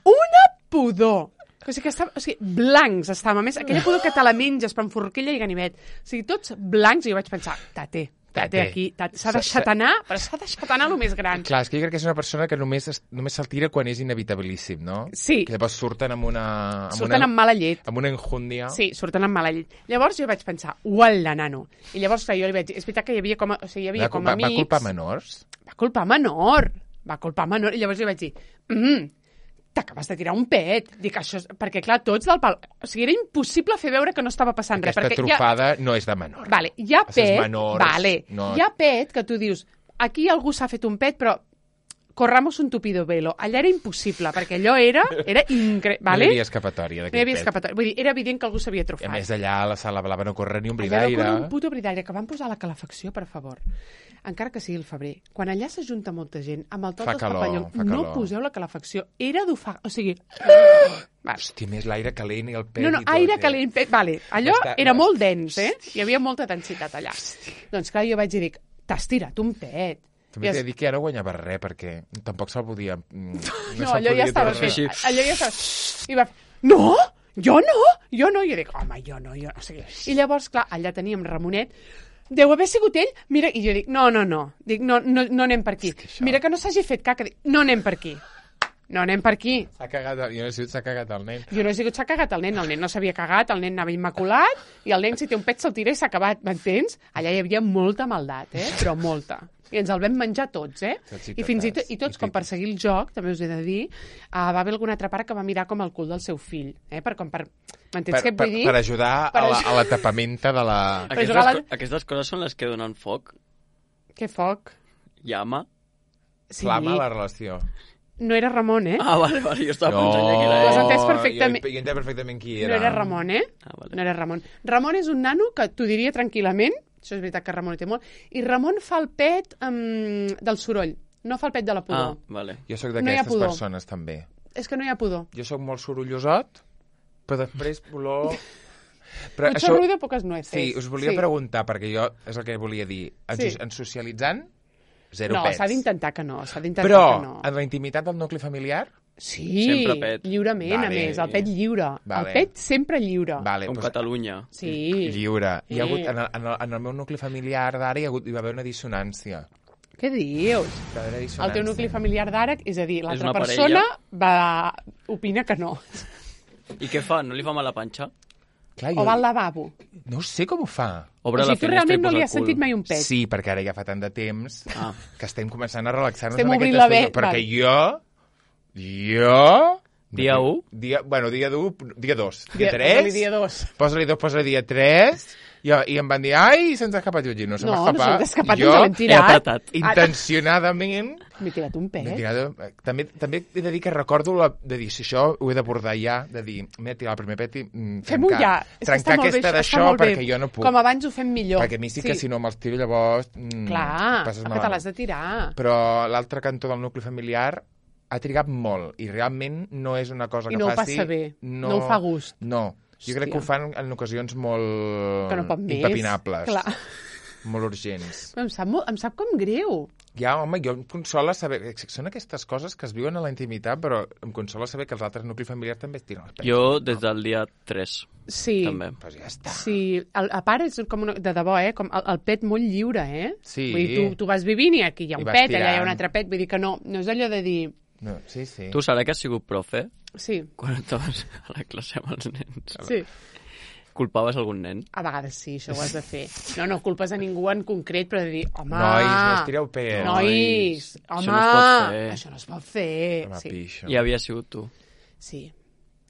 una pudor. O sigui, que estava, o sigui, blancs estàvem. A més, aquella pudor que te la menges per forquilla i ganivet. O sigui, tots blancs, i jo vaig pensar, tate, tate, Tate. aquí, tate. S'ha deixat anar, però s'ha deixat anar el més gran. Clar, és que jo crec que és una persona que només, es- només se'l tira quan és inevitabilíssim, no? Sí. Que llavors surten amb una... Amb Surten una, amb mala llet. amb una enjúndia. Sí, surten amb mala llet. Llavors jo vaig pensar, uala, nano. I llavors, clar, jo li vaig dir, és veritat que hi havia com a, o sigui, hi havia Va, com va, a amics... va culpar menors? Va culpar menor. Va culpar menor. I llavors jo vaig dir, mm, t'acabes de tirar un pet. Dic, això és... Perquè, clar, tots del pal... O sigui, era impossible fer veure que no estava passant Aquesta res. Perquè trufada ja... no és de menor. Vale, hi ha Els pet... menors, Vale, no- hi ha pet que tu dius, aquí algú s'ha fet un pet, però corramos un tupido velo. Allà era impossible, perquè allò era, era increïble. Vale? No hi havia escapatòria No hi d'aquest havia pet. escapatòria. Vull dir, era evident que algú s'havia I trufat. a més allà a la sala blava no corre ni un bri Allà va d'aire. córrer un puto bri d'aire, que van posar la calefacció, per favor. Encara que sigui el febrer. Quan allà s'ajunta molta gent, amb el tot Fa dels calor, papallons, fa no calor. poseu la calefacció. Era d'ofar... O sigui... Va. Hòstia, més l'aire calent i el pet No, no, i tot. aire eh? calent. pe- Vale, allò Està- era no, molt dens, eh? Hi havia molta densitat allà. Doncs clar, jo vaig dir, t'has tirat un pet. També I t'he es- de dir que ja no guanyava res, perquè tampoc se'l podia... mm, No, se'l allò ja podia estava treure. fet. així. Allò ja estava... I va fer, no, jo no, jo no. I jo dic, home, jo no, jo no. O sigui, i llavors, clar, allà teníem Ramonet, deu haver sigut ell, mira, i jo dic, no, no, no, dic, no, no, no anem per aquí. És que això- Mira que no s'hagi fet caca, dic, no anem per aquí. No anem per aquí. S'ha cagat, el- jo no he sigut, s'ha cagat el nen. Jo no he sigut, s'ha cagat el nen, el nen no s'havia cagat, el nen anava immaculat, i el nen, si té un pet, se'l tira i s'ha acabat, m'entens? Allà hi havia molta maldat, eh? Però molta. I ens el vam menjar tots, eh? Tots i I fins i, tot, totes. i tots, I com tot. per seguir el joc, també us he de dir, uh, va haver algun altre pare que va mirar com el cul del seu fill, eh? Per, com per... M'entens Per, què et per, vull dir? per ajudar Per a la, aj- a la tapamenta de la... Per Aquestes, jugar a la- co- aquestes coses són les que donen foc. Que foc. Llama. Sí, Flama la relació. no era Ramon, eh? Ah, vale, vale, jo estava pensant ja que Ho era has ell. entès perfectament. Jo, jo entenc perfectament qui era. No era Ramon, eh? Ah, vale. No era Ramon. Ramon és un nano que t'ho diria tranquil·lament, això és veritat que Ramon hi té molt, i Ramon fa el pet um, del soroll, no fa el pet de la Ah, pudor. vale. Jo sóc No hi ha d'aquestes pudor. persones, també. És que no hi ha pudor. Jo sóc molt sorollosot, però després olor... Però Mucho ruido, poques nueces. Sí, us volia Sí. preguntar, perquè jo és el que volia dir. En, Sí. sí. en socialitzant, zero No, pets. s'ha d'intentar que no, s'ha d'intentar Però que no. en la intimitat del nucli familiar... Sí, Sempre pet. lliurement, Vale. a més, el pet lliure. Vale. El pet sempre lliure. Vale, Com doncs, Catalunya. Sí. lliure. Hi ha Sí. hagut, en, el, en, el, en el meu nucli familiar d'ara hi, ha hagut, hi va haver una dissonància. Què dius? Hi va haver El dissonància. teu nucli familiar d'ara, és a dir, l'altra una persona parella? va... opina que no. I què fa? No li fa mal la panxa? Clar, O va al lavabo. No sé com ho fa. Obre O la sigui, tu finestra realment i no posa li el has cul. sentit mai un pet. Sí, perquè ara ja fa tant de temps Ah. que estem començant a relaxar-nos Estem en aquest obrint la estudi. ve- Perquè vale. jo... Jo... Dia u? Dia, bueno, dia u, dia dos. Dia, Dia- tres. posa-li dia dos. Posa-li dos, posa-li dia tres. I, I em van dir, ai, se'ns ha escapat Lluigi. No se No, m'ha no escapat. se'ns ha escapat, jo, ens l'hem He tirat. apretat. intencionadament... M'he tirat un pet. m'he tirat, també, també he de dir que recordo la, de dir, si això ho he d'abordar ja, de dir, m'he tirat el primer pet i mm, Fem-ho trencar, ja. És que trencar està molt bé, aquesta això, està d'això molt bé. perquè jo no puc. Com abans ho fem millor. Perquè a mi sí que si no me'ls tiro llavors... Mm, Clar, passes que malament. te l'has de tirar. Però l'altre cantó del nucli familiar ha trigat molt i realment no és una cosa I que no ho faci... passa bé, no ho fa gust. No, jo crec Hòstia. que ho fan en ocasions molt Que no pot més. impepinables, Clar. molt urgents. Em sap, molt, em sap com greu. Ja, home, jo em consola saber... Són aquestes coses que es viuen a la intimitat, però em consola saber que els altres nuclis familiars també es tiren els pets. Jo des del dia tres, Sí. també. Pues ja està. Sí, el, a part és com una, de debò, eh? Com el, el pet molt lliure, eh? Sí. Vull dir, tu, tu vas vivint i aquí hi ha I un vas pet, allà hi ha tirant. un altre pet, vull dir que no, no és allò de dir... No, sí, sí. Tu, Sara, que has sigut profe Sí, quan estaves a la classe amb els nens? sí. Culpaves algun nen? A vegades sí, això ho has de fer. No, no culpes a ningú en concret, però de dir, home... Nois, no us tireu pets. Nois, Això home, no es pot fer. això no es pot fer. Home, Sí, pixo. I havia sigut tu. sí.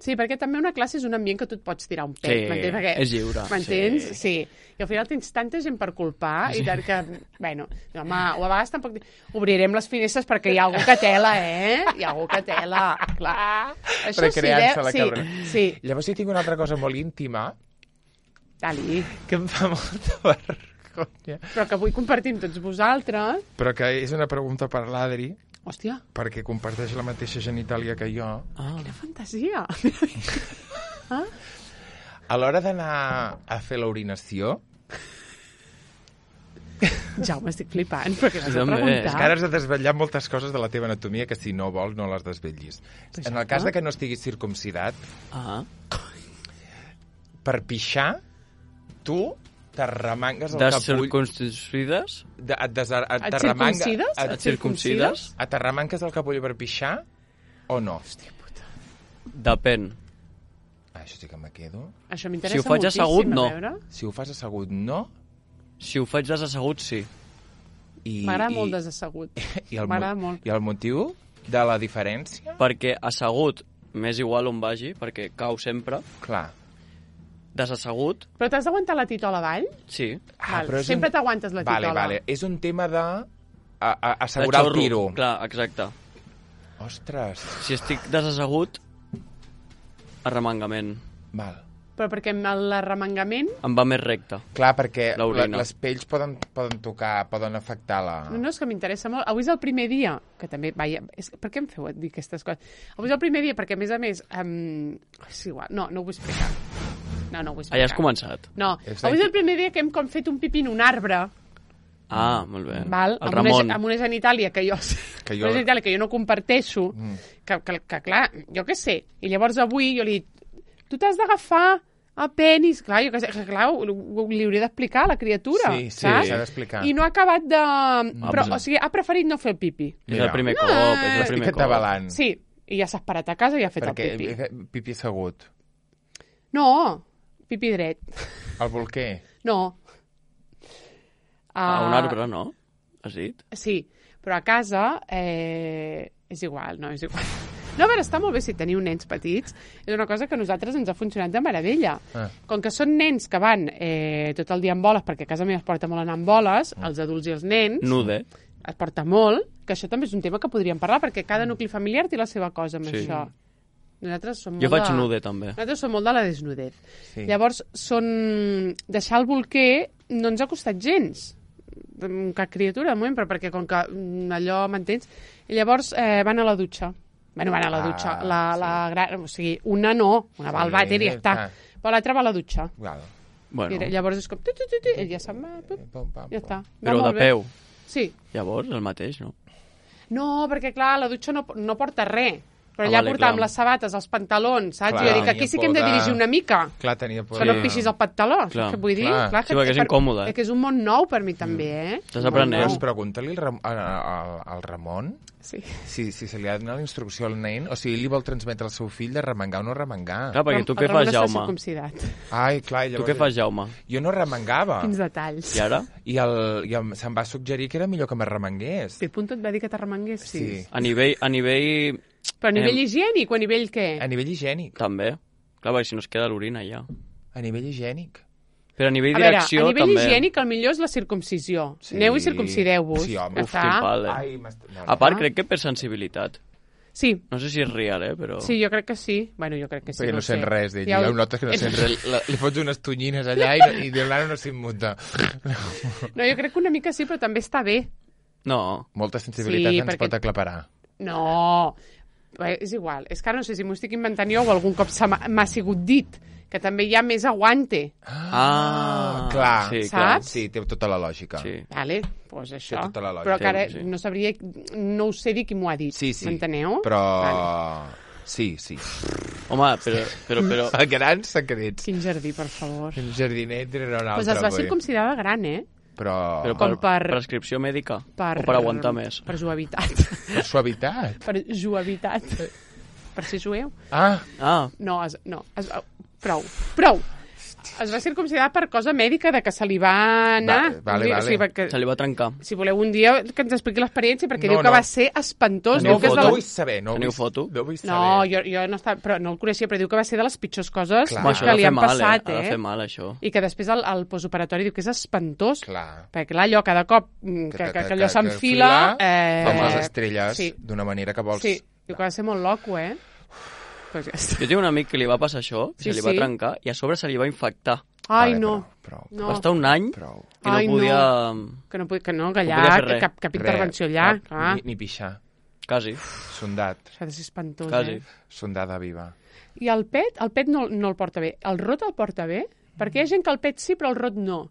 Sí, perquè també una classe és un ambient que tu et pots tirar un pet, Sí, m'entens? Perquè, és lliure. M'entens? Sí. Sí. I al final tens tanta gent per culpar i tant que, bueno, home, o a vegades tampoc... Obrirem les finestres perquè hi ha algú que tela, eh? Hi ha algú que tela, clar. Això sí, Recreant-se eh? la Sí, cabrona. sí. Llavors sí tinc una altra cosa molt íntima Dali. que em fa molta vergonya. Però que vull compartir amb tots vosaltres. Però que és una pregunta per l'Adri, Hòstia, perquè comparteix la mateixa genitàlia que jo. Ah. quina fantasia. Ah? A l'hora d'anar a fer l'orinació, Jaume, estic flipant, perquè vas a També. preguntar. és que ara has de desvetllar moltes coses de la teva anatomia que si no vols no les desvetllis. Pues En el ja cas està. de que no estiguis circumcidat, Ah. per pixar, tu t'arremangues el capull... Descircuncides? De, et, des, et, Et t'arremanga- circuncides? et, Et circuncides? et t'arremanques el capull per pixar o no? Hòstia puta. Depèn. Ah, això sí que me quedo. Això m'interessa Si ho faig moltíssim, assegut, a no. veure. Si ho fas assegut, no. Si ho faig desassegut, sí. I, M'agrada i- molt desassegut. I el, M'agrada mo- molt. I el motiu de la diferència? Perquè assegut m'és igual on vagi, perquè cau sempre. Clar. Desassegut, Però t'has d'aguantar la titola avall? sí. Val, però és sempre un- t'aguantes la Vale, titola. vale. És un tema de a, a, assegurar De el xorro. tiro. Clar, exacte. Ostres. Si estic desassegut, arremangament. Però Val. perquè amb l'arremangament... Em va més recte. Clar, perquè la, L'orina. les pells poden, poden tocar, poden afectar la... No, no, és que m'interessa molt. Avui és el primer dia, que també, vaja, és... per què em feu dir aquestes coses? Avui és el primer dia perquè, a més a més, um... és igual, no, no ho vull explicar. No, no ho vull Ah, explicar. ja has començat. No, És avui és la- el primer dia que hem com fet un pipí en un arbre, Ah, molt bé. val? El amb, Ramon. una, amb una genitàlia que jo, Que jo- una genitàlia que jo no comparteixo, Mm. que, que, que, clar, jo què sé. I llavors avui jo li he dit, tu t'has d'agafar a penis, clar, jo que sé, que clar, ho- ho- li hauria d'explicar a la criatura, Sí, sí, saps? s'ha d'explicar. I no ha acabat de... Però, pues- o sigui, ha preferit no fer el pipi. És Mira. el primer No, cop, és el Estic primer cop. atabalant. Sí, i ja s'ha esperat a casa i ha fet Perquè el pipi. he fet pipi assegut. No, pipi dret. El bolquer. No. A un Ah, arbre, no? Has dit? Sí, però a casa eh, és igual, no, és igual. No, a veure, està molt bé si teniu nens petits. És una cosa que a nosaltres ens ha funcionat de meravella. Ah. Com que són nens que van eh, tot el dia amb boles, perquè a casa meva es porta molt anar amb boles, els adults i els nens, Nude. es porta molt, que això també és un tema que podríem parlar, perquè cada nucli familiar té la seva cosa amb Sí. això. Nosaltres som Jo molt faig de... nude, també. Nosaltres som molt de la desnudez. Sí. Llavors, són... deixar el bolquer no ens ha costat gens. Mm, cap criatura, de moment, però perquè com que mm, allò, m'entens? I llavors eh, van a la dutxa. Bueno, van a la Ah, dutxa. La, la gran... O sigui, una no, una va al Sí, vàter i ja està. ah. Però l'altra va a la dutxa. Val. Bueno, I llavors és com... Tu, tu, tu, tu, i ja se'n va, pup, Pum, pam, ja pum. està. Va però de molt bé. peu. Sí. Llavors, el mateix, no? No, perquè clar, la dutxa no, no porta res. Però Ah, allà vale, portàvem clar. les sabates, els pantalons, saps? Clar, I jo dic, tenia aquí sí que hem por de de- dirigir una mica. Clar, tenia por. Que no Sí. et pixis el pantaló, saps Clar. què vull dir? Clar. Clar Sí, perquè és per- incòmode. És que és un món nou per mi també, eh? Estàs Un món aprenent. nou. Doncs pregunta-li al, Ram al, al, al Ramon Sí. si, si se li ha donat la instrucció al nen o si ell li vol transmetre al seu fill de remengar o no remengar. Clar, perquè tu El què Ramon fas, està Jaume? circumcidat. Ai, clar, Tu llavors... què fas, Jaume? Jo no remengava. Quins detalls. I ara? I, el, i el, se'm va suggerir que era millor que me remengués. Pipunto et va dir que t'arremengués, sí. Sí. A nivell, a nivell... Però a nivell Em- higiènic o a nivell què? A nivell higiènic. També. Clar, perquè si no es queda l'orina ja. A nivell higiènic. Però a nivell A veure, direcció a nivell també. higiènic el millor és la circumcisió. Sí. Aneu i circumcideu-vos. Sí, home. Ja Uf, està. quin pal, eh? Ai, m'est- no, no. A part, Ah. crec que per sensibilitat. Sí, No sé si és real, eh, però... sí, jo crec que sí. Bueno, jo crec que sí. Perquè no, ho sé. sent res d'ell. Ja Ja ho- ho notes que no sent res. La- Li fots unes tonyines allà i, no- i diu, l'ara no s'immuta. No, jo crec que una mica sí, però també està bé. No. Molta sensibilitat Sí, ens perquè- pot aclaparar. No, Bé, és igual. És que ara no sé si m'ho estic inventant jo o algun cop se m'ha m'ha sigut dit, que també hi ha més aguante. Ah, clar. sí, clar. Sí, té tota la lògica. Sí. Vale, doncs això. Té tota la lògica. Però que ara Sí, sí. no sabria, no ho sé dir qui m'ho ha dit. Sí, sí. M'enteneu? Però... Vale. Sí, sí. Home, però... però, però... A grans secrets. Quin jardí, per favor. Un jardinet era un altre. Doncs es va avui. circumcidar de gran, eh? Però... Però Com per, per- prescripció mèdica? Per, O per aguantar més? Per suavitat. Per suavitat. per juavitat. Per ser jueu. Ah, Ah, No, es, no. Es, prou, prou. es va circumcidar per cosa mèdica, de que se li va anar... Va, vale, vale. O sigui, que, Se li va trencar. si voleu un dia que ens expliqui l'experiència, perquè No, diu que no. va ser espantós. Teniu Diu que és No, de no la... vull saber. No Teniu vull, foto? No vull saber. No, jo, jo no, estava, però no el coneixia, però diu que va ser de les pitjors coses Clar. Home, això que ha de li fer han mal, passat, eh? Ha eh? de fer mal, això. I que després el, el postoperatori diu que és espantós, Clar. perquè clar, allò cada cop mm, que, que, que allò s'enfila... Eh... Com les Eh, estrelles, sí. d'una manera que vols... sí, diu que va ser molt loco, eh? Pues ja està. Jo tinc un amic que li va passar això, Sí, se li va sí. trencar, i a sobre se li va infectar. Ai, Vale, no. Prou, prou, No. Va estar un any prou. i no Ai, no. podia... Que no, podi- que no, que No allà, podia fer que res. cap, cap intervenció Res, allà, cap, clar. Ni, ni pixar. Quasi, Sondat. Això ha de ser espantós, quasi. eh? Sondada viva. I el pet, el pet no, no el porta bé. El rot el porta bé? Perquè hi ha gent que el pet sí, però el rot no.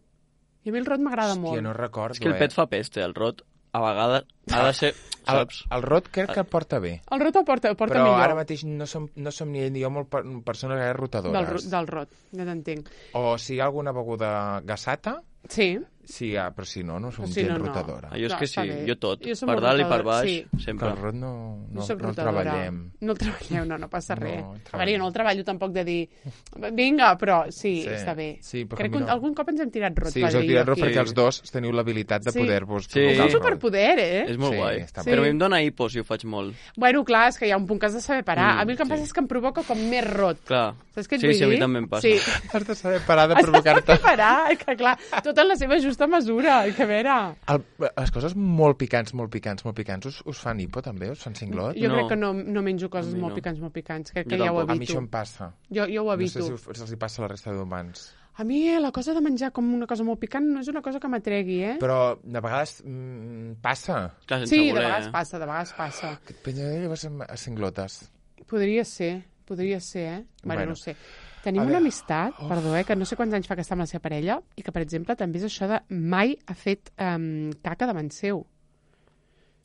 I a mi el rot m'agrada molt. Hòstia, no recordo, És que el eh? pet fa peste, el rot a vegades ha de ser... El, Saps? el rot crec que el porta bé. El rot el porta, el porta Però millor. ara mateix no som, no som ni ell ni jo molt per, persones gaire rotadores. Del, ro- del rot, ja t'entenc. O si hi ha alguna beguda gasata, Sí. sí, ah, però si no, no som Si gent no, no. rotadora. Ah, jo és No, que està sí, bé. jo tot. Jo som Per molt dalt i per rotadora, baix, sí. Que sempre. el rot no, no, Jo soc no el rotadora. treballem. No el treballeu, no, no passa No, res. el A veure, treballem. jo no el treballo tampoc de dir vinga, però sí, Sí, està bé. sí, però Crec que que no. algun cop ens hem tirat rot. Sí, va us heu dir tirat jo rot aquí. perquè els dos teniu l'habilitat de Sí. poder-vos Sí. provocar És un el rot. superpoder, eh? És molt Sí, guai. està bé. Però a mi em dóna hipo si ho faig molt. Bueno, clar, és que hi ha un punt que has de saber parar. Mm, a mi el que em sí. passa és que em provoca com més rot. Clar. Saps què et Sí, vull sí, a mi dir? també em passa. Sí. Has de saber parar de Has de provocar-te. parar, que clar, tot en la seva justa mesura, que a veure... El, les coses molt picants, molt picants, molt picants, us, us fan hipo també? Us fan cinglot? Jo No. crec que no, no menjo coses A mi molt no. picants, molt picants. Crec Jo que ja ho tampoc. A mi evito. això em passa. Jo, jo ho No evito. sé si us- se'ls hi passa a la resta d'humans. A mi eh, la cosa de menjar com una cosa molt picant no és una cosa que m'atregui, eh? Però de vegades mm, passa. Clar, sense Sí, de voler, vegades eh? passa, de vegades passa. Que et penja llavors a a cinglotes. Podria ser, podria ser, eh? Bueno, Bueno. no ho sé. Tenim A una veure. amistat, perdó, eh, que no sé quants anys fa que està amb la seva parella, i que, per exemple, també és això de mai ha fet um, caca davant seu.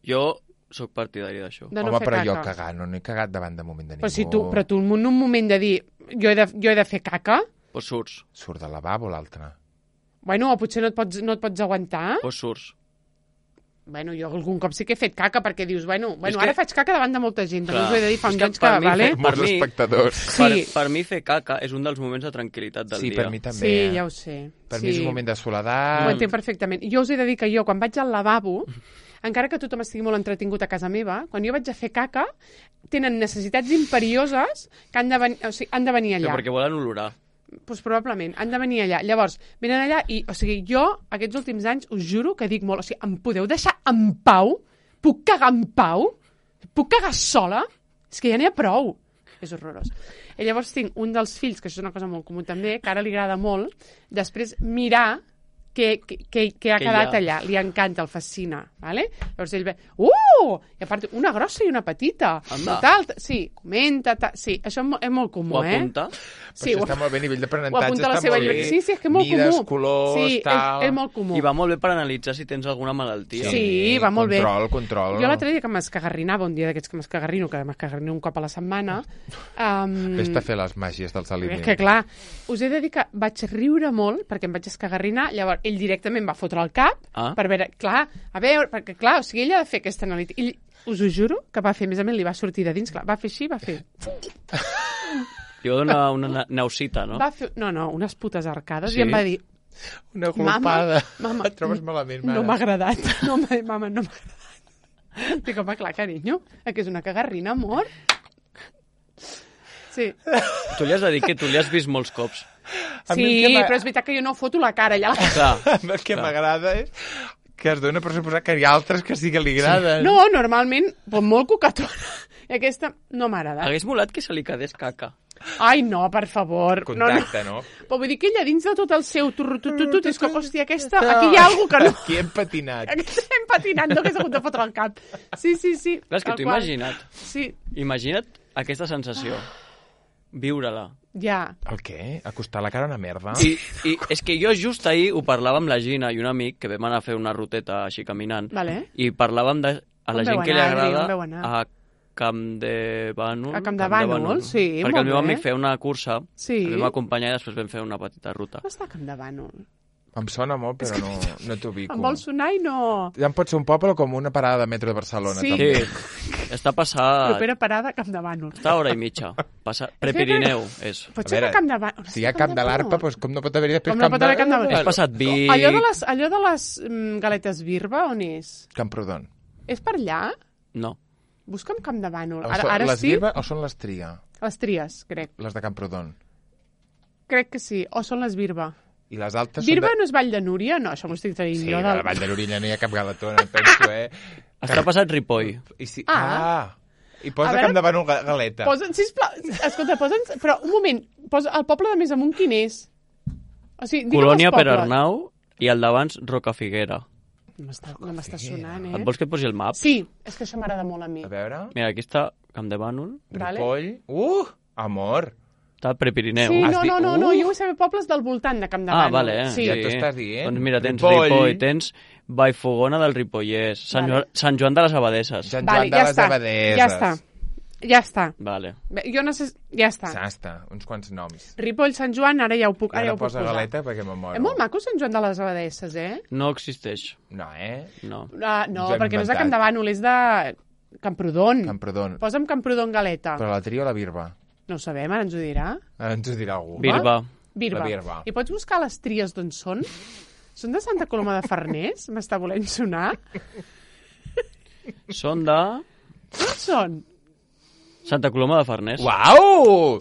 Jo sóc partidari d'això. De no Home, fer però caca. jo cagar, no n'he cagat davant de moment de ningú. Però, si tu, però tu en un moment de dir jo he de, jo he de fer caca, Pues surts, Surt del lavabo l'altre. bueno, o potser no et pots, no et pots aguantar. pues surts. Bueno, jo algun cop sí que he fet caca perquè dius, bueno, bueno que- ara faig caca davant de molta gent, també Clar. us ho he de dir fa És uns que anys per que, mi vale? fer- Molts mi- espectadors. Sí. Per, per mi fer caca és un dels moments de tranquil·litat del Sí, dia. per mi també. Sí, eh? ja ho sé. Per sí. mi és un moment de soledat. Ho entenc perfectament. Jo us he de dir que jo, quan vaig al lavabo, encara que tothom estigui molt entretingut a casa meva, quan jo vaig a fer caca, tenen necessitats imperioses que han de, ven o sigui, han de venir Però allà. perquè volen olorar. Pues probablement, han de venir allà. Llavors, venen allà i, o sigui, jo, aquests últims anys, us juro que dic molt, o sigui, em podeu deixar en pau? Puc cagar en pau? Puc cagar sola? És que ja n'hi ha prou. És horrorós. I llavors tinc un dels fills, que això és una cosa molt comú també, que ara li agrada molt, després mirar què, què, què, què ha Què hi quedat ha. allà. Li encanta, el fascina. Vale? Llavors ell ve, uh! I a part, una grossa i una petita. Anda. Tal, sí, comenta, tal. Sí, això és, mo- és molt comú, Ho eh? apunta. Sí, això ho- està molt bé, a nivell ho d'aprenentatge apunta a la està seva molt bé. llibre. Sí, sí, és que és molt Mides, comú. colors, sí, tal... És, és molt comú. I va molt bé per analitzar si tens alguna malaltia. Sí, va molt bé. Control, control. Jo l'altre dia que m'escagarrinava, un dia d'aquests que m'escagarrino, que m'escagarrino un cop a la setmana... Um, Vés-te a fer les màgies dels és aliments. que, clar, us he de dir que vaig riure molt perquè em vaig escagarrinar, llavors ell directament va fotre el cap Ah. per veure, clar, a veure, perquè, clar, o sigui, ell ha de fer aquesta analítica. Ell, us ho juro, que va fer, a més a més, li va sortir de dins, clar, va fer així, va fer... Li va donar una na- nausita, no? Va fer no, no, unes putes arcades, Sí? i em va dir, Una Mama, glopada. mama, Et trobes malament, mare. no m'ha agradat. No m'ha dit, mama, no m'ha agradat. Dic, home, clar, carinyo, eh, que és una cagarrina, amor. Sí, Tu li has de dir que tu li has vist molts cops. A mi sí el que m'ha- però és veritat que jo no foto la cara allà. Clar. El que m'agrada és que es dona per suposar que hi ha altres que sí que li agraden. No, normalment, pues, molt cucatona. I aquesta no m'ha agradat. Hagués molat que se li quedés caca. Ai, no, per favor. Contacte, no, no? no. Però vull dir que ella dins de tot el seu turrutututut és com, hòstia, aquesta, aquí hi ha alguna que no. Aquí hem patinat. Aquí estem patinant, no hagués hagut de fotre el cap. Sí, sí, sí. Clar, és que tal t'ho qual. imagina't. Sí, Imagina't aquesta sensació. Viure-la. ja. El què? Acostar la cara a una merda? I, I és que jo just ahir ho parlava amb la Gina i un amic que vam anar a fer una ruteta així caminant. Vale. I parlàvem de a la On gent veu que li anar, Adri? agrada On veu anar? a Camp de Bànol. A Camp de Bànol, sí, Perquè molt el meu bé. amic feia una cursa, Sí. el vam acompanyar i després vam fer una petita ruta. No està a Camp de Bànol. Em sona molt, però no, no t'ubico. Em vol sonar i no... Ja em pot ser un poble com una parada de metro de Barcelona, Sí. també. Sí, Està passat... Propera parada, Camp de Bànol. Està a hora i mitja. Passa... Prepirineu, és. Pot A ser veure, que Camp de Bànol... Si hi ha Camp de l'Arpa, doncs com no pot haver-hi després Com no Camp pot haver Camp de Bànol? Has passat Vic... Allò de les, allò de les mm, galetes Birba, on és? Camprodon. És per allà? No. Busca'm Camp de Bànol. O Ara, són ara les sí? Birba o són les Tria? Les Tries, crec. Les de Camprodon. Crec que sí. O són les Birba. I les altes Birba són de... no és Vall de Núria? No, això m'ho estic traient Sí, jo. a la Vall de l'Orilla no hi ha cap galetona, penso, eh? Està passat Ripoll. I si... Ah. ah. I posa A veure- Camp de Bànol ga- galeta. Posa'n, sisplau, escolta, posa'ns... Però, un moment, posa el poble de més amunt quin és? O sigui, digue'm Colònia els per pobles. Arnau i el d'abans Rocafiguera. No m'està no m'està sonant, Et eh? vols que et posi el map? Sí, és que això m'agrada molt a mi. A veure... Mira, aquí està Camp de Bànol. Vale. Ripoll... Uh! Amor! Està a Prepirineu. Sí, Has no, dit- no, no, no, Uh! jo vull saber pobles del voltant de Camp de Ah, Bànol. vale, eh? Sí. Ja t'ho estàs dient. Doncs mira, tens Ripoll. Ripoll, tens Vallfogona del Ripollès, Sant, Vale. Joan, Sant Joan de les Abadesses. Sant Vale, Joan de ja les està, Abadeses. ja està. Ja està. Vale. Bé, jo no sé... Ja està. Ja està, uns quants noms. Ripoll, Sant Joan, ara ja ho puc, ara Ara ja ho puc posa posar. galeta perquè me moro. És molt maco Sant Joan de les Abadesses, eh? No existeix. No, eh? No. Ah, no, Ens ho hem perquè no és de inventat. Camp de Bànol, és de Camprodon. Camprodon. Posa'm Camprodon galeta. Però la tria o la birba? No ho sabem, ara ens ho dirà. Ara ens ho dirà algú. Birba. Birba. La Birba. I pots buscar les tries d'on són? Són de Santa Coloma de Farners? M'està volent sonar? Són de D'on són? Santa Coloma de Farners. Uau!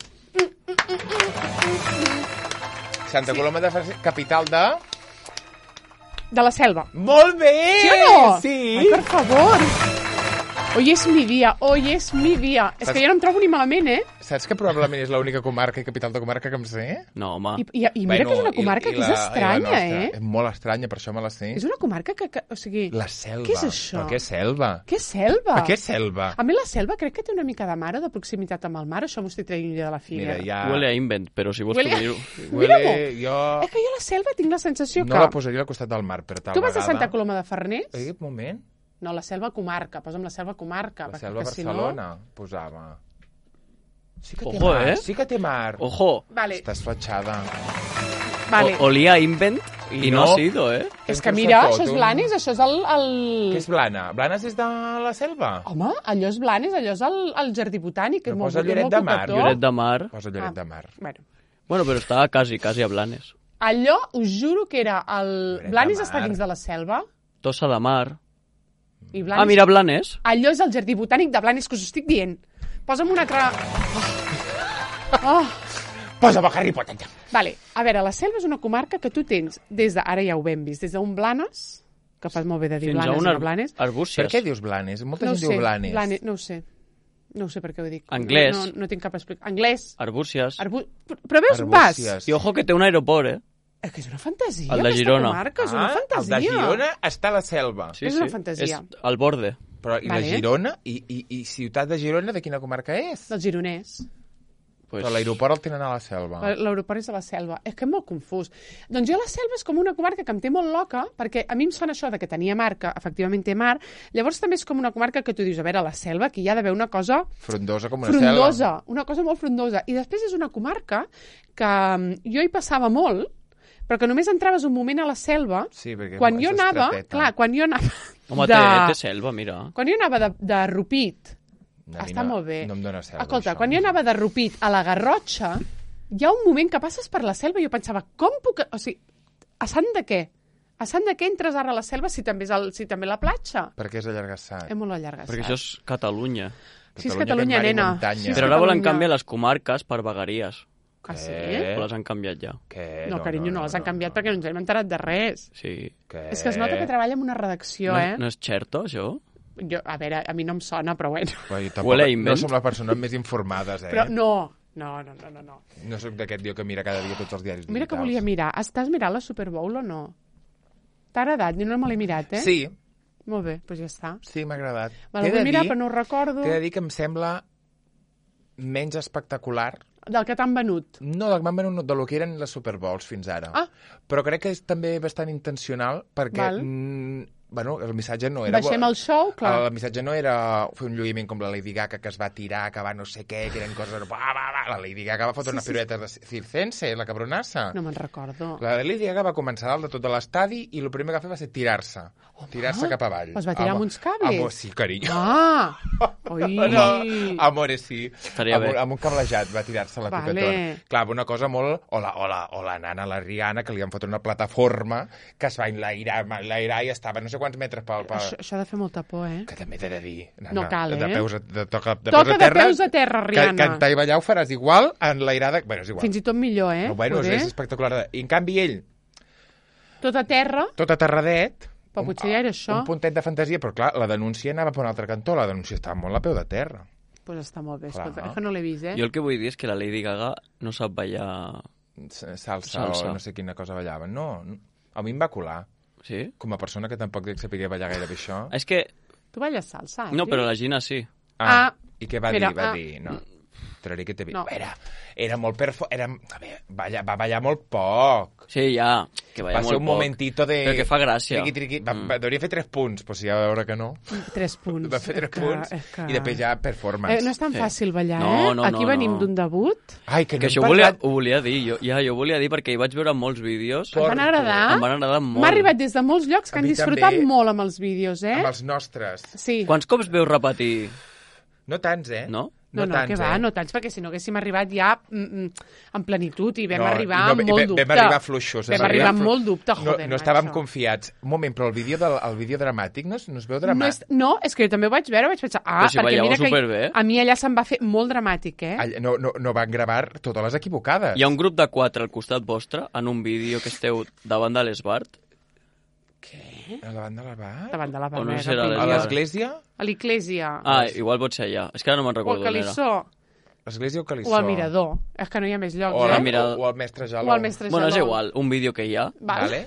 Santa sí. Coloma de Farners, capital de... De la Selva. Molt bé! Sí o no? Sí! Ai, per favor! Hoy es mi dia, hoy es mi dia. És que jo no em trobo ni malament, eh? Saps que probablement és l'única comarca i capital de comarca que em sé? No, home. I, i, i mira Bueno, que és una comarca i- i que és la- i la estranya, nostra. eh? És molt estranya, per això me la sé. És una comarca que... que o sigui, La selva. Què és això? Però què és selva? Què és selva? Per què selva? A mi la selva crec que té una mica de mar o de proximitat amb el mar, això m'ho estic traient jo de la Mira, figa. ja... Huele a invent, però si vols Huele a- tu dir-ho. Huele... Mira-m'ho. Jo... És que jo a la selva tinc la sensació No que... la posaria al costat del mar, per tal Tu vas a vegada... Santa Coloma de Farners? Eh, un moment. No, la selva comarca. Posa'm la selva comarca. La perquè selva que si Barcelona, posava. Sí que té Ojo, mar, eh? sí que té mar. Ojo, No? Vale, Estàs fatxada. vale. o, olía a invent I i no no. ha sido, eh? És que Entre mira, tot, això és un- Blanes, això és el... el... Què és Blana? Blanes és de la selva? Home, allò és Blanes, allò és el, el jardí botànic, que és Però molt, posa és Lloret molt de Mar, cocotó. Lloret de Mar. Posa Lloret Ah. de Mar. Bueno, Bueno, però estava quasi, quasi a Blanes. allò, us juro que era el... Lloret de Blanes Mar. està dins de la selva, Tossa de Mar. i Blanes... Ah, mira, Blanes. Allò és el jardí botànic de Blanes, que us ho estic dient. Posa'm una altra... Oh. Oh. Posa-me Harry Potter. Vale, a veure, la selva és una comarca que tu tens des de... Ara ja ho hem vist, des d'un Blanes, que fas molt bé de dir Fins a Blanes un i ar no Blanes. arbúcies. Per què dius Blanes? Molta No ho gent sé, diu Blanes. Blanes, no ho sé. No ho sé per què ho dic. Anglès. No, no, no tinc cap explicació. Anglès. Arbúcies. Arbu... Però veus, vas. Arbúcies. I ojo que té un aeroport, eh? És que és una fantasia, El de aquesta Girona. comarca, és una Ah, fantasia. el de Girona està a la selva. Sí, És sí. una fantasia. És al borde. Però i Vale. la Girona? I, i, I ciutat de Girona de quina comarca és? Del gironès. Pues... Però l'aeroport el tenen a la selva. L'aeroport és a la selva. És que és molt confús. Doncs jo la selva és com una comarca que em té molt loca, perquè a mi em sona això de que tenia mar, que efectivament té mar, llavors també és com una comarca que tu dius, a veure, a la selva, aquí hi ha d'haver una cosa Frondosa com una frondosa, selva. una cosa molt frondosa. I després és una comarca que mm, jo hi passava molt, però que només entraves un moment a la selva, Sí, perquè quan és jo anava, estreteta. clar, quan jo anava Home, de... té, té selva, mira. Quan jo anava de, de Rupit, A mi està no, molt bé. No em dóna selva, Escolta, això. quan jo anava de Rupit a la Garrotxa, hi ha un moment que passes per la selva i jo pensava, com puc... O sigui, a sant de què? A sant de què entres ara a la selva si també és el, si també la platja? Perquè és allargassat. És molt allargat. Perquè això és Catalunya. Sí, és Catalunya, Catalunya, que mar i nena. muntanya. Sí, és Però ara volen Catalunya. canviar les comarques per vegueries. Ah, sí? Què? O les han canviat ja. Què? No, carinyo, no, les han canviat perquè no ens hem enterat de res. Sí. Què? És que es nota que treballa en una redacció, No, eh? no és Xerto, això? Jo, a veure, a mi no em sona, però bueno. Però jo tampoc, Huele a no invent. som les persones més informades, eh? Però no, no, no, no, no. no. No sóc d'aquest dia que mira cada dia tots els diaris Mira que digitals. volia mirar. Estàs mirant la Super Bowl o no? T'ha agradat? Jo no me l'he mirat, eh? Sí, Molt bé, doncs ja està. sí, m'ha agradat. Me T'he la de vull mirar, dir- però no ho recordo. T'he de dir que em sembla menys espectacular. Del que t'han venut. No, del que m'han venut del que eren les Super Bowls fins ara. Ah. Però crec que és també bastant intencional perquè Val. mm, bueno, el missatge no era... Baixem el show, clar. El missatge no era fer un lluïment com la Lady Gaga que es va tirar, que va no sé què, que eren coses... Va, va, va. clar, la Lady Gaga va fotre Sí, una sí, pirueta de circense, la cabronassa. No me'n recordo. La Lady Gaga va començar dalt de tot l'estadi i el primer que va fer va ser tirar-se. Tirar-se cap avall. Es va tirar amb uns cables? Amor, sí, carinyo. Ah! Ui! No, amore, sí. Estaria amb, bé. amb un cablejat va tirar-se la Vale. pipetona. Clar, una cosa molt... O la, o, la, o la nana, la Rihanna, que li han fotut una plataforma que es va enlairar, enlairar i estava no sé quants metres pel... pel... Això, això ha de fer molta por, eh? Que també t'he de dir. Nana, No cal, de eh? peus a, de, toca, de Toca peus a de terra, peus a terra, Rihanna. Que, cantar i ballar ho faràs igual enlairada... Bueno, és igual. Fins i tot millor, eh? No, bueno, és, Poder. és espectacular. I en canvi ell, Tot a terra, tot aterradet... però un- potser ja era això. Un puntet de fantasia, però clar, la denúncia anava per un altre cantó. La denúncia estava molt a peu de terra. Doncs pues està molt bé, Clar. escolta, és que no l'he vist, eh? Jo el que vull dir és que la Lady Gaga no sap ballar... Salsa, Salsa. o no sé quina cosa ballaven. No, no, a mi em va colar. Sí? Com a persona que tampoc dic saber ballar gaire bé això. És que... Tu balles salsa, Adri? No, però la Gina sí. Ah, i què va espera, dir? Va ah. dir, no, traré que te vi. No. Era, era molt perfo... Era, a veure, balla, va ballar molt poc. Sí, ja, que Va balla ser molt un poc. momentito de... Però que fa gràcia. Triqui, triqui. Va, Mm. va, devia fer tres punts, però si ja va veure que no. Tres punts. Va fer tres És que- punts és que- i després ja performance. Eh, no és tan Sí. fàcil ballar, No, eh? no, Aquí no, venim no. d'un debut. Ai, que no Que hem això ho volia, parlat... ho volia dir, jo, ja, jo ho volia dir perquè hi vaig veure molts vídeos. Em van agradar. Em van agradar molt. M'ha arribat des de molts llocs que A han mi disfrutat també. molt amb els vídeos, eh? Amb els nostres. Sí. Quants cops veus repetir, No tants, eh? no? No, no, tants, que va, eh? no tants, perquè si no haguéssim arribat ja mm, mm, en plenitud i vam No, arribar no, amb molt vam- dubte. Vam arribar fluixos. Vam arribar amb molt dubte, No, joder, no estàvem macho. confiats. Un moment, però el vídeo, del, el vídeo dramàtic no es, no es veu No dramàtic? és, no, és que jo també ho vaig veure, vaig pensar, ah, Però si perquè ballava mira que superbé. a mi allà se'm va fer molt dramàtic, eh? Allà- No, no, no van gravar totes les equivocades. Hi ha un grup de quatre al costat vostre en un vídeo que esteu davant de l'Esbart. A la banda de la bar? Davant de la O no Bernega, serà Píndia. A l'església? A l'església. Ah, igual pot ser allà. És que ara no me'n o al recordo on era. Calissó. L'església o Calissó? O al Mirador. És que no hi ha més llocs, O, eh? al, Mirador. o al Mestre Jaló. O al Mestre Bueno, és Jaló. igual, un vídeo que hi ha, Val. Vale?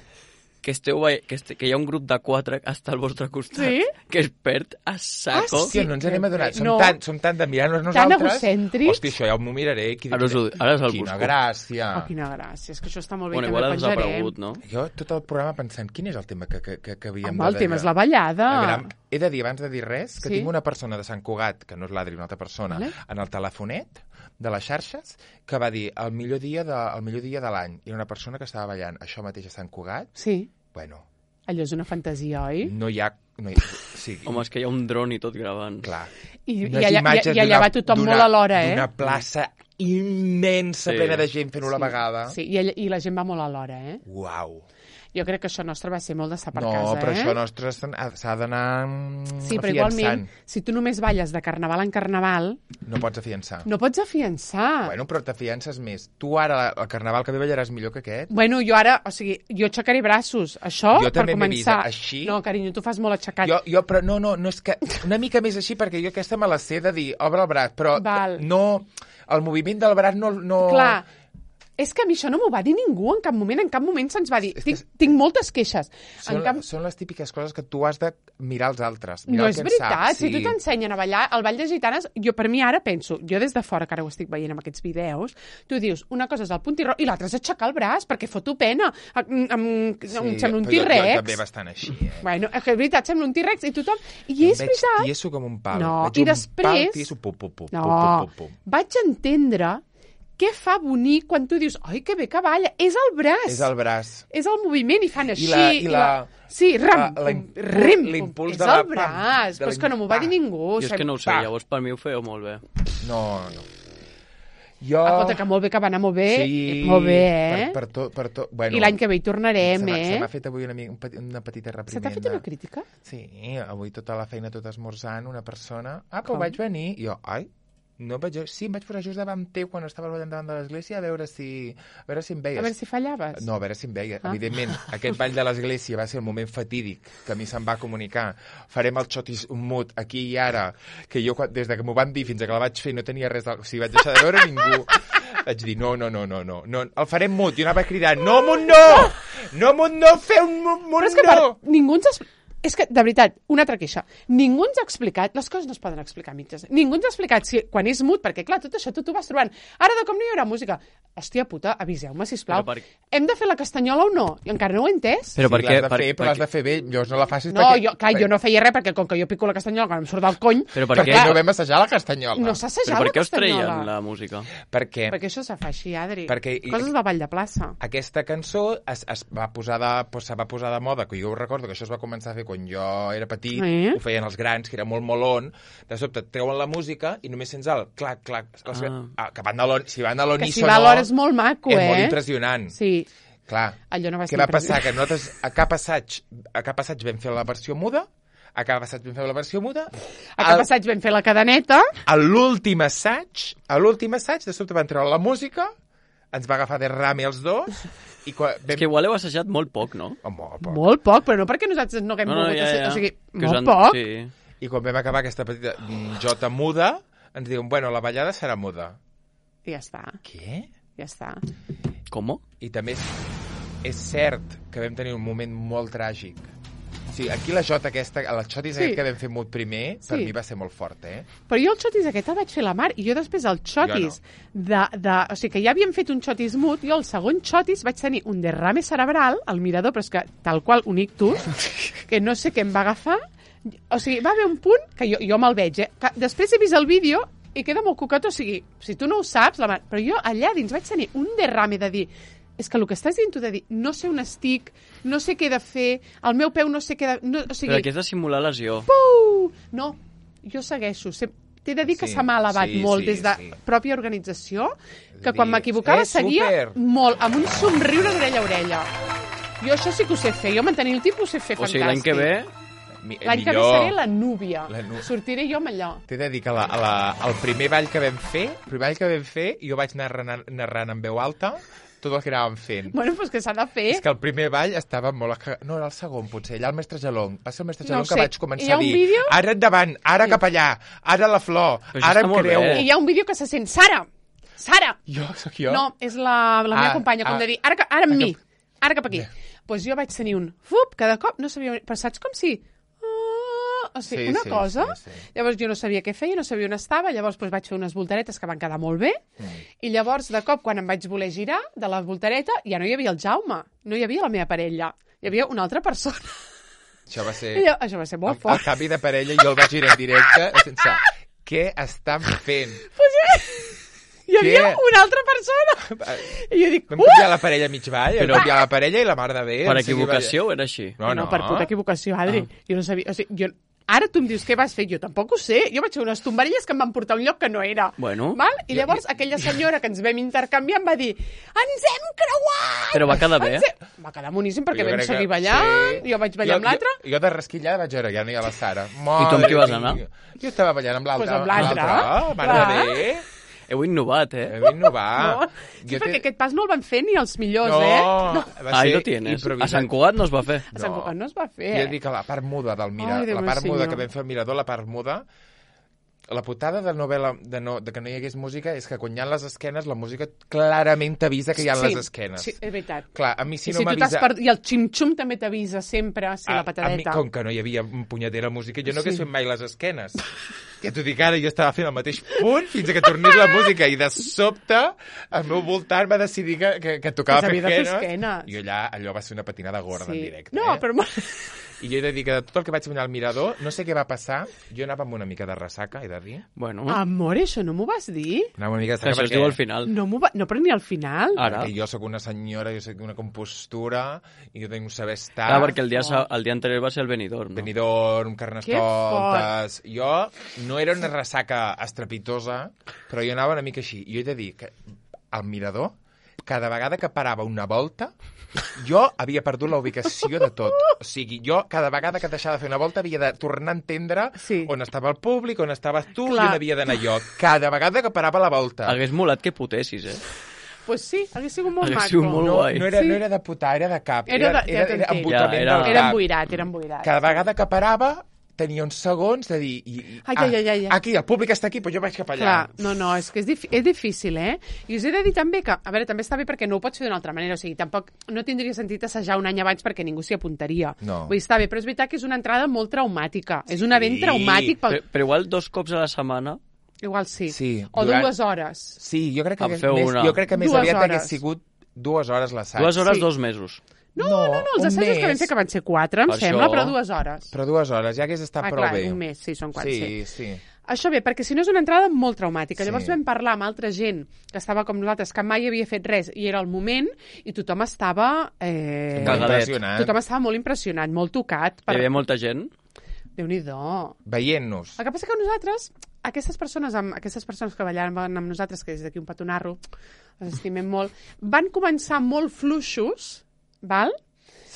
que, esteu, veient- que, este, que hi ha un grup de quatre que està al vostre costat, Sí? que es perd a saco. Ah, sí? Hòstia, no ens n'hem adonat. Som, No. tan, som tan de mirar-nos Tan nosaltres. egocèntrics. Hòstia, això ja m'ho miraré. Quina, Ara us ho- ara us el quina busco. gràcia. Oh, quina gràcia, és que això està molt bé, Bueno, i igual ha també penjarem. desaparegut, no? Jo tot el programa pensant, quin és el tema que, que, que, que havíem Home, de... el tema és la ballada. A veure, he de dir, abans de dir res, que Sí. tinc una persona de Sant Cugat, que no és l'Adri, una altra persona, Vale. en el telefonet de les xarxes, que va dir el millor dia de, el millor dia de l'any. Era una persona que estava ballant això mateix a Sant Cugat. Sí, Bueno, allò és una fantasia, oi? no hi ha... No hi, sí, Home, és que hi ha un dron i tot gravant. clar. I, i, Unes allà, i, imatges i allà d'una- va tothom d'una- molt a l'hora, eh? D'una plaça immensa, Sí. plena de gent fent-ho a la vegada. Sí, i, ell- i la gent va molt a l'hora, eh? Uau. Jo crec que això nostre va ser molt de sa per No, casa, però eh? això nostre s'ha s'ha d'anar mm, Sí, però afiançant. igualment, si tu només balles de carnaval en carnaval, No pots afiançar. no pots afiançar. Bueno, però t'afiances més. Tu ara, el carnaval que ve ballaràs millor que aquest. Bueno, jo ara, o sigui, jo aixecaré braços. Això, Jo per també m'he vist començar... així. No, carinyo, tu fas molt aixecat. Jo, jo, però no, no, no és que... Una mica més així, perquè jo aquesta me la sé de dir, obre el braç, però Val. no... El moviment del braç no... no... Clar, és que a mi això no m'ho va dir ningú en cap moment, en cap moment se'ns va dir. És que Tinc, tinc moltes queixes. Són, En cap... són les típiques coses que tu has de mirar als altres. No Mirar el és que en veritat, saps, si tu t'ensenyen a ballar el ball de gitanes, jo per mi ara penso, jo des de fora, que ara ho estic veient amb aquests vídeos, tu dius, una cosa és el puntiró i l'altra és aixecar el braç, perquè foto pena. Em, em, Sí, em sembla un però jo- Jo T-Rex. també bastant així, eh? Bueno, és que és veritat, sembla un T-Rex i tothom... I Jo és em veig veritat... tieso com un pal. No, Veig i un després- Pal tieso, pum, pum, pum, No, pum, pum, pum. vaig entendre què fa bonic quan tu dius, ai, que bé que balla, és el braç. És el braç. És el moviment i fan així. la- i la- Sí, ram, la- la impu- rim, l'impuls és de la el braç, pam, de però és que no m'ho va dir l'impacte. ningú. Jo és que no ho sé, pa. llavors per mi ho fèieu molt bé. No, no. Jo... Escolta, que molt bé que va anar molt bé. Sí, Molt bé, eh? Per, per tot, per tot. Bueno, I l'any que ve hi tornarem, se m'ha- Se eh? m'ha fet avui una, mi- un peti- una petita Se reprimenda. t'ha fet una crítica? Sí, avui tota la feina, tot esmorzant, una persona... Ah, però Com? vaig venir. I jo, ai, no vaig... Sí, em vaig posar just davant teu quan estaves ballant davant de l'església a veure si... A veure si em veies. A veure si fallaves. No, a veure si em veia. Ah. Evidentment, aquest ball de l'església va ser el moment fatídic que a mi se'm va comunicar. Farem el xotis mut aquí i ara, que jo quan, des de que m'ho van dir fins que la vaig fer no tenia res... De... O sigui, vaig deixar de veure ningú. Vaig dir, no, no, no, no, no, no. El farem mut. I anava cridant, no, mut no! No, mut no! Feu un mut, mut Però és que no! per... ningú ens... Es... és que, de veritat, una altra queixa. Ningú ens ha explicat, les coses no es poden explicar mitges. Ningú ens ha explicat si, quan és mut, perquè clar, tot això tu t'ho vas trobant. Ara de com no hi haurà música. Hòstia puta, aviseu-me, sisplau. Per... Hem de fer la castanyola o no? I encara no ho he entès. Però sí, per l'has de fer, per, però l'has de fer bé. Llavors no la facis no, perquè... Jo, clar, jo no feia res, perquè com que jo pico la castanyola quan em surt del cony... Però per perquè què? no vam assajar la castanyola. No s'ha assajat la castanyola. Però per què us castanyola? treien la música? Perquè... Perquè això se fa així, Adri. Perquè... Coses de ball de plaça. Aquesta cançó es, es va posar de, pues, se va posar de moda, que jo ho recordo, que això es va començar a fer quan jo era petit, eh? Ho feien els grans, que era molt molon, de sobte treuen la música i només sents el clac, clac, ah. Ah, que van de l'on, si van de l'on que si va a l'hora és molt maco, és eh? És molt impressionant. Sí. Clar, allò no va què va passar? Que nosaltres a cap assaig, a cap assaig vam fer la versió muda, a cap assaig vam fer la versió muda... A cap assaig vam fer la cadeneta... A l'últim assaig, a l'últim assaig, de sobte van treure la música, ens va agafar de rame els dos... I quan vam... És que igual heu assajat molt poc, no? Oh, molt poc. Molt poc, però no perquè nosaltres no haguem no, no, volgut... ja, ja. O sigui, que molt han... poc. Sí. I quan vam acabar aquesta petita jota muda, ens diuen, bueno, la ballada serà muda. I ja està. Què? Ja està. Com? I també és, és cert que vam tenir un moment molt tràgic. Sí, aquí la jota aquesta, el xotis sí. aquest que vam fer mut primer, per sí. mi va ser molt fort, eh? Però jo el xotis aquest el vaig fer la mar, i jo després el xotis no. de, de... O sigui, que ja havíem fet un xotis mut, jo el segon xotis vaig tenir un derrame cerebral al mirador, però és que tal qual un ictus, que no sé què em va agafar. O sigui, va haver un punt que jo, jo me'l veig, eh? Que després he vist el vídeo i queda molt coquet, o sigui, si tu no ho saps, la mar... però jo allà dins vaig tenir un derrame de dir... És que el que estàs dient tu de dir, no sé on estic, no sé què he de fer, el meu peu no sé què he de... No, o sigui, però aquí has de simular lesió. Puh! No, jo segueixo. T'he de dir que sí, se m'ha elevat sí, molt sí, des de sí. pròpia organització, que quan m'equivocava eh, seguia super. molt, amb un somriure d'orella a orella. Jo això sí que ho sé fer, jo mantenir el tipus ho sé fer o fantàstic. sigui, l'any que ve... L'any que ve seré la núvia. La nu... Sortiré jo amb allò. T'he de dir que la, la, el primer ball que vam fer, el primer ball que vam fer, jo vaig anar narrant, narrant en veu alta tot el que anàvem fent. Bueno, doncs que s'ha de fer. És que el primer ball estava molt... No, era el segon, potser. Allà el mestre Gelong. Va ser el mestre Gelong no que vaig començar a dir vídeo? Ara endavant, ara sí. cap allà, ara la flor, ara em creu. I hi ha un vídeo que se sent Sara! Sara! Jo, sóc jo? No, és la, la meva ah, companya, com ah, de dir, ara, ara amb ah, mi, ara cap aquí. Doncs pues jo vaig tenir un fup, cada cop, no sabia... Però saps com si... O sigui, sí, una sí, cosa, sí, sí. llavors jo no sabia què feia, no sabia on estava, llavors doncs, vaig fer unes voltaretes que van quedar molt bé, mm. i llavors, de cop, quan em vaig voler girar de la voltareta, ja no hi havia el Jaume, no hi havia la meva parella, hi havia una altra persona. Això va ser... Jo, això va ser molt fort. El canvi de parella, jo el vaig girar en directe, sense... Què estan fent? Pues ja... Hi havia Què? una altra persona. I jo dic, vam canviar uh! la parella mig ball, vam canviar la parella i la mar de bé. Per equivocació era així? No, no, no per puta equivocació, Adri. Ah. Jo no sabia... O sigui, jo... Ara tu em dius què vas fer, jo tampoc ho sé. Jo vaig fer unes tombarelles que em van portar a un lloc que no era. Bueno. Val? I llavors jo... aquella senyora que ens vam intercanviar em va dir ens hem creuat! Però va quedar bé? Hem... Va quedar boníssim perquè vam seguir ballant, sí. Jo vaig ballar jo, amb l'altre. Jo, jo de rasquillada vaig veure, ja no hi ha la Sara. Mare I tu amb qui vas anar? Jo estava ballant amb l'altre. Pues amb l'altre. Mare de bé. Heu innovat, eh? Heu innovat. No. Sí, jo perquè te... aquest pas no el van fer ni els millors, no, eh? No, ahí lo tienes. A Sant Cugat no es va fer. A Sant Cugat no es va fer. Jo dic que la part muda del mirador, la part muda que vam fer al mirador, la part muda, la putada de, novel·la, de, no, de que no hi hagués música és que quan hi ha les esquenes, la música clarament t'avisa que hi ha sí, les esquenes. Sí, és veritat. Clar, a mi si I no si m'avisa... Per... I el xim-xum també t'avisa sempre, si a, la patadeta. A mi, com que no hi havia punyetera música, jo no sí. hagués fet mai les esquenes. Que t'ho dic ara, jo estava fent el mateix punt fins que tornés la música i de sobte al meu voltant va decidir que, que, que tocava fer esquenes. esquenes. I allà, allò va ser una patinada gorda sí. en directe. No, eh? però... I jo he de dir que de tot el que vaig venir al mirador, no sé què va passar, jo anava amb una mica de ressaca, he de dir. Bueno. Amor, això no m'ho vas dir? Anava una mica de ressaca això perquè... es diu al final. No, va... no, però ni al final. Ara. Perquè jo sóc una senyora, jo sóc una compostura, i jo tinc un saber estar... Clar, perquè el dia, oh. el dia anterior va ser el Benidorm, no? Benidorm, Carnestoltes... Jo no era una ressaca estrepitosa, però jo anava una mica així. I jo he de dir que al mirador, cada vegada que parava una volta, jo havia perdut la ubicació de tot. O sigui, jo cada vegada que deixava de fer una volta havia de tornar a entendre sí. on estava el públic, on estaves tu, Clar. i on havia d'anar jo. Cada vegada que parava la volta. Hagués molat que putessis, eh? Pues sí, hagués sigut molt hagués maco. Sigut molt no, guai. no, era, sí. no era de putar, era de cap. Era, era, de, era, era embotament ja, era. del cap. Era emboirat, era emboirat. Cada vegada que parava, tenia uns segons de dir... I, i, Ai, ai, ai, ai. Ah, aquí, el públic està aquí, però jo vaig cap allà. Clar, no, no, és que és, és difícil, eh? I us he de dir també que, a veure, també està bé perquè no ho pots fer d'una altra manera, o sigui, tampoc no tindria sentit assajar un any abans perquè ningú s'hi apuntaria. No. Vull dir, està bé, però és veritat que és una entrada molt traumàtica. És un event Sí. traumàtic. Pel... Però, però igual dos cops a la setmana... Igual sí. Sí, O durant- dues hores. Sí, jo crec que, En més, feu una. jo crec que més Dues aviat hores. hagués sigut dues hores l'assaig. Dues hores, Sí. dos mesos. No, no, no, els un assajos que vam mes. fer, que van ser quatre, em Això. sembla, però dues hores. Però dues hores, ja hagués estat Ah, prou clar, bé. un mes, sí, són quatre, sí. Sí, Això bé, perquè si no és una entrada molt traumàtica. Sí. Llavors vam parlar amb altra gent que estava com nosaltres, que mai havia fet res, i era el moment, i tothom estava... Eh... Molt Cagadet. impressionant. Tothom estava molt impressionat, molt tocat. Hi havia molta gent. Déu-n'hi-do. Veient-nos. El que passa que nosaltres, aquestes persones, amb, aquestes persones que ballaven amb nosaltres, que des d'aquí un petonarro, les estimem molt, van començar molt fluixos, val?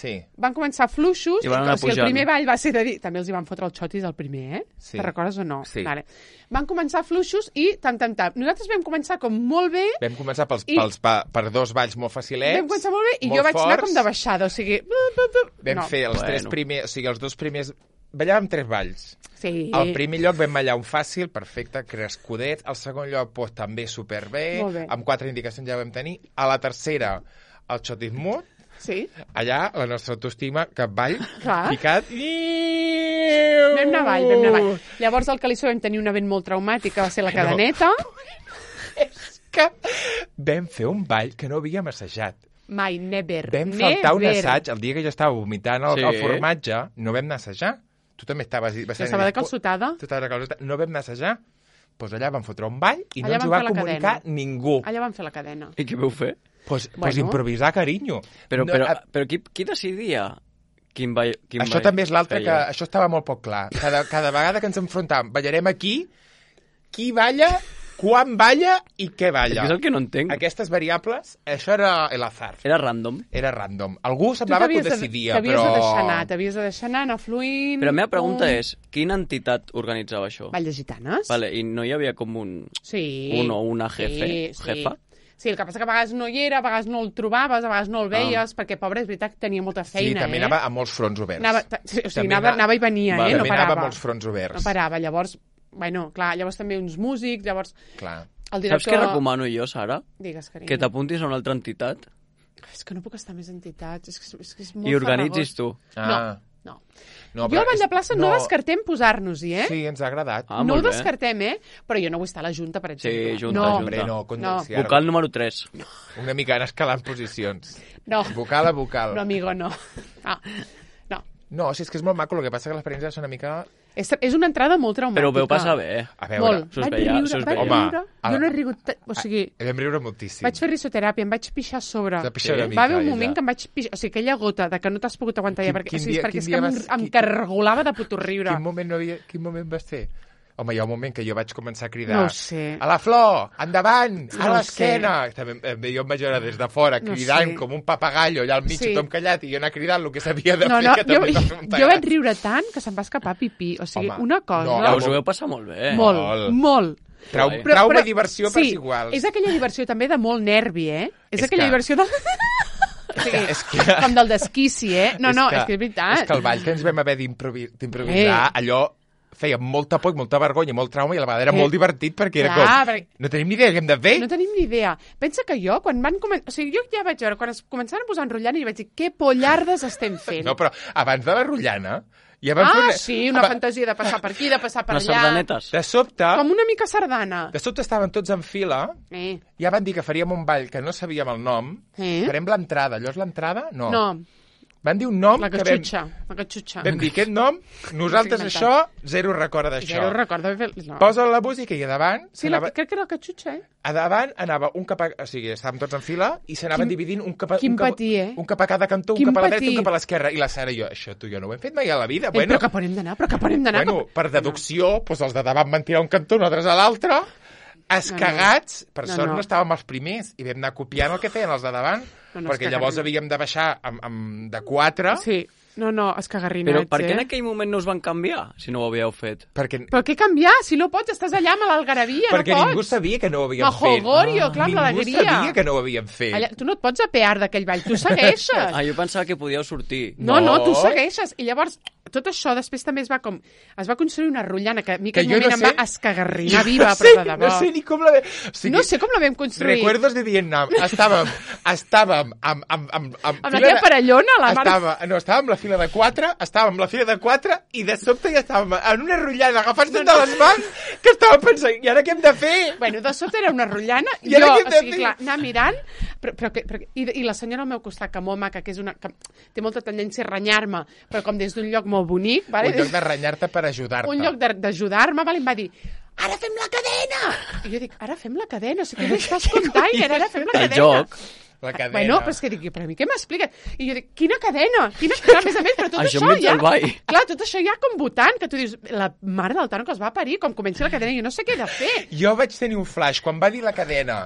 Sí. Van començar fluixos, I van o anar sigui, el pujant. primer ball va ser de dir... També els hi van fotre el xotis el primer, eh? Sí. Te'n recordes o no? Sí. Vale. Van començar fluixos i tam, tam, tam. Nosaltres vam començar com molt bé, Vam començar pels, I- pels, pa, per dos balls molt facilets. vam començar molt bé, i molt jo vaig anar forts. com de baixada, o sigui... Vam no. fer els Bueno. tres primers... O sigui, els dos primers... Ballàvem tres balls. Sí. Al primer lloc vam ballar un fàcil, perfecte, crescudet. Al segon lloc, pues, també superbé. Molt bé. Amb quatre indicacions ja ho vam tenir. A la tercera, el xotis mut. Sí. Allà, la nostra autoestima, capvall, Clar. picat. Vam anar avall, vam anar avall. Llavors al Calissó vam tenir un event molt traumàtic, que va ser la cadeneta. Que vam fer un ball que no havíem assajat. Mai, never. Vam faltar un never. assaig el dia que jo estava vomitant el, Sí. el formatge, no vam anar a assajar. Tu també estaves... Jo estava de calçotada. Tu estaves de calçotada. No vam anar a assajar. Doncs pues allà vam fotre un ball i Allà no ens ho vam va fer la comunicar cadena. ningú. Allà vam fer la cadena. I què vau fer? Pues, Bueno. pues improvisar, carinyo. Però, No, però, a- però qui, qui decidia quin ball, quin això ball també és l'altre, que feia? això estava molt poc clar. Cada, cada vegada que ens enfrontàvem, ballarem aquí, qui balla, quan balla i què És balla. que és el que no entenc. Aquestes variables, això era el azar. Era random. Era random. Algú Tu semblava que ho t'havies de- decidia, T'havies però... de deixar anar, t'havies de deixar anar, anar fluint... Però la meva pregunta pum. és, quina entitat organitzava això? Ball de gitanes? Vale, i no hi havia com un... Sí. Un o una jefe, Sí, sí. jefa? Sí, el que passa que a vegades no hi era, a vegades no el trobaves, a vegades no el veies, perquè, pobre, és veritat que tenia molta Sí, feina, també eh? anava a molts fronts oberts. Anava, ta- sí, o sigui, També anava, ana- anava i venia, Vale. eh? No També anava parava. a molts fronts oberts. No parava, llavors... Bueno, clar, llavors també uns músics, llavors... Clar. El Saps director... què recomano jo, Sara? Digues, carinyo. Que t'apuntis a una altra entitat És que no puc estar més entitats, és que, és, que és molt i organitzis farragós. tu. Ah. No, no. No, Jo a Vall de és- Plaça no, descartem posar-nos-hi, eh? Sí, ens ha agradat. Ah, no ho molt bé. descartem, eh? Però jo no vull estar a la Junta, per exemple. junta, no, junta. Hombre, no, con... No. sí, ara- Vocal número tres. Una mica anar escalant posicions. no, Vocal a vocal. no, amigo, no. No, no. No, si és que és molt maco, el que passa que l'experiència és una mica... És, és una entrada molt traumàtica. Però ho veu passar bé. A veure, Molt. se us Vaig veia, riure, se us vaig veia. Home, riure. a- Jo no he rigut... ta- O sigui, Vam riure moltíssim. vaig fer risoteràpia, em vaig pixar a sobre. De pixar una Va mica, haver un ella. moment que em vaig pixar... O sigui, aquella gota de que no t'has pogut aguantar ja, Quin- perquè, quin o sigui, dia- perquè quin és dia que em, vas- em quin- cargolava de puto riure. Quin moment, no havia... Quin moment vas fer? Home, hi ha un moment que jo vaig començar a cridar... No ho sé. A la Flor! Endavant! A No ho l'esquena! També em veia un major des de fora No cridant sé. com un papagallo allà al mig, Sí. tothom callat, i jo anar cridant el que s'havia de No, fer, no, que jo, també va fer un jo vaig riure tant que se'm va escapar pipí. O sigui, Home, una cosa... no, Ja us ho veu passar molt bé. molt, Molt. molt. Trau, Guai. Però- trauma però- i diversió sí, per iguals. és aquella diversió també de molt nervi, eh? És, És aquella que- diversió de... o sigui, és que- com del desquici, eh? No, no, és que és veritat. És que el ball que ens vam haver d'improvi- d'improvisar, Eh. allò feia molta por i molta vergonya i molt trauma, i a la vegada era Eh. molt divertit perquè era Clar, com... perquè- No tenim ni idea què hem de fer. No tenim ni idea. Pensa que jo, quan van començar... O sigui, jo ja vaig veure, quan es començaven a posar enrotllant, i vaig dir, què pollardes estem fent? No, però abans de la rotllana... Ja vam fer ah, una... sí, una Aba- fantasia de passar per aquí, de passar per Les allà. sardanetes. De sobte, Com una mica sardana. de sobte estaven tots en fila, Eh. ja van dir que faríem un ball que no sabíem el nom, Eh? farem l'entrada. Allò és l'entrada? No. No, Van dir un nom la que vam, catxutxa. La catxutxa. vam dir aquest nom, nosaltres M'ho estic això, zero recorda d'això. Ja ho recordo. No. Posa la música i a davant, Sí, la, s'anava- crec que era la catxutxa, eh? a davant anava un cap a... O sigui, estàvem tots en fila i s'anaven Quin- dividint un cap a, quin un, cap, patir, eh? un cap a cada cantó, un Quin cap a la dreta i patir. un cap a l'esquerra. I la Sara i jo, això tu i jo no ho hem fet mai a la vida. Eh, bueno, però cap on hem d'anar? Però cap on hem d'anar? bueno, per deducció, doncs els de davant van tirar un cantó, nosaltres a l'altre, escagats, per No, sort no. no estàvem els primers, i vam anar copiant el que feien els de davant, No, no, perquè és llavors cagarrina. havíem de baixar amb, amb de quatre, Sí. No, no, escagarrinats, Però per què eh? en aquell moment no us van canviar, si no ho havíeu fet? perquè, Però què canviar? Si no pots, estàs allà amb l'algarabia, no perquè pots. ningú sabia que no ho havíem El fet. jolgorio, clar, amb Ningú l'alegria. sabia que no ho havíem fet. Allà, tu no et pots apear d'aquell ball, tu segueixes. Ah, jo pensava que podíeu sortir. No, no, No. tu segueixes. I llavors tot això després també es va com... Es va construir una rotllana que a mi Que aquell jo moment no em sé- va escagarrinar Jo viva, no sé, però de debò. No sé ni com la... ve- O sigui, No sé com la vam construir. Recuerdos de Vietnam. Estàvem, estàvem amb... Amb, amb, amb, Amb la teva parellona, la Marta. estava, No, estàvem a la fila de quatre, estàvem a la fila de quatre i de sobte ja estàvem en una rotllana agafant-nos de les mans que estàvem pensant, i ara què hem de fer? Bueno, de sobte era una rotllana, I ara jo, què hem o de sigui, fer? clar, anar mirant, però, però, que- però, i, i la senyora al meu costat, que molt maca, que és una... que té molta tendència a renyar-me, però com des d'un lloc molt bonic, vale? Un lloc de renyar-te per ajudar-te. un lloc de- d'ajudar-me, vale? Em va dir, ara fem la cadena! I jo dic, ara fem la cadena? O sigui, què m'estàs contant? Ara fem la El cadena. joc. La cadena. Bueno, però és que dic, però a mi què m'expliques? I jo dic, quina cadena? Quina cadena? A més a més, però tot Això això, enmig ja... del ball. Clar, tot això ja com votant, que tu dius, la mare del Tano que es va parir, com comenci la cadena, jo no sé què he de fer. Jo vaig tenir un flash quan va dir la cadena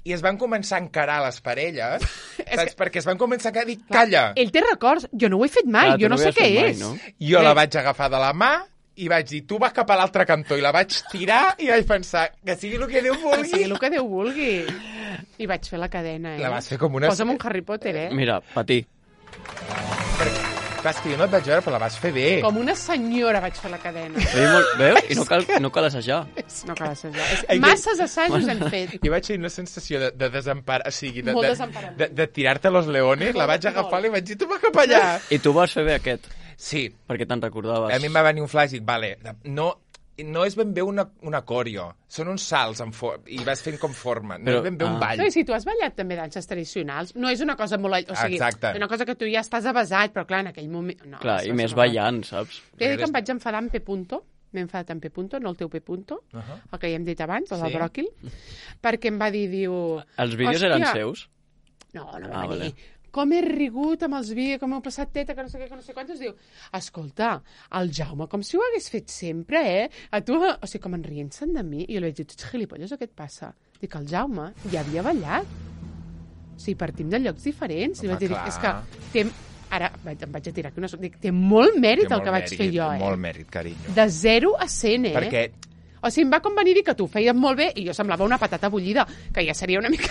i es van començar a encarar les parelles, saps? Perquè es van començar a dir, calla! Ell té records, jo no ho he fet mai, Clar, tu jo no no ho sé havies què fet mai, és. no? Jo Bé. la vaig agafar de la mà i vaig dir, tu vas cap a l'altre cantó, i la vaig tirar i vaig pensar, que sigui el que Déu Que sigui vulgui. el que Déu vulgui. I vaig fer la cadena, eh? La vas fer com una... Posa'm un Harry Potter, eh? Mira, patir. Clar, és que jo no et vaig veure, però la vas fer bé. Com una senyora vaig fer la cadena. Veus? Molt... Veus? I no cal, no cal assajar. No cal assajar. És- Ai, que- Masses assajos hem fet. Jo vaig tenir una sensació de, de desempar, o sigui, de, Molt de, desemparament. de, de tirar-te los leones, la vaig Molt. agafar i li vaig dir, tu vas cap allà. I tu vas fer bé aquest, Sí, perquè te'n recordaves. a mi em va venir un flash i dic, vale, no, no és ben bé una, una coreo, són uns salts en for i vas fent com forma, no Però- és ben bé un ah. ball. No, i si tu has ballat també danses tradicionals, no és una cosa molt... O sigui, Exacte. és una cosa que tu ja estàs avasat, però clar, en aquell moment... No, Clar, és i més una cosa- ballant, saps? He dit que em vaig enfadar amb P. Punto, m'he enfadat amb P. Punto, no el teu P. Punto, Uh -huh. el que ja hem dit abans, el del Sí. bròquil, perquè em va dir, diu... Els vídeos "Hòstia, eren seus? No, no Ah, va venir. vale. Com he rigut amb els vídeos, com heu passat teta, que no sé què, que no sé quantos. Diu, escolta, el Jaume, com si ho hagués fet sempre, eh? A tu, o sigui, com en rient-se'n de mi. I jo li vaig dir, tu ets gilipolles o què et passa? Dic, el Jaume ja havia ballat. O sigui, partim de llocs diferents. I Home, vaig dir, clar. és que té... Ara vaig, em vaig a tirar aquí una... Dic, té molt mèrit Té el que molt vaig fer mèrit, jo, eh? Molt mèrit, carinyo. De zero a cent, eh? Perquè O sigui, em va com venir a dir que tu feies molt bé i jo semblava una patata bullida, que ja seria una mica...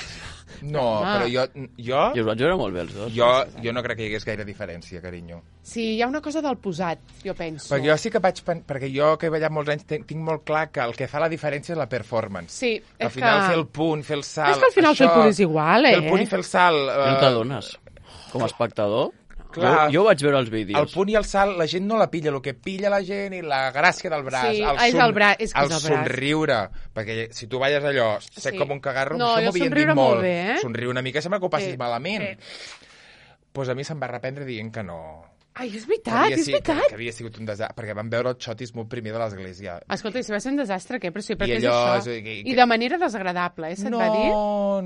no, Home. però jo, jo, I us vaig veure molt bé els dos. jo, jo no crec que hi hagués gaire diferència, carinyo. Sí, hi ha una cosa del posat, jo penso. Perquè jo sí que vaig... pen- Perquè jo, que he ballat molts anys, tinc, tinc molt clar que el que fa la diferència és la performance. Sí, és Al final, que... fer el punt, fer el salt... És que al final fer el punt és igual, eh? Fer el punt i fer el salt... No eh, t'adones. Com a espectador, Clar. jo, jo vaig veure els El vídeos. punt i el salt, la gent no la pilla. El que pilla la gent i la gràcia del braç. Sí, el és el bra- és que el és el braç. somriure. Perquè si tu balles allò, sec Sí. com un cagarro, No, això jo m'havien dit somriure molt. molt bé, eh? Somriure una mica sembla que ho passis Sí, malament. sí. Pues a mi se'm va reprendre dient que no. Ai, és Que veritat, havia, és si- que, veritat. que havia sigut un desastre. Perquè vam veure el xotisme primer de l'església. Escolta, i si va ser un desastre, què? Però sí, I perquè és allò, això. és- i- I de manera desagradable, eh, se't no, va dir?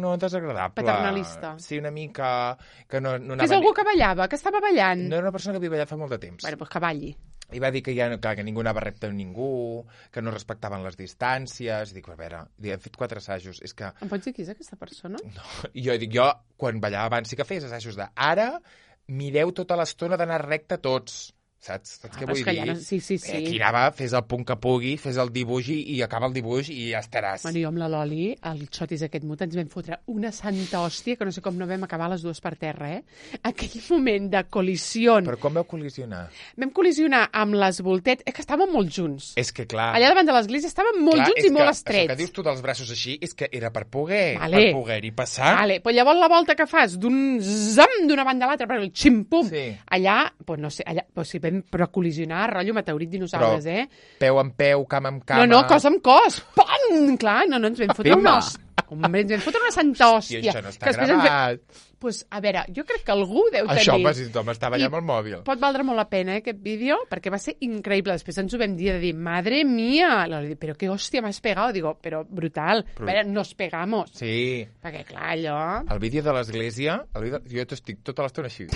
no, desagradable. Paternalista. Sí, una mica... Que no, no Que és anava algú ni- que ballava, que estava ballant. No era una persona que havia ballat fa molt de temps. Bueno, doncs que balli. I va dir que, ja, que, que ningú anava recte amb ningú, que no respectaven les distàncies. Dic, a veure, dic, hem fet quatre assajos. És que Em pots dir qui és aquesta persona? no. I jo dic, jo, quan ballava abans, sí que feies assajos de ara, mireu tota l'estona d'anar recte tots. Saps? Saps Ah, què però vull és que dir? ja no- sí, sí, sí. Eh, aquí anava, fes el punt que pugui, fes el dibuix i, i acaba el dibuix i ja estaràs. Bueno, jo amb la Loli, el xotis aquest mut, ens vam fotre una santa hòstia que no sé com no vam acabar les dues per terra, eh? Aquell moment de col·lisió. Però com vau col·lisionar? Vam col·lisionar amb les voltetes... És que estàvem molt junts. És que, clar... Allà davant de l'església estàvem molt clar, junts és i molt que, estrets. Això que dius tu dels braços així és que era per poder, Vale. per poder-hi passar. Vale, però llavors la volta que fas d'un zam d'una banda a l'altra, però el ximpum, Sí. allà, pues no sé, allà, pues sí, vam, però col·lisionar, rotllo meteorit dinosaures, Però eh? peu amb peu, cam amb cama... No, no, cos amb cos, pam! Clar, no, no, ens vam fotre Pimba. una hòstia. Hombre, ens vam fotre una santa I hòstia. això no està que després ens vam- gravat. Pues, a veure, jo crec que algú deu tenir... Això, home, si tothom estava allà I amb el mòbil. Pot valdre molt la pena, eh, aquest vídeo, perquè va ser increïble. Després ens ho vam dir, de dir, madre mía, la, però què hòstia m'has pegado? Digo, però brutal. Però- A veure, nos pegamos. Sí. Perquè, clar, allò... El vídeo de l'església, el vídeo... jo t'estic tota l'estona així.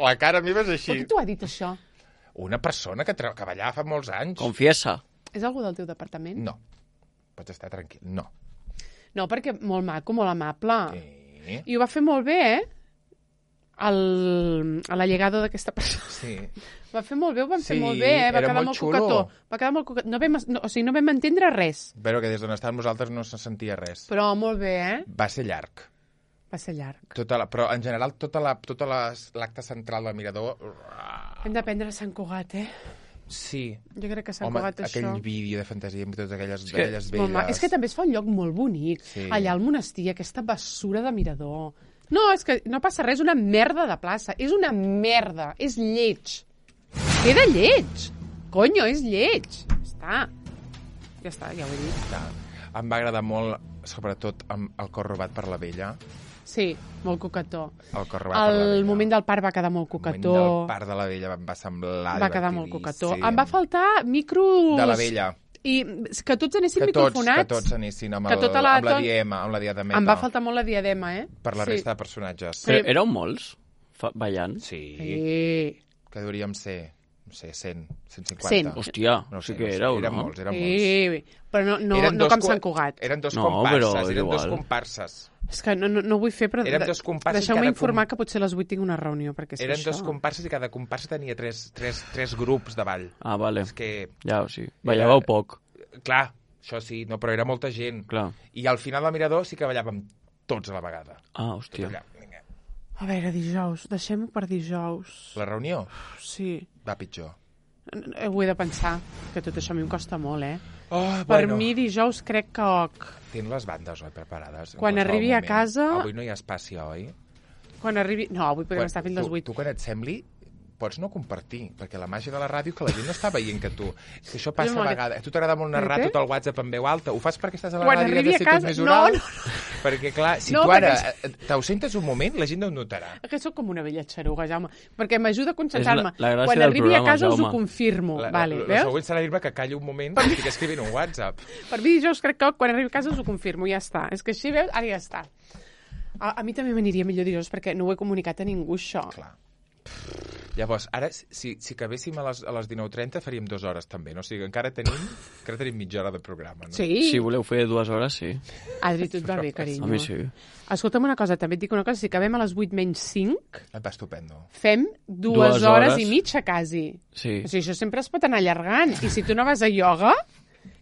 La cara meva és Per així. què t'ho ha dit, això? Una persona que, tra... que ballava fa molts anys. Confiesa. És algú del teu departament? No. Pots estar tranquil. No. No, perquè molt maco, molt amable. Sí. I ho va fer molt bé, eh? El, a la llegada d'aquesta persona. Sí. Va fer molt bé, ho van fer Sí, molt bé, eh? Va era quedar molt molt xulo. coquetó. Va quedar molt coquetó. No vam, no, o sigui, no vam entendre res. Però que des d'on estàvem nosaltres no se sentia res. Però molt bé, eh? Va ser llarg. Va ser llarg. Tota la, però, en general, tota la, tota les- l'acte central del Mirador... Hem de prendre Sant Cugat, eh? Sí. Jo crec que Sant Home, Cugat, aquell això... vídeo de fantasia amb totes aquelles, que- aquelles És, molt ma... velles... és que també es fa un lloc molt bonic. Sí. Allà al monestir, aquesta bessura de mirador. No, és que no passa res, és una merda de plaça. És una merda, és lleig. Queda lleig. Conyo, és lleig. Ja està. Ja està, ja ho he dit. Ja. Em va agradar molt, sobretot, amb el cor robat per la vella. Sí, molt coquetó. El cor robat per la El vella. moment del parc va quedar molt El moment coquetó. del parc de la vella em va semblar Va quedar molt coquetó. divertidíssim. Em va faltar micros... De la vella. I que tots anessin Que tots, microfonats. que tots anessin amb, Que el, tota la- amb la tot- diema, amb la diademeta. Em va faltar molt la diadema, eh? Per la sí. resta de personatges. Sí. Però éreu molts fa- ballant? Sí. Sí. Que hauríem ser, no sé, cent, cent cinquanta. cent. Hòstia, No sí sé, que no sé, éreu, eren no? molts, eren molts. Sí, però no, no, Eren no dos com co- Sant Cugat. Eren dos No, comparses, però eren igual. dos comparses. És que no, no, no vull fer, però Érem de- dos comparses deixeu-me cada informar com- que potser a les vuit tinc una reunió, perquè és Eren això. dos comparses i cada comparsa tenia tres, tres, tres grups de ball. Ah, vale. És que, Ja, o sigui, ballàveu poc, clar, això sí, no, però era molta gent. clar. I al final del Mirador sí que ballàvem tots a la vegada. Ah, Tot hòstia. allà, vinga. A veure, dijous, deixem-ho per dijous. La reunió Sí, va pitjor. Eh, ho he de pensar, que tot això a mi em costa molt, eh? Oh, Per mi dijous crec que... ok. Tens les bandes, oi, preparades? en Quan qualsevol arribi a moment. casa- Avui no hi ha espaci, oi? Quan arribi... No, avui podem estar fins les tu, vuit. tu, quan et sembli, pots no compartir, perquè la màgia de la ràdio que la gent no està veient que tu... És que això passa Jo a me- vegades. A tu t'agrada molt narrar Què? tot el WhatsApp en veu alta. Ho fas perquè estàs a la Quan ràdio i has arribi de a ser casa- tot més no, oral? no, Perquè, clar, si No, tu ara perquè- eh, t'ausentes un moment, la gent no ho notarà. Que sóc com una vella xaruga, Jaume, perquè m'ajuda a concentrar-me. És la- la gràcia Quan del arribi programa, a casa us Jaume. ho confirmo. La, vale, la, la veus? següent serà dir-me que calli un moment i estic escrivint un WhatsApp. Per mi dijous crec que quan arribi a casa us ho confirmo, ja està. És que així, veus? Ara ja està. A, a mi també m'aniria millor dijous perquè no ho he comunicat a ningú, això. Clar. Llavors, ara, si, si acabéssim a les, a les dinou trenta, faríem dues hores també, no? O sigui, encara tenim, encara tenim mitja hora de programa, no? Sí? Si voleu fer dues hores, sí. Adri, tu et va bé, carinyo. A mi sí. Escolta'm una cosa, també et dic una cosa, si acabem a les vuit menys cinc, Et va estupendo. fem dues, Dues hores, hores. i mitja, quasi. Sí. O sigui, això sempre es pot anar allargant. I si tu no vas a ioga,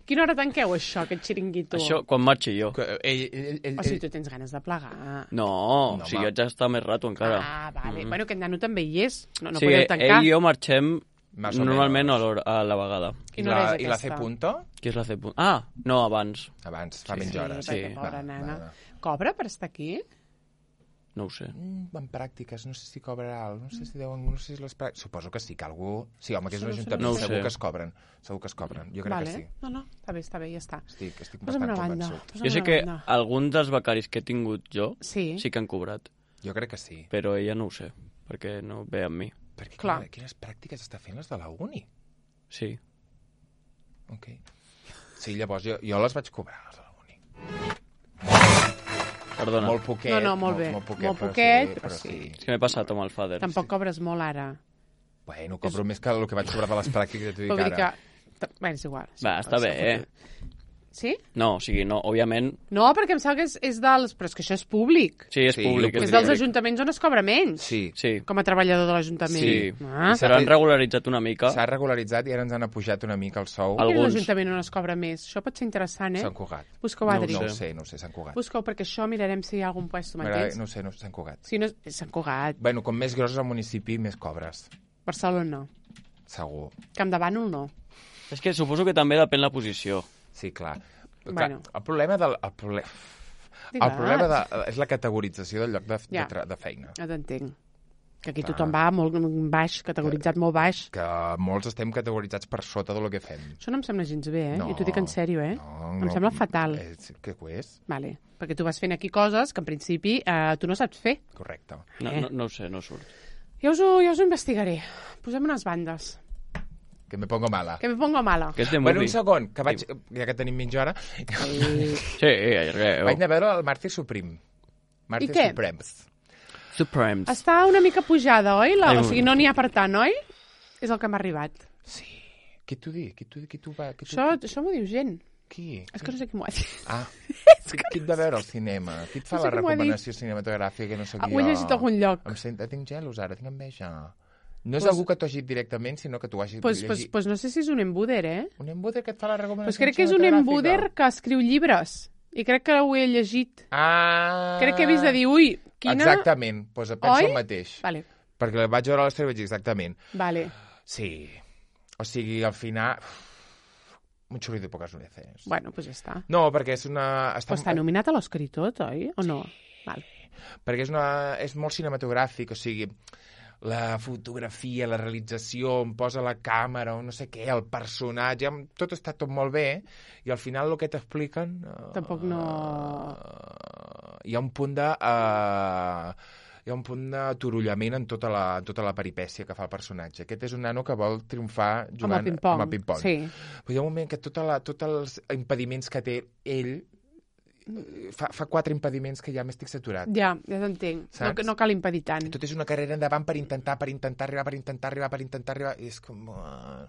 quina hora tanqueu això, aquest xiringuito? Això, quan marxi jo. Que, ell, ell, ell, O sigui, tu tens ganes de plegar. No, No, si home. jo haig d'estar més rato encara. Ah, vale. Bueno, aquest nano també hi és. No, no sí, podeu tancar. ell i jo marxem Más o normalment a, menos. l'hora- a la vegada. I Quina hora la, és I la C aquesta? punto? Qui és la C. Ah, no, abans. Abans, fa Sí, menys sí, hores. Sí, perquè, sí. pobra Va, nana. va, va. Cobra per estar aquí? No ho sé. Mm, en pràctiques, no sé si cobrarà alt, no sé si deuen, no sé si les pràctiques... Suposo que sí, que algú... Sí, home, que és un No ho sé, ajuntament, no ho segur sé. que es cobren. Segur que es cobren, jo crec vale. que sí. No, no, està bé, està bé, ja està. Estic, estic Posa'm bastant una banda. convençut. Posa'm Jo sé una que banda. alguns dels becaris que he tingut jo Sí. sí que han cobrat, Jo crec que sí. però ella no ho sé, perquè no ve amb mi. Perquè Clar. quina, quines pràctiques està fent les de la uni? Sí. Ok. Sí, llavors jo, jo les vaig cobrar, les de la uni. Perdona. Molt poquet. No, no, molt bé. Molt poquet, Molt però poquet, sí, però però sí. sí. És que m'he passat amb el Fader. Tampoc cobres molt ara. Bueno, cobro més que el que vaig cobrar de les pràctiques, t'ho dic Vull dir que... ara. Bé, és igual. Va, està bé, eh? Sí? No, o sigui, no, òbviament... No, perquè em sembla que és, és dels... Però és que això és públic. Sí, és Sí, públic. ho És és dels públic. ajuntaments on es cobra menys. Sí. Sí, Com a treballador de l'Ajuntament. sí. Ah. I Però han regularitzat una mica. S'ha regularitzat i ara ens han apujat una mica el sou. El- Quin és alguns. l'Ajuntament on es cobra més? Això pot ser interessant, eh? Sant Cugat. Busqueu, No ho Adri. No ho sé. sé, no ho sé, Sant Cugat. Busqueu, perquè això mirarem si hi ha algun puesto, M'agrada- m'entens? No ho sé, no, Sant Cugat. Si no, és Sant Cugat. Bueno, com més gros és el municipi, més cobres. Barcelona no. Segur. Camp de Bànol no. És que suposo que també depèn la posició. Sí, clar. Bueno. clar el problema del... El, proble... Digues. el problema de, és la categorització del lloc de, Ja. de, tra- de feina. Ja t'entenc. Que aquí Clar. tothom va molt baix, categoritzat molt baix. Que molts estem categoritzats per sota del que fem. Això no em sembla gens bé, eh? No, I t'ho dic en sèrio, eh? No, Em no, sembla fatal. És, què ho és? Vale. Perquè tu vas fent aquí coses que en principi eh, tu no saps fer. Correcte. No, Eh. no, no ho sé, no surt. Ja us ho, ja us ho investigaré. Posem unes bandes. Que me pongo mala. Que me pongo mala. Que és de Bueno, movie. un segon, que vaig, ja que tenim mitja hora, Sí. Sí, allargueu. vaig anar a veure el Màrtir Supreme. Màrtir I què? Supremes. Supremes. Està una mica pujada, oi? La, Ai, o sigui, no n'hi ha per tant, oi? És el que m'ha arribat. Sí. Qui t'ho diu? Qui t'ho qui t'ho va... Qui t'ho- Això, això m'ho diu gent. Qui? És que no sé qui m'ho ha dit. Ah, qui, qui et va veure al cinema? Qui et fa No sé la qui m'ho ha dit. recomanació cinematogràfica que no sóc Ah, jo? ho he llegit a algun lloc. Em sent, tinc gelos ara, tinc enveja. No és Pues- algú que t'ho hagi dit directament, sinó que t'ho hagi Pues, pues, llegit. pues no sé si és un embuder, eh? Un embuder que et fa la recomanació Pues crec que és un cinematogràfica. embuder que escriu llibres. I crec que ho he llegit. Ah... Crec que he vist de dir, ui, quina... Exactament, doncs penso Oi? el mateix. Vale, Perquè el vaig veure a l'Estel i vaig dir exactament. vale. Sí. O sigui, al final... Un xurri de poques veces. Bueno, pues ja està. No, perquè és una... Però està nominat a l'Oscar i tot, oi? O no? Val. Perquè és, una... és molt cinematogràfic, o sigui, la fotografia, la realització, on posa la càmera, o no sé què, el personatge, tot està tot molt bé, i al final el que t'expliquen... Uh, Tampoc no... Uh, hi ha un punt de... Uh, hi ha un punt d'aturullament en tota la, tota la peripècia que fa el personatge. Aquest és un nano que vol triomfar jugant amb el ping-pong. amb el ping-pong. Sí. Però hi ha un moment que tota la, tots els impediments que té ell fa, fa quatre impediments que ja m'estic saturat. Ja, ja t'entenc. No, Saps? no cal impedir tant. Tot és una carrera endavant per intentar, per intentar arribar, per intentar arribar, per intentar arribar... I és com... Uh,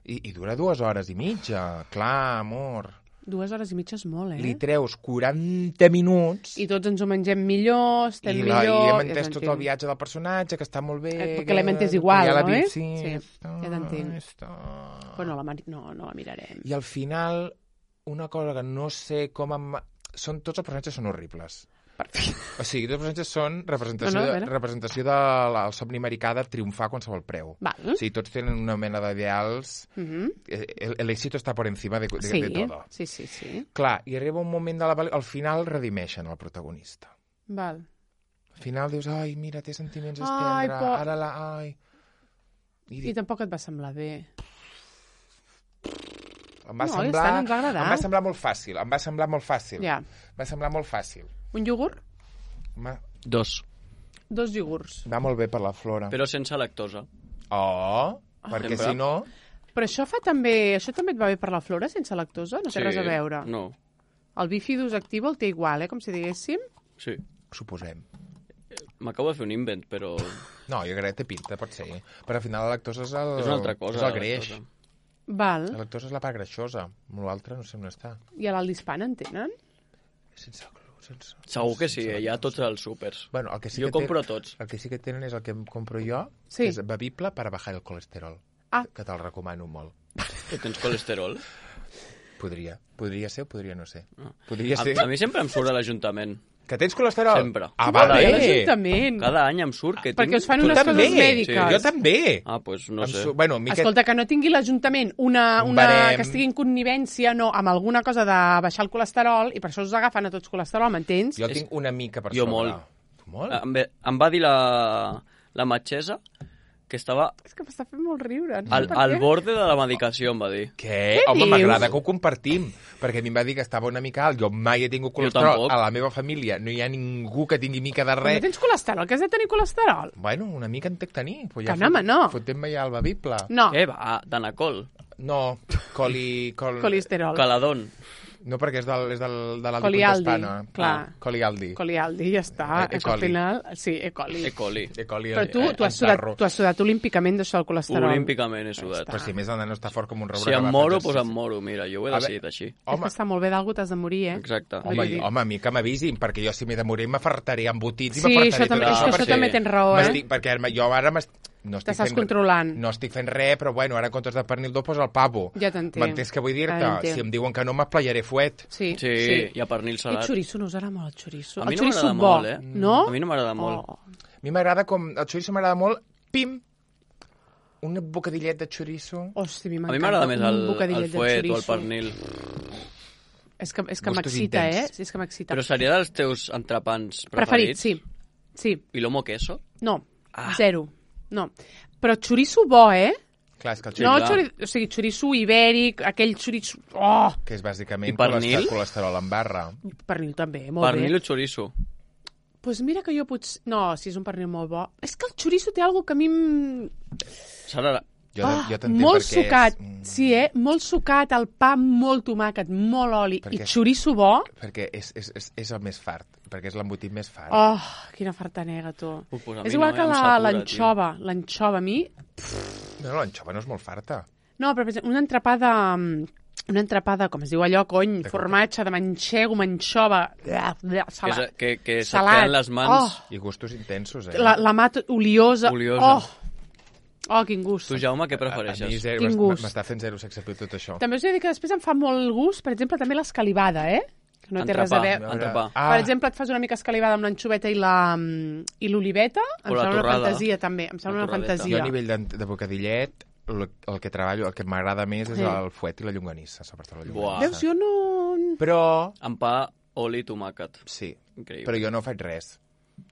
i, I dura dues hores i mitja. Clar, amor. Dues hores i mitja és molt, eh? Li treus quaranta minuts... I tots ens ho mengem millor, estem i la, millor... I hem entès ja tot t'entenc. el viatge del personatge, que està molt bé... Eh, perquè l'hem entès igual, ja la no, vi- eh? Sí, Sí, està, ja t'entenc. està. Però no la, mari- no, no la mirarem. I al final, una cosa que no sé com... Em... Són, tots els personatges són horribles. O sigui, tots els personatges són representació, No, no, a de, veure. representació del de, somni americà de triomfar a qualsevol preu. Val. O sigui, tots tenen una mena d'ideals... Mhm. El, el éxito està per encima de, de, Sí, de todo. sí, sí, sí. Clar, i arriba un moment de la pel·lícula... Al final redimeixen el protagonista. Val. Al final dius, ai, mira, té sentiments Ai, estendre, por- ara la... Ai... I, I dic, tampoc et va semblar bé. em va No, semblar... ja està, no ens va agradar. Em va semblar molt fàcil, em va semblar molt fàcil. Ja. Em va semblar molt fàcil. Un iogurt? Em Dos. Dos iogurts. va molt bé per la flora. Però sense lactosa. Oh, perquè Sempre. si no... Però això fa també... Això també et va bé per la flora, sense lactosa? No té res a veure. No, El bifidus actiu el té igual, eh? Com si diguéssim. sí. Suposem. M'acabo de fer un invent, però... No, jo crec que té pinta, pot ser. Però al final la lactosa és el... És una altra cosa. És el la greix. lactosa. Val. La lactosa és la part greixosa. L'altre no sé on està. I a l'Aldispan en tenen? Sense glu, sense... Segur que sí, sense hi ha lactosa. tots els súpers. Bueno, el que sí Jo que compro ten- tots. El que sí que tenen és el que em compro jo, Sí. que és bevible per a bajar el colesterol. Ah. Que te'l recomano molt. Que tens colesterol. Podria. Podria ser o podria no ser. Ah. Podria A, ser. a mi sempre em surt a l'Ajuntament. Que tens colesterol? Sempre. Ah, Va va bé, bé. l'Ajuntament. Cada any em surt que Perquè tinc... us fan Tu unes també. coses mèdiques. Sí. Jo també. Ah, doncs pues no Em sé. su- Bueno, mica... Escolta, que no tingui l'Ajuntament una, Un una barem. que estigui en connivència no, amb alguna cosa de baixar el colesterol i per això us agafen a tots colesterol, m'entens? Jo tinc una mica per Jo sobre. molt. Tu molt? Em, ve- em va dir la, la metgessa que estava És que m'està fent molt riure. No sé al, per al què. borde de la medicació, em va dir. Què? Què Home, dius? m'agrada que ho compartim, perquè a mi em va dir que estava una mica alt. Jo mai he tingut colesterol. tampoc. A la meva família no hi ha ningú que tingui mica de Però res. no tens colesterol, que has de tenir colesterol? Bueno, una mica en tec tenir. Pues Que no, home, no. Fotem-me ja el bevible. No, Què va? Danacol. No, coli... Col... colesterol. Caladón. No, perquè és, del, és del, de l'Aldi Colialdi, Contestana. clar. Ah, Colialdi. Colialdi, ja està. E- És que al E. coli. final... Sí, E. coli. E. coli. E. coli Però tu, eh, tu, has el sudat, tarro. tu has sudat olímpicament d'això del colesterol. Olímpicament he sudat. Però si a més el nano està fort com un roure. Si que em va fer moro, exercici. doncs em moro. Mira, jo ho he A decidit veure, així. És Home, que està molt bé d'algú, t'has de morir, eh? Exacte. home, Vull dir- home, a mi que m'avisin, perquè jo si m'he de morir m'afartaré embotits i Sí, m'afartaré això també, tot és que per això si- també tens raó, eh? M'estic- Perquè ara- jo ara m'estic... No estic T'estàs fent- controlant. No estic fent res, però bueno, ara en comptes de pernil d'ou posa el pavo. Ja t'entenc. M'entens què vull dir-te? Ja t'entenc. Si em diuen que no, m'esplayaré fuet. Sí, Sí, sí. i a pernil I salat. xoriço, no us agrada molt el xoriço? A mi el no xoriço m'agrada bo, molt, eh? no? A mi no m'agrada molt. Oh. A mi m'agrada com... El xoriço m'agrada molt... Pim! Un bocadillet de xoriço. Hòstia, a mi A mi m'encanta m'agrada més un el, bocadillet el de fuet o el xoriço. pernil. És que, és que Gustos m'excita, eh? intens. Sí, és que m'excita. Però seria dels teus entrepans Preferit, preferits? sí. Sí, I l'homo queso? no, Ah. zero. No. Però xoriço bo, eh? Clar, és que el Sí, no, clar. xori... o sigui, xoriço ibèric, aquell xoriço... Oh! que és bàsicament I pernil? colesterol, colesterol en barra. Pernil també, molt Pernil bé. o chorizo? Pues mira que jo potser... No, si és un pernil molt bo. És que el xoriço té algo que a mi... em- Serà... Jo, Ah, jo t'entenc molt perquè sucat, és... mm, sí, eh? Molt sucat, el pa molt tomàquet, molt oli Perquè i és- xoriço bo. Perquè és, és, és, és el més fart, perquè és l'embotit més fart. Oh, quina fartanega, tu. Ui, pues a És mi igual no, que eh, em la- satura, l'anxova. L'anxova, a mi... No, l'anxova no és molt farta. No, però per exemple, una entrepada... Una entrepada, com es diu allò, cony, De formatge de manxego, manxova, Que, salat. és, que, que se't Salat. queden les mans... I gustos intensos, eh? La, la mat oliosa. Oliosa. Oh, oh, quin gust. Tu, Jaume, què A mi prefereixes? zero, Quin m'est- gust. m'està fent zero sex appeal tot això. També us he de dir que després em fa molt gust, per exemple, també l'escalivada, eh? que no té res a Entrepà, veure. entrepà. Ah. Per exemple, et fas una mica escalivada amb l'anchoveta i la i l'oliveta, em O la sembla una torrada. fantasia, també. Em sembla La una torradeta. Jo fantasia. a nivell de, de bocadillet, el, el que treballo, el que m'agrada més és Sí. el fuet i la llonganissa, sobretot la Buah. llonganissa. Veus, jo no... Però, Amb pa, oli i tomàquet. sí, Increïble. però jo no faig res.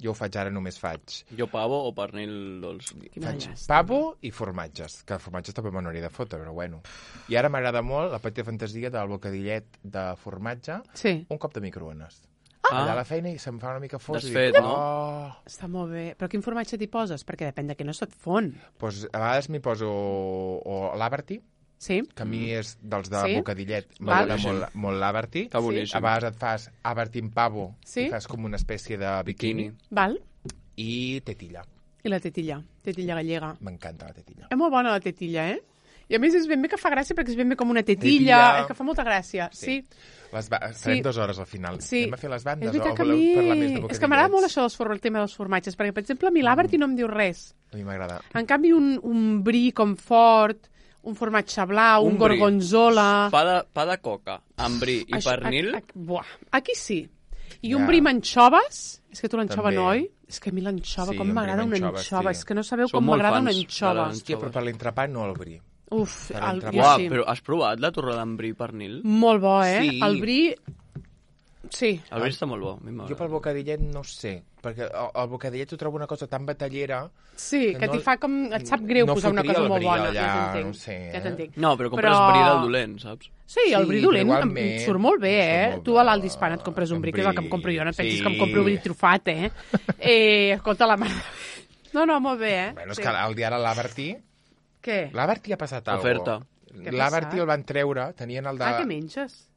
Jo ho faig ara, només faig. Jo pavo o pernil dolç. Quina Faig llàstima. pavo i formatges, que formatges també me n'hauria de fotre, però bueno. I ara m'agrada molt la petita fantasia del bocadillet de formatge, Sí, un cop de microones. Ah. Allà a la feina i se'm fa una mica fos. Desfet, i dic, no? Oh. està molt bé. Però quin formatge t'hi poses? Perquè depèn de què no se't fon. Pues, a vegades m'hi poso o l'Aberty, Sí? que a mi és dels de Sí? bocadillet, Val. m'agrada molt, molt l'Aberty. Està A boníssim. vegades et fas Aberty amb pavo Sí? i fas com una espècie de bikini. Bikini. Val? I tetilla. I la tetilla, tetilla gallega. M'encanta la tetilla. És molt bona la tetilla, eh? I a més és ben bé que fa gràcia perquè és ben bé com una tetilla, Tetilla. és que fa molta gràcia. Sí. Sí. Les ba... Farem Sí. dues hores al final. Sí. Anem a fer les És bandes o veritat que a voleu mi... parlar més de És bocadillets? que m'agrada molt això dels for... el tema dels formatges, perquè, per exemple, a mi l'Aberty no em diu res. A mi m'agrada. En canvi, un, un brie com fort, un formatge blau, un, Un brie. gorgonzola... Pa de, pa de coca, amb bri i Això- pernil. a- a- Buah, aquí sí. I un Ja. brie amb anxoves, és que tu l'anxova També. no, oi? És que a mi l'anxova, Sí, com un brie m'agrada amb una anxoves, anxova. sí. És que no sabeu Som com molt m'agrada una fans de anxova. les- Hòstia, però per l'entrepà no el bri. Uf, Per el, l'entrepà. jo Uau, sí. però has provat la torrada amb bri i pernil? Molt bo, eh? Sí. El brie... Sí. El bri està molt bo, a mi m'agrada. Jo pel bocadillet no sé, perquè el, el bocadillet ho trobo una cosa tan batallera... Sí, que No- t'hi fa com... Et sap greu no posar una fotria cosa el molt brie bona. allà, ja t'entenc. no sé, Ja eh? t'entenc. No, però compres Però- bri del dolent, saps? Sí, el Sí, bri però dolent em igualment surt molt bé, surt eh? molt Tu bé. a l'Aldi Hispana et compres un Un bri, que és el que em bri, compro jo, no et pensis sí. que em compro bri trufat, eh? eh escolta, la mare... No, no, molt bé, eh? Bueno, és Sí. que el dia ara l'Aberty... Què? L'Aberty ha passat alguna Oferta. Què ha L'Aberty passat? el van treure, tenien el de... Ah, què menges?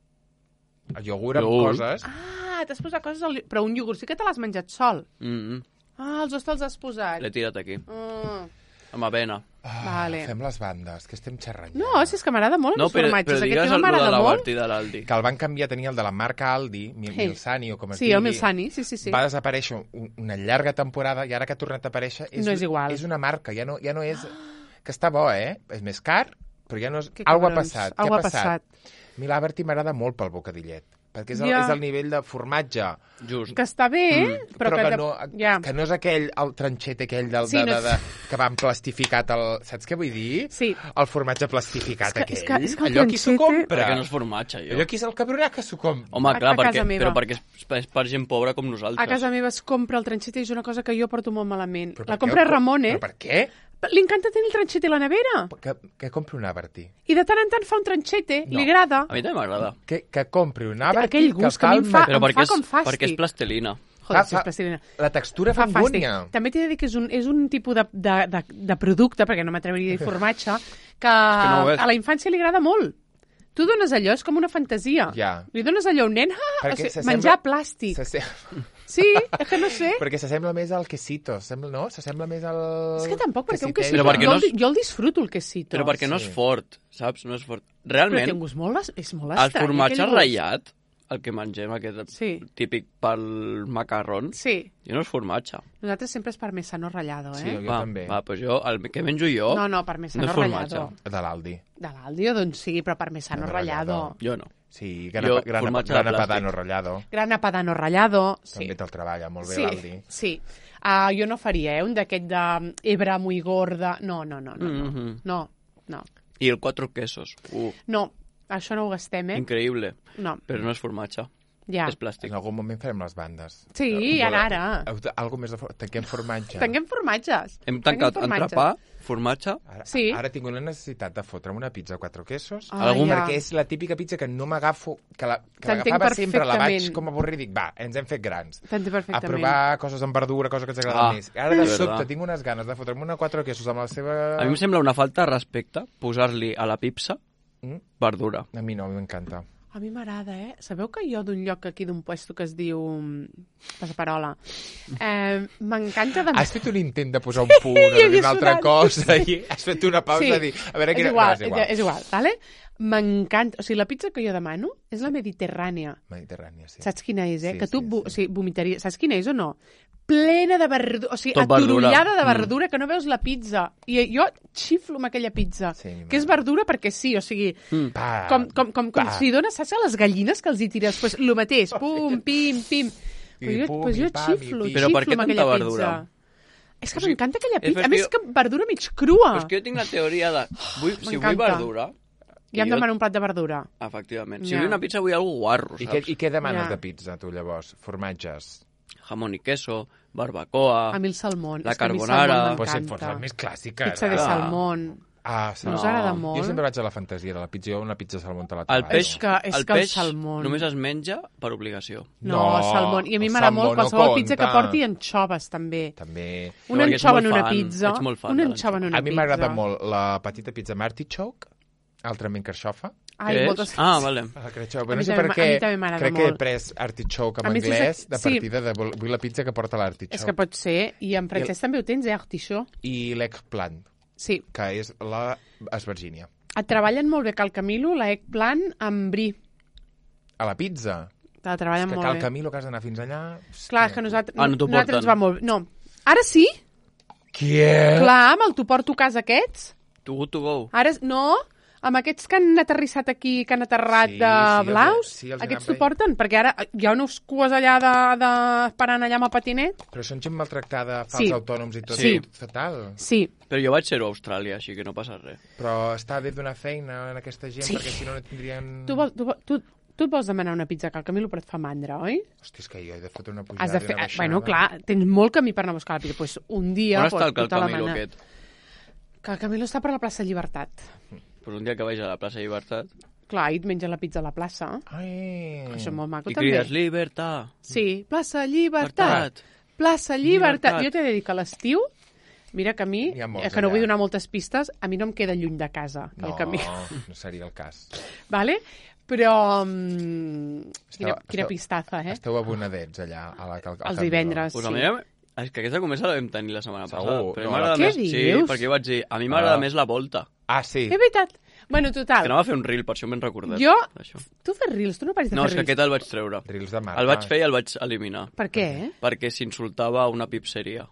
el iogurt amb Iogurt. coses. Ah, t'has posat coses al... Però un iogurt sí que te l'has menjat sol. Mm -hmm. Ah, els dos te'ls has posat. L'he tirat aquí, Ah, amb avena. Ah, Vale. Fem les bandes, que estem xerrant. no, ja. si és que m'agrada molt No, els però, formatges. però Aquest digues tema el lo de m'agrada la molt. Berti de l'Aldi. Que el van canviar, tenia el de la marca Aldi, Mi- Sí. Milsani o com es Sí, digui. el Milsani, sí, sí, sí. Va desaparèixer un- una llarga temporada i ara que ha tornat a aparèixer... És, No és igual. És una marca, ja no, ja no és... Que està bo, eh? És més car, però ja no és... Que Algo ha cabrons, passat. algo Què ha passat. A mi l'Aberty m'agrada molt pel bocadillet, perquè és el, Ja. és el nivell de formatge. Just. Que està bé, mm, però, Però, que, de- no, ja. que no és aquell, el tranxet aquell del, Sí, de, no de, de, que van plastificat, el, saps què vull dir? Sí. El formatge plastificat És que- aquell. és que- és que el Allò qui s'ho tranxete- compra? Perquè no és formatge, jo. Allò qui és el cabronà que s'ho compra? Home, A- clar, a casa perquè, meva. però perquè és, és per gent pobra com nosaltres. A casa meva es compra el tranxete i és una cosa que jo porto molt malament. Però La per què compra el co- Ramon, eh? Però per què? Li encanta tenir el tranxete a la nevera. Que, que compri un Aberty. I de tant en tant fa un tranxete, No. li agrada. A mi també m'agrada. Que, que compri un Aberty Aquell gust que a mi em el fa- ma- Però em perquè és, com fàstic. perquè és plastilina. Joder, Fa- si és fa- plastilina. La textura fa Fa fàstic. angúnia. També t'he de dir que és un, és un tipus de, de, de, de producte, perquè no m'atreviria a dir formatge, que, no ho és. a la infància li agrada molt. Tu dones allò, és com una fantasia. Ja. Li dones allò a un nen, ah, o sigui, s'assembla- menjar plàstic. s'assem- Sí, és que no sé. Perquè s'assembla més al quesito, sembla, no? S'assembla més al... És que tampoc, perquè un quesitell. quesito, Però perquè jo, no el, és- di- jo el disfruto, el quesito. Però perquè no és Sí. fort, saps? No és fort. Però té Realment, un gust molt, es- és molt el estrany. formatge aquell gust. ratllat, el que mengem, aquest Sí. típic pel macarrón, Sí, jo no és formatge. nosaltres sempre és parmesano ratllado, eh? Sí, jo va, també. va, doncs jo, el que menjo jo, No, no, parmesano no és formatge. ratllado. De l'Aldi. De l'Aldi o d'on sigui, però parmesano No, ratllado. jo no. Sí, Jo, grana, grana, formatge de grana plàstic. padano ratllado. Grana padano ratllado. Sí. També te'l treballa molt bé Sí, l'Aldi. sí. Uh, jo no faria, eh, un d'aquest de hebra muy gorda. No, no, no, no. No, Mhm. no, no. I el quatre quesos. Uh, no. Això no ho gastem, eh? increïble. No, Però no és formatge, ja. és plàstic. En algun moment farem les bandes. Sí, Eh, ara, ara. eh, Algo més de... for- Tanquem formatge. Tanquem formatges. Hem Tanquem tancat formatges. entrepà, formatge, Ara, Sí. ara tinc una necessitat de fotre'm una pizza a quatre quesos. Ah, Algun- ja. Perquè és la típica pizza que no m'agafo, que la- que T'entenc l'agafava sempre, la vaig perfectament. com avorrir i dic, va, ens hem fet grans. T'entenc A perfectament. provar coses amb verdura, coses que ens agraden Ah, més. Ara de de sobte verdad. tinc unes ganes de fotre'm una quatre quesos amb la seva... A mi em sembla una falta de respecte posar-li a la pizza Mm? verdura. A mi no, a mi m'encanta. A mi m'agrada, eh? Sabeu que jo d'un lloc aquí, d'un puesto que es diu... mm, Passaparola, eh, m'encanta de... Has fet un intent de posar un punt o Jo de dir havia una altra sonat. cosa i has fet una pausa Sí, de dir... A veure, és quina... igual, no, és igual. és igual, vale? M'encanta. O sigui, la pizza que jo demano és la mediterrània. Mediterrània, sí. Saps quina és, eh? Sí, que tu sí, vo- sí. O sigui, vomitaries. Saps quina és o no? plena de verdura, o sigui, Tot verdura. aturollada de verdura, mm. que no veus la pizza. I jo xiflo amb aquella pizza, Sí, que és verdura perquè sí, o sigui, Mm. Pa, com, com, com, com pa. si dones, saps, a les gallines que els hi tires? Pues, el mateix, pum, pim, pim. I Pues jo, pum, pues i jo pam, i xiflo, pim. Però per xiflo què amb tanta aquella verdura? pizza. És que O sigui, m'encanta aquella és pizza. A que més, jo- que verdura mig crua. Però és que jo tinc la teoria de... Vull, si vull M'encanta. verdura... Ja em jo- demano un plat de verdura. Efectivament. Si Ja. vull una pizza, vull algo guarro, I què, saps? I què demanes Ja. de pizza, tu, llavors? Formatges? Jamón y queso, barbacoa... A mi el salmón. La és que a mi el carbonara. salmón Pues si et m'encanta. fots la més clàssica. Pizza de ara. salmón. Ah, No us No. agrada Jo molt? sempre vaig a la fantasia de la pizza. Jo una pizza de salmó te la El treballo. peix, És que- és el que el peix salmón- només es menja per obligació. No, No, salmón. I a mi el m'agrada salmó molt no qualsevol pizza que compta. porti anxoves, també. També. Una perquè ets anxova molt en una fan, pizza. ets molt fan Una de anxova en una A mi pizza. m'agrada molt la petita pizza amb artichoke, altrament carxofa. Ai, Què és? moltes... Ah, vale. La carxofa. A No mi sé també per m'a- què. a mi també m'agrada Crec que molt. he pres artichoke A en més, és anglès que- de sí. partida de vol- vull la pizza que porta l'artichoke. És que pot ser. I en francès també ho tens, eh, artichó. I l'eggplant, Sí. que és la esvergínia. Et treballen molt bé Cal Camilo, la eggplant amb brie. A la pizza. Te la És treballen que molt cal bé. Camilo, que has d'anar fins allà... Clar, és que nosaltres, Ah, no t'ho nosaltres ens porten. va molt bé. No. Ara sí? Què? Clar, amb el tu porto a casa aquests. To go to go. Ara, és- no, amb aquests que han aterrissat aquí, que han aterrat Sí, de sí, els he- blaus, sí, els he aquests anat t'ho porten, perquè ara hi ha uns cues allà de, de, esperant allà amb el patinet. Però són gent maltractada, fals Sí. autònoms i tot. Sí. Fatal. Sí, Però jo vaig ser-ho a Austràlia, així que no passa res. Però està bé donar feina a aquesta gent, Sí. perquè si no no tindrien... tu, vol, tu, vol- tu, tu et vols demanar una pizza Cal Camilo, però et fa mandra, oi? Hòstia, és que jo he de fotre una pujada Has de i fer... una baixada. Bueno, clar, tens molt camí per anar a buscar la pizza. Pues un dia... On pues, està el Cal tu te la Camilo mana- aquest? Cal Camilo està per la plaça Llibertat. Pues un dia que vaig a la plaça Llibertat Clar, i et menja la pizza a la plaça. Ai... Això és molt maco, i també. crides Libertad. Sí, plaça Llibertat. Llibertat. Plaça Llibertat. Llibertat. Jo t'he de dir que a l'estiu, mira que a mi, N'hi ha molts eh, que no allà. vull donar moltes pistes, a mi no em queda lluny de casa, No, el camí. no seria el cas. Vale? Però... Um, quina, Esteu- quina esteu- pistaza, eh? Esteu abonadets allà a la Cal Els divendres. Pues Sí. a mi, és que aquesta conversa la vam tenir la setmana Segur, passada. Però a mi no, m'agrada Què més... dius? Sí, perquè jo vaig dir, a mi m'agrada Ah. més la volta. Ah, sí. És veritat. Bueno, Que total. anava a fer un reel, per això m'he recordat. Jo... d'això. Tu fes reels, tu no paris de No, fer és que reels. aquest el vaig treure. Reels de marca. El vaig fer i el vaig eliminar. Per què? Perquè s'insultava a una pipseria.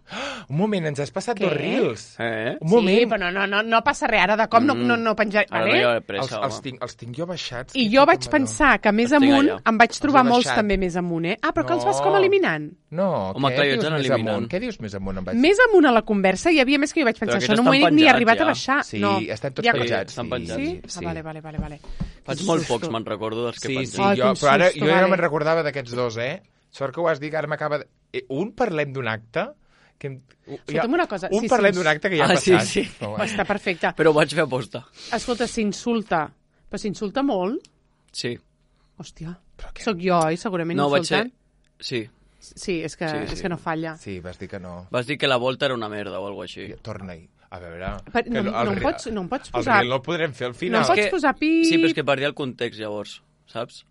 Un moment, ens has passat Què? dos reels. Eh? Un moment. Sí, però no, no, no, no passa res. Ara de cop no, Mm. no, no penjar... Ara Vale? no hi ha Els, pressa, els, home. tinc, els tinc jo baixats. I que jo fico vaig amb allò. pensar que més Els tinc amunt allà. em vaig trobar Els he molts baixat. també més amunt, eh? Ah, però que els No. vas com eliminant. No, Home, què clar, jo dius ets en més eliminant. amunt? Què dius més amunt? Em vaig... Més amunt a la conversa hi havia més que jo vaig pensar. Però Això no aquests m'ho he estan ni penjats arribat ja. a baixar. Sí, no. estan tots Ja- penjats. estan sí, penjats. Sí? sí. Ah, vale, vale, vale, vale. Faig Quin molt susto. pocs, me'n recordo dels que Sí, pengen. sí, Ai, jo, quin però ara susto, jo ja no vale. me'n recordava d'aquests dos, eh? Sort que ho has dit, ara m'acaba de... Eh, Un parlem d'un acte... Que... em- Escolta'm una cosa, Un sí, parlem sí. d'un acte que ja ha Ah, sí, passat. sí. No, Oh, està perfecte. Però ho vaig fer aposta. Escolta, s'insulta. Però s'insulta molt? Sí. Hòstia. Però què? Soc jo, oi? Segurament No, vaig ser... insultant. Sí. Sí, és que, Sí, és sí. que no falla. Sí, vas dir que no. Vas dir que la volta era una merda o alguna així. Torna-hi. A veure... Per- que no- el no em re- pots- no em pots El posar- reel no el podrem fer al No final. em pots que- posar pip... Sí, però és que perdia el context llavors, saps?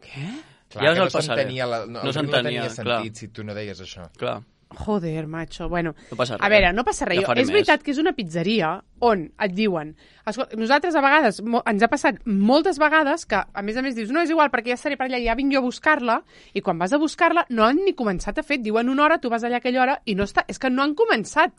Què? Clar, Ja us que el no passaré. s'entenia la... No, No el reel s'entenia, no tenia clar. sentit si tu no deies això. Clar. Joder, macho. Bueno, No passa a res. veure, no passa res. Ja Jo- faré és més. veritat que és una pizzeria on et diuen... Escolta, nosaltres a vegades, mo- ens ha passat moltes vegades que, a més a més, dius, no, és igual, perquè ja estaré per allà, ja vinc jo a buscar-la, i quan vas a buscar-la no han ni començat a fer. Et diuen una hora, tu vas allà a aquella hora, i no està... És que no han començat.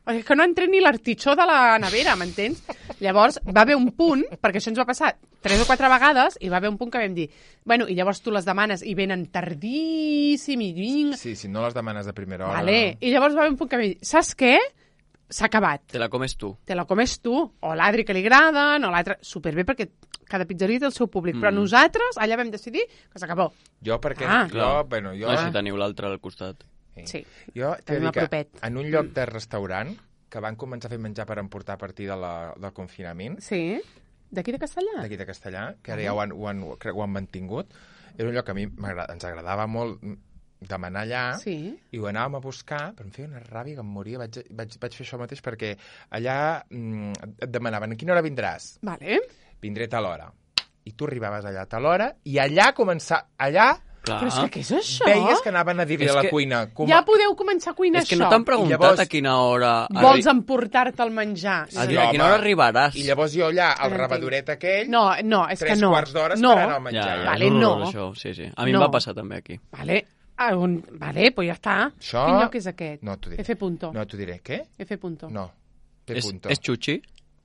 O sigui, que no han tret ni l'artitxó de la nevera, m'entens? Llavors, va haver un punt, perquè això ens va passar tres o quatre vegades, i va haver un punt que vam dir, bueno, i llavors tu les demanes i venen tardíssim, i vinc... Sí, si no les demanes de primera hora... Vale. I llavors va haver un punt que vam dir, saps què? S'ha acabat. Te la comes tu. Te la comes tu, o l'Adri que li agraden, o l'altre... Superbé, perquè cada pizzeria té el seu públic, Mm. però nosaltres allà vam decidir que s'acabó. Jo perquè... Ah. jo, Clar. bueno, jo... No, si teniu l'altre al costat. Sí. Jo t'he de Tenim dir que a propet. en un lloc de restaurant que van començar a fer menjar per emportar a partir de la, del confinament, Sí? D'aquí de Castellà? d'aquí de Castellà, que ara ja ho han, ho han, crec que ho han mantingut, era un lloc que a mi m'agrada- ens agradava molt demanar allà, Sí. i ho anàvem a buscar, però em feia una ràbia que em moria. Vaig, vaig, vaig fer això mateix perquè allà mm, et demanaven a quina hora vindràs? Vale. Vindré a tal hora. I tu arribaves allà a tal hora i allà començar... Allà Clar. Però és que què és això? veies que anaven a dir-li És a la que- cuina... Com... Ja podeu començar a cuinar És que això. no t'han preguntat llavors- a quina hora... Vols arri- emportar-te el menjar? a, Sí, a quina home. hora arribaràs? I llavors jo allà, al No rebadoret aquell, No, no, és tres que no. quarts d'hora no. esperant el Ja, menjar. ja, Vale, és no. horrorós, això. Sí, sí. A mi No. em va passar també aquí. Vale. Ah, un... Vale, pues ja està. Això... Quin lloc és aquest? No, t'ho diré. F punto. No, t'ho diré. Què? F punto. No. P És, punto. és xuxi?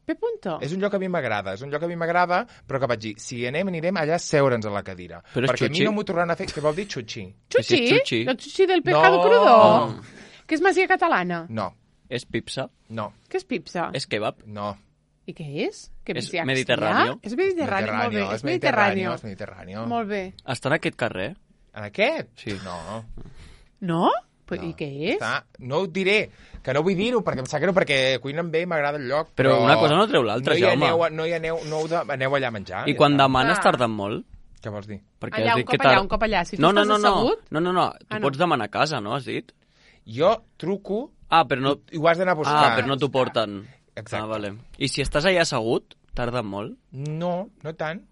P punto. És un lloc que a mi m'agrada, és un lloc que a mi m'agrada, però que vaig dir, si anem, anirem allà a seure'ns a la cadira. Però és perquè a mi xuxi? no m'ho tornaran a fer. Què vol dir xuxi? Xuxi? És xuxi? El xuxi del pescado No. crudo. Que és masia catalana. No, És pipsa? no, Què és pipsa? És kebab? no. I què és? Que És bestiar mediterráneo. És mediterrani, molt bé. és mediterrani. És mediterrani. Molt bé. Està en aquest carrer? En aquest? Sí. No. No? Pues, no. I què és? Està... No ho diré, que no vull dir-ho, perquè em sap greu, perquè cuinen bé i m'agrada el lloc. Però una cosa no treu l'altra, no hi Jaume. aneu, no hi aneu, no heu de, aneu allà a menjar. I ja quan està. demanes Ah. tarden molt? Què vols dir? Perquè Allà, has un dit cop que tar- allà, un cop allà. Si tu no, no, estàs no, no, assegut... no, no, no, tu Ah, no. pots demanar a casa, no, has dit? Jo truco Ah, però no... i ho has d'anar a buscar. Ah, però no t'ho porten. Exacte. Ah, vale. I si estàs allà assegut, tarden molt? No, no tant.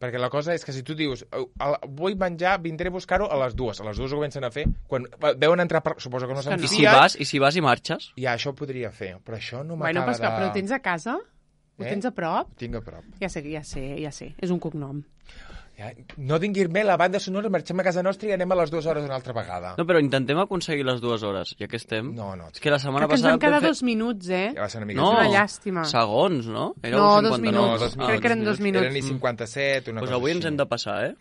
Perquè la cosa és que si tu dius "Au, al- vull menjar, vindré a buscar-ho a les dues. A les dues ho comencen a fer. Quan veuen entrar, per... suposo que no se'n que no. I si fien, vas, i si vas i marxes? ja això ho podria fer. Però això no Bueno, m'acaba però, és que, de... però ho tens a casa? Ho Eh? tens a prop? Ho tinc a prop. Ja sé, ja sé, ja sé. És un cognom. Ja, no dinguir-me la banda sonora, marxem a casa nostra i anem a les dues hores una altra vegada. No, però intentem aconseguir les dues hores, ja que estem. No, no. És que la setmana Que ens passada... vam quedar vam fer- dos minuts, eh? Ja va ser una mica... No, És una llàstima. segons, no? Era No, un dos cinquanta. minuts. No, dos Crec que eren dos minuts. Eren i cinquanta-set, una Doncs cosa avui així. ens hem de passar, eh?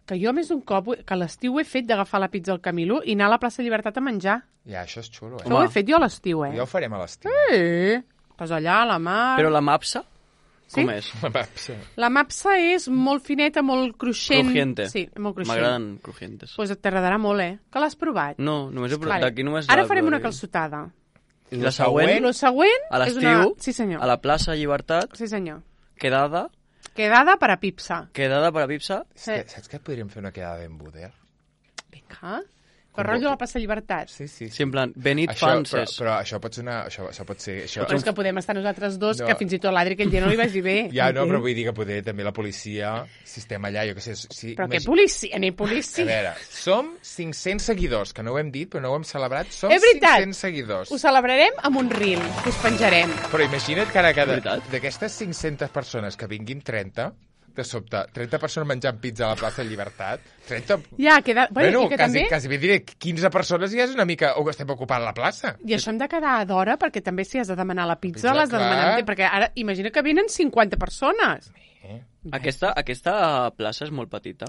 Que jo més d'un cop, que a l'estiu he fet d'agafar la pizza al Camilo i anar a la plaça Llibertat a menjar. Ja, això és xulo, eh? Això ho he fet jo a l'estiu, eh? Ja ho farem a l'estiu. Sí. Pues allà, a la mar... Però la mapsa, Sí? com és? Sí. La mapsa és molt fineta, molt cruixent. Crujiente. Sí, molt cruixent. M'agraden crujientes. Pues et t'agradarà molt, eh? Que l'has provat? No, només he provat. Vale. D'aquí només... Ara la farem una provaré. calçotada. I la següent, Lo següent a és l'estiu, una... Sí, senyor. a la plaça Llibertat, Sí, senyor. quedada, Quedada per a pipsa. quedada per a pipsa, És que, saps que podríem fer una quedada en Buder? Vinga. Per rotllo a la plaça Llibertat. Sí, sí. sí, en plan, Benit Això, però, Fanses. però això pot ser una... Això, això pot ser... Això... Però és que podem estar nosaltres dos, No. que fins i tot l'Adri aquell dia no li vagi bé. Ja, no, Entens? però vull dir que poder també la policia, si estem allà, jo què sé... Si, Però què imagi- policia, ni A policia. veure, som cinc-cents seguidors, que no ho hem dit, però no ho hem celebrat. Som És veritat. cinc-cents seguidors. Ho celebrarem amb un reel, que us penjarem. Però imagina't que ara cada... Veritat? D'aquestes cinc-centes persones que vinguin trenta, de sobte, trenta persones menjant pizza a la plaça Llibertat, trenta... Ja, queda... Bueno, Bueno, i que quasi, també... quasi bé diré, quinze persones ja és una mica... O estem ocupant la plaça. I això hem de quedar d'hora, perquè també si has de demanar la pizza, Pizza, l'has de clar. demanar... amb temps, Perquè ara, imagina que venen cinquanta persones. Eh? Aquesta, aquesta plaça és molt petita.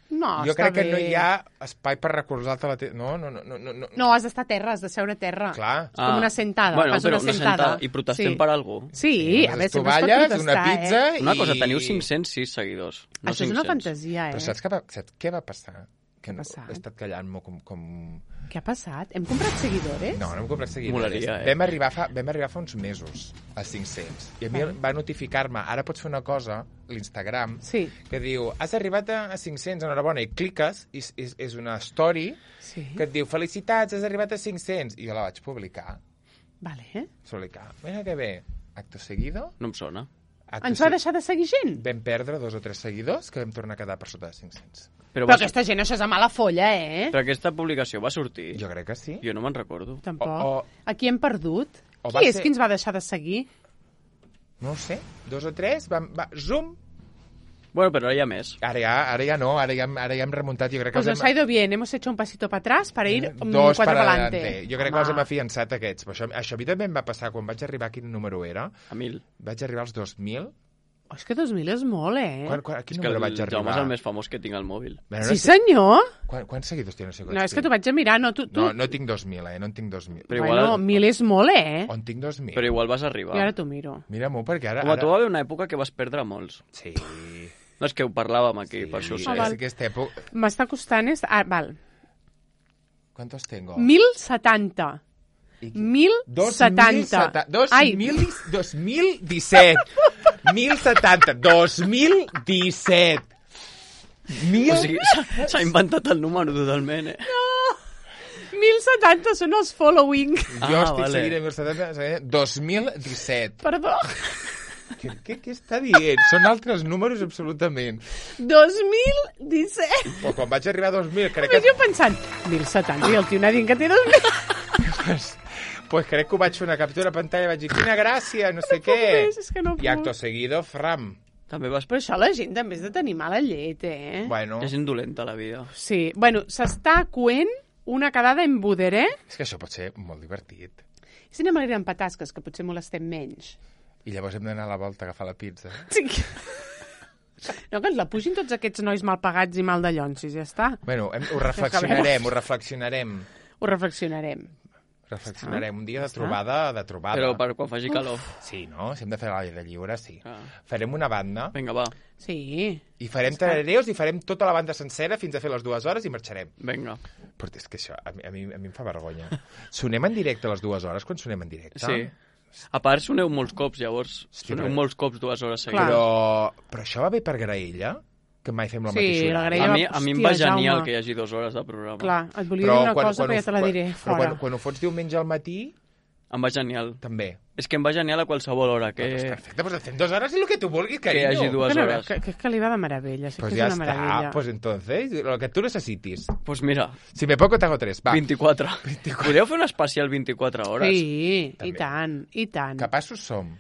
No, jo està crec que bé. no hi ha espai per recolzar-te la... Te... No, no, no, no, no, no. No, has d'estar a terra, has de seure a terra. Clar. És com una sentada, Bueno, fas però una una sentada. I protestem Sí. per algú. Sí, a veure, Les sempre es pot tovalles, protestar, una pizza eh? Una cosa, i... teniu cinc-cents sis seguidors. No Això és una cinc-cents. fantasia, eh? Però saps què va, saps què va passar? Que no, passat? he estat callant-m'ho com, com... Què ha passat? Hem comprat seguidors? No, no hem comprat seguidors. Molaria, eh? Vam arribar, fa, vam arribar fa uns mesos a cinc-cents. I a mi va notificar-me, ara pots fer una cosa, l'Instagram, Sí. que diu, has arribat a a cinc-cents, enhorabona, i cliques, i és, és, és una story Sí. que et diu, felicitats, has arribat a cinc-cents. I jo la vaig publicar. Vale, eh? Publicar. Mira que bé. Acto seguido. No em sona. Acto Ens va se- deixar de seguir gent? Vam perdre dos o tres seguidors que vam tornar a quedar per sota de cinc-cents. Però, Però va... aquesta gent, això és a mala folla, eh? Però aquesta publicació va sortir. Jo crec que sí. Jo no me'n recordo. Tampoc. O- o- Aquí hem perdut. o va Qui és ser- qui ens va deixar de seguir? No ho sé. Dos o tres, vam, va, zoom. Bueno, però ara hi ha més. Ara ja, ara ja no, ara ja, hem- ara ja hem remuntat. Jo crec que Pues els nos ha ido bien, hemos hecho un pasito para atrás para ir um, Dos quatre per para adelante. adelante. Jo crec que Home. els hem afiançat aquests. Però això, això a mi també em va passar quan vaig arribar, quin número era? A mil. Vaig arribar als dos mil. Oh, és que dos mil és molt, eh? Quan, quan, a quin És que número el vaig Jaume arribar? és el més famós que tinc al mòbil. Bueno, no Sí, sé- senyor? Quan, quants seguidors tens? No, sé No, és que t'ho vaig a mirar, no, tu... tu... No, no tinc dos mil, eh? No en tinc dos mil. Però bueno, igual- mil és molt, eh? On tinc dos mil? Però igual vas Jo arribar. ara t'ho miro. Mira-m'ho, perquè ara... Com a ara... tu va haver una època que vas perdre molts. Sí. No, és que ho parlàvem aquí, sí, per això ho sí, sé. Ah, val. és aquesta època... M'està costant... És... Ah, val. ¿Cuántos tengo? mil setanta. I qui- mil setanta. Dos Ai, mil, dos mil disset. Mil setanta. Dos mil disset. Mil... O sigui, s'ha- s'ha inventat el número totalment, eh? mil setanta són els following. Jo Ah, estic vale. seguint a mil setanta, seguint dos mil disset. Perdó. Què, què, què està dient? Són altres números absolutament. dos mil disset. Però quan vaig arribar a dos mil, crec Només que... jo pensant, mil setanta, i el tio anant dient que té dos mil. Pues, pues crec que ho vaig fer una captura de pantalla i vaig dir, quina gràcia, no sé puc què. més, és que no I puc. acto seguido, fram. També vas... Però això la gent també és de tenir mala llet, eh? Bueno, És indolenta, la vida. Sí, bueno, s'està coent una quedada en Buder, eh? és que això pot ser molt divertit. Si anem a l'Aire amb patasques, que potser molestem menys. I llavors hem d'anar a la volta a agafar la pizza. Sí. No, que ens la pugin tots aquests nois mal pagats i mal de llonsis, ja està. Bueno, hem, ho reflexionarem, ho reflexionarem. Ho reflexionarem. Reflexionarem. Un dia de trobada, de trobada. Però per quan faci calor. Sí, no? Si hem de fer l'aire lliure, sí. Ah. Farem una banda Vinga, va. Sí. i farem tarareus i farem tota la banda sencera fins a fer les dues hores i marxarem. Vinga. Però és que això a mi, a mi, a mi em fa vergonya. Sonem en directe a les dues hores quan sonem en directe? Sí. A part, soneu molts cops, llavors. Sí, Soneu però- molts cops dues hores Clar. seguides. Però, però això va bé per graella? Que mai fem la Sí, mateixa la hora? graella- A mi, a mi em Hòstia, va genial Jaume. que hi hagi dues hores de programa. Clar, et volia dir una cosa, però ja te la quan- diré Però fora. quan, quan ho fots diumenge al matí, Em va genial. també. És que em va genial a qualsevol hora. Que... Doncs Que, perfecte, doncs fem dues hores i el que tu vulguis, que carinyo. hi hagi dues Que, no, hores. que, que, que li va de meravella, sí Pues que ya és una está, meravella. pues entonces, lo que tú necesites. Pues mira, Si me poco, te hago tres, va. vint-i-quatre. Podeu fer un especial vint-i-quatre hores? Sí, També. i tant, i tant. Capaços som.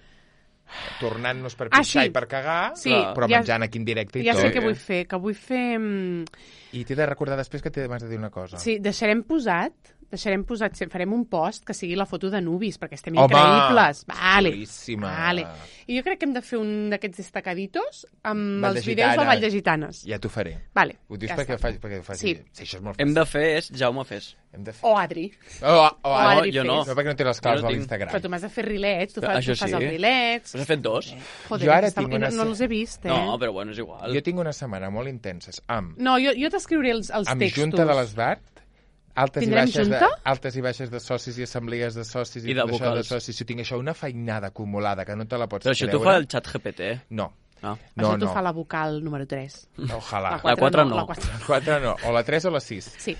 Tornant-nos per Ah, pixar sí. i per cagar, Sí, però ja- menjant aquí en directe i Ja tot. sé què vull fer, que vull fer... mm, I t'he de recordar després que t'he de dir una cosa. Sí, deixarem posat, deixarem posat, sí, farem un post que sigui la foto de Nubis, perquè estem Home! increïbles. Vale. Xulíssima. Vale. I jo crec que hem de fer un d'aquests destacaditos amb Vall de els vídeos de Gitanes. Vall de Gitanes. Ja t'ho faré. Vale. Ho dius ja perquè, està. ho faci, perquè ho faci. Sí. sí, això és molt Hem fàcil. de fer és Jaume Fes. Hem de fer... O Adri. Oh, oh, oh, Adri no, jo Fes. no. no, perquè no té les claus Jo no a tinc. l'Instagram. Però tu m'has de fer rilets, tu, fas, Això tu fas sí. els rilets. Us he fet dos? Joder, Jo ara està- tinc i no, una- no els he vist, eh? No, però bueno, és igual. Jo tinc una setmana molt intenses amb, No, jo, jo t'escriuré els, els amb textos. Junta de l'Esbart, altes i, Tindrem baixes de, junta? altes i baixes de socis i assemblees de socis i, I de tot això de vocals. socis. Jo tinc això, una feinada acumulada que no te la pots Però això creure. t'ho fa el xat G P T. No, No. no, Això t'ho no. fa la vocal número tres. Ojalà. La La quatre quatre no. no. La quatre. La quatre no, o la tres o la sis. Sí.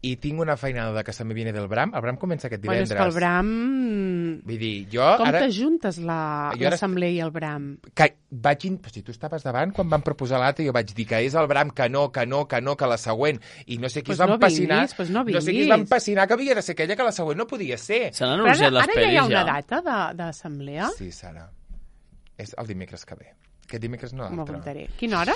I tinc una feinada de que se me viene del Bram. El Bram comença aquest Bueno, és divendres. que el Bram... Vull dir, jo Com ara... t'ajuntes la- Jo ara- l'assemblea i el Bram? Que vaig in... Però si tu estaves davant quan van proposar l'altre, jo vaig dir que és el Bram, que no, que no, que no, que la següent. I no sé qui Pues es va no empassinar. vinguis, pues no no sé qui es vinguis. va empassinar que havia de ser aquella que la següent no podia ser. Se n'han Però ara, anunciat les ara ja pel·lis, hi ha una ja. data de- d'assemblea? Sí, Sara. És el dimecres que ve. Aquest dimecres no M'ho l'altre. apuntaré. Quina hora?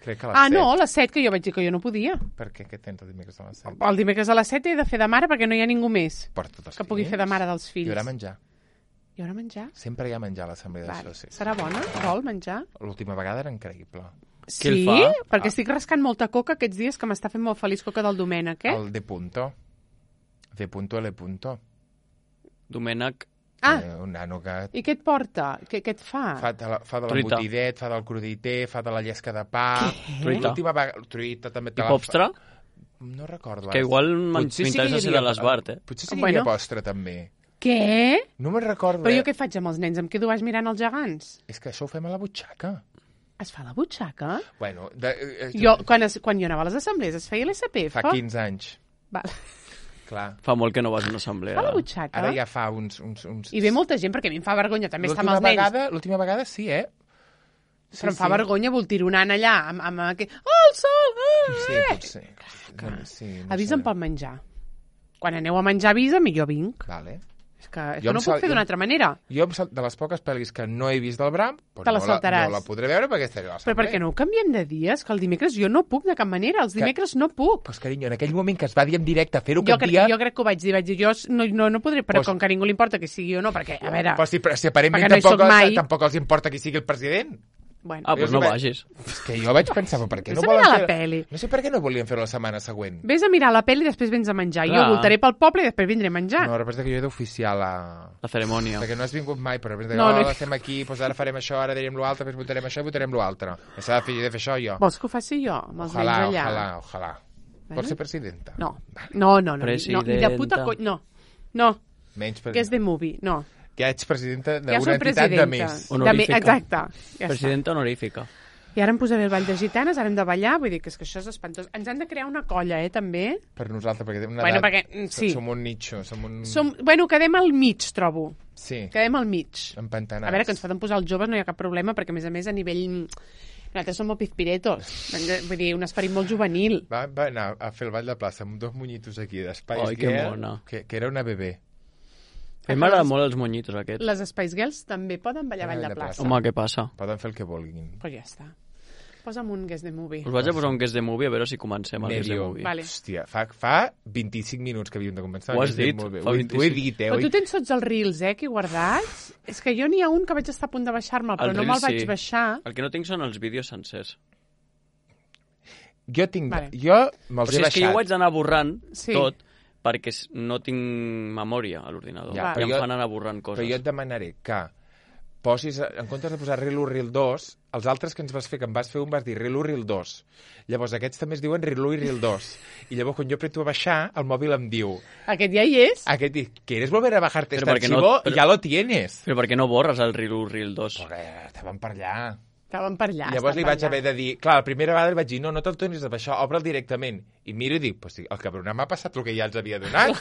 Crec que a les Ah, set. no, a les set, que jo vaig dir que jo no podia. Per què? Què tens el dimecres a les set? El dimecres a les set he de fer de mare perquè no hi ha ningú més Per tots els que pugui fills. fer de mare dels fills. Hi haurà menjar. Hi haurà menjar? Sempre hi ha menjar a l'assemblea de Vale. socis. Serà bona? Vol menjar? L'última vegada era increïble. Qui el Sí? fa? Perquè Ah. estic rascant molta coca aquests dies que m'està fent molt feliç coca del Domènec, eh? El de punto. De punto L punto. Domènec, Ah, Eh, un nano que i què et porta? Què, què et fa? fa de, la, fa de Truita. l'embotidet, fa del cruditer, fa de la llesca de pa... Truita. L'última vegada... Truita també te i la Popstra, fa... No recordo. que ara. igual m'in- Potser sí que m'interessa hi ser de havia- l'Esbart, eh? Potser sí que hi Bueno. havia postre, també. Què? No me'n recordo. Però eh? jo què faig amb els nens? Em quedo baix mirant els gegants? És que això ho fem a la butxaca. Es fa la butxaca? Bueno, de, eh, Jo, quan, es, quan jo anava a les assemblees, es feia l'S P F? fa quinze anys. Val. Clar. Fa molt que no vas a una assemblea. Fa la butxaca? Ara ja fa uns... uns, uns... I ve molta gent, perquè a mi em fa vergonya també estar amb L'última els nens. vegada, l'última vegada sí, eh? Sí, Però em fa sí. vergonya voltironant allà, amb, amb aquest... Oh, el sol! Ah, Sí, eh! potser. No, sí, no Avisa'm sé. pel menjar. Quan aneu a menjar, avisa'm i jo vinc. Vale. És que Jo això em no ho sal- puc fer jo- d'una altra manera. Jo, em sal- de les poques pel·lis que no he vist del Bram, doncs Te la no, saltaràs. la, no la podré veure perquè estaré a Però per què no ho canviem de dies? Que el dimecres jo no puc de cap manera. Els Que- dimecres no puc. Pues, carinyo, en aquell moment que es va dir en directe fer-ho Jo, aquest crec, dia... jo crec que ho vaig dir. Vaig dir, jo no, no, no podré, però Pues- com que a ningú li importa que sigui o no, perquè, a veure... Però si, però si aparentment Perquè no hi tampoc, soc mai. tampoc els importa qui sigui el president. Bueno, Ah, doncs Jo no vaig- vagis. És que jo vaig pensar, però per què Vés no a volen mirar la fer... peli. No sé per què no volien fer-ho la setmana següent. Vés a mirar la pel·li i després vens a menjar. Clar. Jo voltaré pel poble i després vindré a menjar. No, representa que jo he d'oficiar la... La cerimònia. Perquè no has vingut mai, però representa que No, no, no. oh, estem aquí, doncs ara farem això, ara direm l'altre, després votarem això i votarem l'altre. S'ha de fer, he de fer això jo. Vols que ho faci jo, amb els Ojalà, nens allà? ojalà, ojalà. Vale. Vols ser presidenta? No, no, no, no, no, ni de Presidenta. puta conya, no, no, Menys que és de movie, no. Que ets presidenta Ja d'una soc entitat presidenta. de més. De més, Honorífica. exacte. Ja està. Presidenta honorífica. I ara em posaré el ball de gitanes, ara hem de ballar, vull dir que és que això és espantós. Ens han de crear una colla, eh, també. Per nosaltres, perquè tenim una Bueno, edat... perquè, mm, sí. Som un nicho, som un... Som, bueno, quedem al mig, trobo. Sí, Quedem al mig. empantanats. A veure, que ens poden posar els joves no hi ha cap problema, perquè a més a més a nivell... Nosaltres som molt pizpiretos. Vull dir, un esperit molt juvenil. Va, va anar a fer el ball de plaça amb dos monyitos aquí d'espais Ai, que mona. que, que era una bebè. A mi m'agraden molt els monyitos aquests. Les Spice Girls també poden ballar ball de plaça. Home, què passa? Poden fer el que vulguin. Pues ja està. Posa'm un Guess the Movie. Us vaig a posar un Guess the Movie a veure si comencem el Guess the Medio. Movie. Vale. Hòstia, fa, fa vint-i-cinc minuts que havíem de començar. Ho has Guess the dit, Movie. fa Ho he- Ho he vint-i-cinc. dit, eh? Però Ho he- tu tens tots els reels, eh, aquí guardats? És que jo n'hi ha un que vaig estar a punt de baixar-me'l, però El no reel me'l vaig sí. baixar. El que no tinc són els vídeos sencers. Jo tinc... Vale. Jo me'ls O sigui, he és que jo baixat. ho haig d'anar borrant Sí. tot perquè s- no tinc memòria a l'ordinador. Ja, Ja, però I em jo- fan anar borrant coses. Però jo et demanaré que posis, en comptes de posar Reel u, Reel dos, els altres que ens vas fer, que em vas fer un, vas dir Reel u, Reel dos. Llavors aquests també es diuen Reel u i Reel dos. I llavors quan jo apreto a baixar, el mòbil em diu, Aquest ja hi és. aquest diu, ¿quieres volver a bajarte Pero este porque no- archivo? pero- Ya lo tienes. Però per què no borres el Reel u, Reel dos? Perquè estaven per allà. Estaven per allà. I llavors li estaven vaig per allà. haver de dir... Clar, la primera vegada li vaig dir, no, no te'l tornis a baixar, obre'l directament. I miro i dic, pues sí, el cabronat m'ha passat el que ja els havia donat.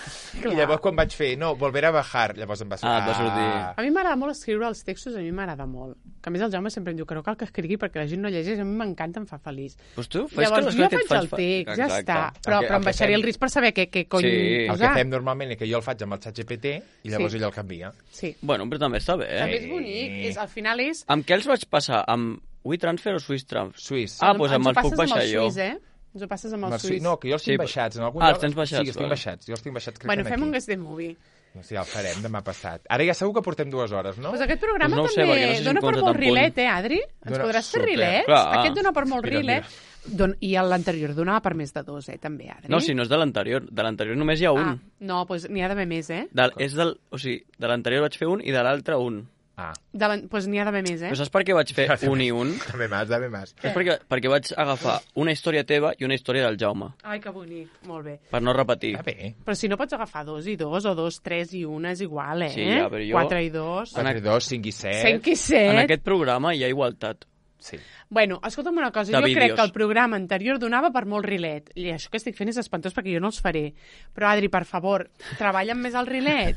I llavors quan vaig fer, no, volver a bajar, llavors em va Ah, et va sortir. A mi m'agrada molt escriure els textos, a mi m'agrada molt. Que a més el Jaume sempre em diu que no cal que escrigui perquè la gent no llegeix, a mi m'encanta, em fa feliç. Pues tu fes Llavors que jo les coses faig el text, ja està. Però, El que- però el em que baixaré fem- el risc per saber què, què cony Sí. El posar. que fem normalment és que jo el faig amb el xat G P T i llavors Sí. ell el canvia. Sí. Bueno, però també està bé, També eh? és bonic, és, al final és... Amb què els vaig passar? Amb WeTransfer o SwissTransfer? Suís. Ah, doncs Ens amb ho els puc passes baixar amb el jo. Suís, eh? Ens ho passes amb el Amb el suís. Suís. No, que jo els tinc Sí, baixats. En algun Ah, els lloc- tens baixats, Sí, els tinc vale. baixats. Jo els tinc baixats, crec Bueno, que fem aquí. un Guess the Movie. No sé, ja el farem demà passat. Ara ja segur que portem dues hores, no? Pues aquest programa Pues no ho sé, també perquè no sé si dona em per compta molt tan punt. rilet, eh, Adri? Ens Dona podràs fer super. rilets? Clar. Aquest dona per molt Mira, rilet. Don... I l'anterior donava per més de dos, eh, també, Adri? No, si no és de l'anterior. De l'anterior només hi ha un. Ah, no, doncs n'hi ha d'haver més, eh? De, és del, o sigui, de l'anterior vaig fer un i de l'altre un. Ah. Doncs pues n'hi ha d'haver més, eh? Però saps per què vaig fer un i un? Dame más, dame más. És perquè, perquè vaig agafar una història teva i una història del Jaume, Ai, que bonic, molt bé. per no repetir. Està bé. Però si no pots agafar dos i dos, o dos, tres i una, és igual, eh? Sí, ja, però jo- Quatre i dos, quatre, dos, cinc i set. cinc i set. En aquest programa hi ha igualtat. Sí. Bueno, escolta'm una cosa, De jo crec vídeos. que el programa anterior donava per molt rilet. I això que estic fent és espantós perquè jo no els faré. Però, Adri, per favor, treballa amb més el rilet.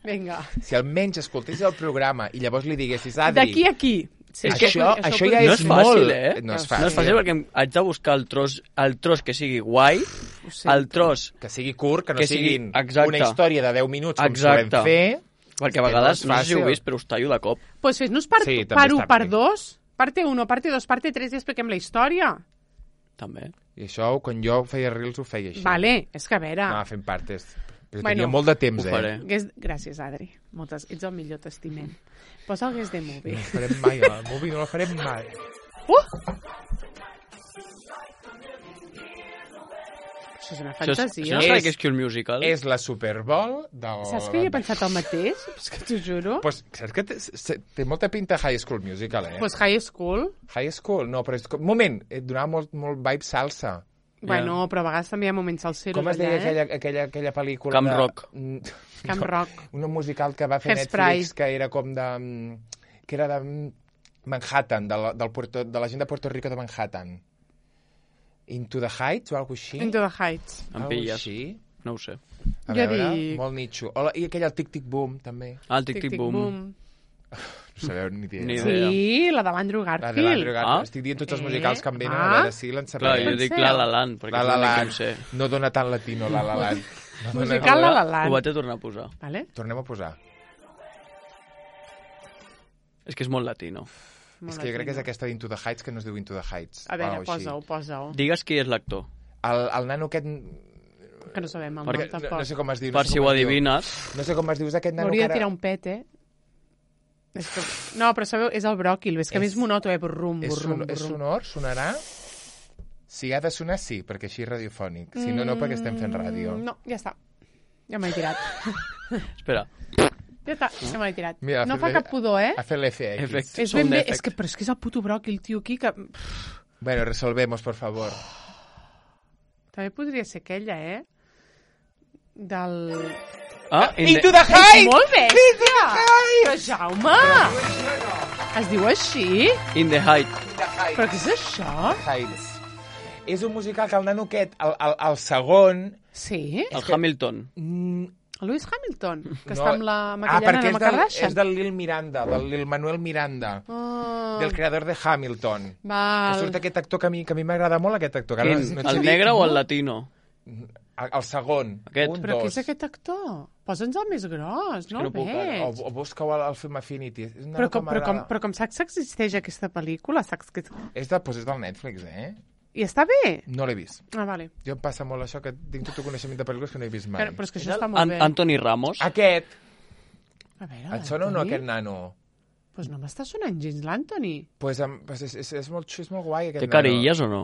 Vinga. Si almenys escoltés el programa i llavors li diguessis, Adri... D'aquí a aquí. Sí, això, això, això ja podria No és és ser. fàcil, molt... eh? No és No fàcil. és fàcil perquè em- haig de buscar el tros, el tros que sigui guai, Ho sento. el tros... Que sigui curt, que no Que sigui- siguin exacte. una història de deu minuts com Exacte. solem fer. Perquè a que vegades, no no, és sé si ho heu fàcil. vist, però us tallo de cop. Pues fes-nos part, Sí, també part està un, part bé. dos, parte uno, parte dos, parte tres i expliquem la història. També. I això, quan jo feia reels, ho feia així. Vale, és que a veure... Anava fent partes. Però Bueno, tenia molt de temps, ho eh? faré. Guess... Gràcies, Adri. Moltes... Ets el millor, t'estimem. Posa el Guess the Movie. No el farem mai, el movie no el farem mai. Uh! Això és una Això, és, fantasia. això no És- serà que és que un musical? És la Super Bowl del... Saps que jo he pensat el mateix? És que t'ho juro. Pues, saps que té, se- té molta pinta High School Musical, eh? Pues High School. High School, no, però és... com- moment, et donava molt, molt vibe salsa. Bueno, però a vegades també hi ha moments salseros Com es deia allà, eh? aquella, aquella, aquella pel·lícula? Camp de... Rock. Mm, Camp no, Rock. Una musical que va fer Hairspray. Netflix, que era com de... mm, que era de mm, Manhattan, de la, del Puerto, de la gent de Puerto Rico de Manhattan. Into the Heights o alguna així? Into the Heights. Em Algo pilles. així. No ho sé. A Jo veure, dic- molt nitxo. Hola, i aquell el Tic Tic Boom, també. Ah, el tic-tic-boom. No sabeu ni idea. Ni idea. Sí, la de l'Andrew La Garfield. de l'Andrew Garfield. Ah. Estic dient tots els Eh? musicals que em venen, Ah. a veure si Clar, l'encertaré. jo Penseu. dic La La Land, perquè La és La l'únic que Land. em sé. No dona tant latino, La La Land. No dona... Musical La La Land. Ho vaig a tornar a posar. Vale? Tornem a posar. És que és molt latino. És que jo crec que és aquesta d'Into the Heights, que no es diu Into the Heights. A veure, o així. posa-ho, posa-ho. Digues qui és l'actor. El, el nano aquest... Que no sabem el Perquè, nom, no, tampoc. no sé com es diu. Per no sé si com ho es diu. adivines. No sé com es diu, és aquest nano que M'hauria de ara... tirar un pet, eh? És que... No, però sabeu, és el bròquil, és que a mi és És- monoto, eh? Burrum, És, burrum, son, és burrum. sonor? Sonarà? Si ha de sonar, sí, perquè així és radiofònic. Si no, no, perquè estem fent ràdio. Mm, No, ja està. Ja m'he tirat. Espera. Ja està, ja m'he tirat. Mira, no ha fa fet- cap pudor, eh? Ha fet l'F X. Efecte. És Sound ben bé, effect. és que, però és que és el puto bròquil, tio, aquí, que... Bueno, resolvemos, por favor. També podria ser aquella, eh? Del... Ah, in Into the... the Heights! Molt bèstia! Però, Jaume! Es diu així? In the Height. Però què és això? Heights. És un musical que el nano aquest, el, el, el segon... Sí? El Hamilton. Mm, El Lewis Hamilton, que no- està amb la ah, maquillana perquè de és la del, Kardashian. és del Lil Miranda, del Lil Manuel Miranda, Oh, del creador de Hamilton. Que val. surt aquest actor que a mi, que a mi m'agrada molt, aquest actor. Que ara Quin? no et sé El dir. negre o el latino? El, el segon. Aquest. Un, Però dos. què és aquest actor? Posa'ns el més gros, no que el no puc veig. O, o busqueu el, el film Affinity. És, una Però com, que però, com, m'agrada. però com saps que existeix aquesta pel·lícula? Saps que... És, de, pues és del Netflix, eh? I està bé? No l'he vist. Ah, vale. Jo em passa molt això, que tinc tot el coneixement de pel·lícules que no he vist mai. Però, però és que això està molt An bé. Anthony Ramos. Aquest! A veure, Et sona o no, l'Anthony? aquest nano? Pues no m'està sonant gens l'Anthony. Pues, em, pues és, és, és, molt, xu- és molt guai, aquest Té nano. carilles o no?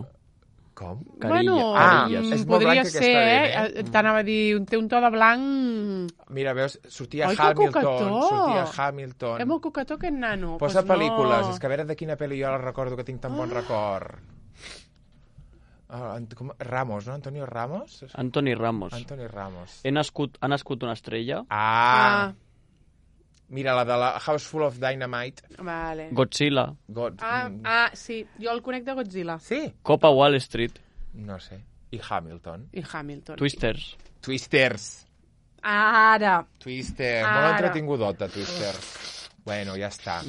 Com? Carilla. Bueno, Ah, mm, és molt podria blanc ser, aquesta eh? dent, eh? T'anava a dir, té un to de blanc... Mira, veus, sortia Ai, que Hamilton, coquetó! sortia Hamilton. És molt coquetó aquest nano. Posa pues pel·lícules, no. és que a veure de quina pel·li jo la recordo que tinc tan bon record. Ah, Ant- com, Ramos, no? Antonio Ramos? Anthony Ramos. Anthony Ramos. He nascut, ha nascut una estrella. Ah! Ah, Mira, la de la House Full of Dynamite. vale. Godzilla. God. Ah, mm, ah, sí, jo el conec de Godzilla. Sí? Copa Wall Street. No sé. I Hamilton. I Hamilton. Twisters. Twisters. Ara. Twisters. Ara. Molt entretingudota, Twisters. Bueno, ja està.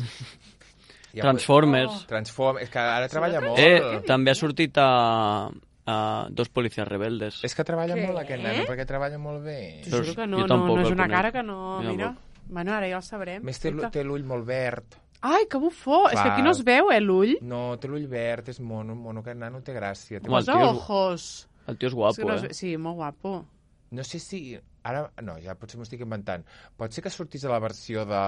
Ja Transformers. Oh. Transform... És que ara treballa molt. Eh, també ha sortit a, a Dos Policías Rebeldes. És que treballa Què? molt aquest nano, perquè treballa molt bé. T'ho juro que no, Jo no, tampoc no és el una conec. cara que no... Jo Mira, tampoc. bueno, ara ja el sabrem. A més, té, l'u- té l'ull molt verd. Ai, que bufó! És que aquí no es veu, eh, l'ull. No, té l'ull verd, és mono, mono, aquest nano té gràcia. Té Home, el Posa tio és- ojos. El tio és És guapo, que no es eh? ve- Sí, molt guapo. No sé si... Ara, no, ja potser m'ho estic inventant. Pot ser que sortís a la versió de...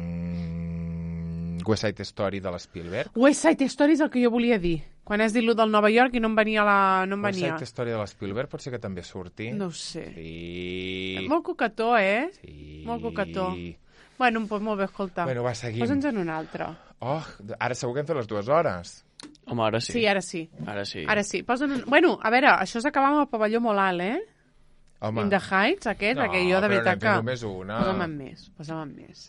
Mm, West Side Story de l'Spielberg? West Side Story és el que jo volia dir. Quan has dit lo del Nova York i no em venia la... No em West venia. Side Story de l'Spielberg pot ser que també surti? No ho sé. Sí. És molt coquetó, eh? Sí. Molt coquetó. Bueno, pues molt bé, escolta. Bueno, va, seguim. Posa'ns en un altre. Oh, ara segur que hem fet les dues hores. Home, ara sí. Sí, ara sí. Ara sí. Ara sí. Posa'm un... Bueno, a veure, això s'acaba amb el pavelló molt alt, eh? Home. In the Heights, aquest, No, que jo de però veritat n'hem que... fet només una. Posa'm en més, posa'm en més.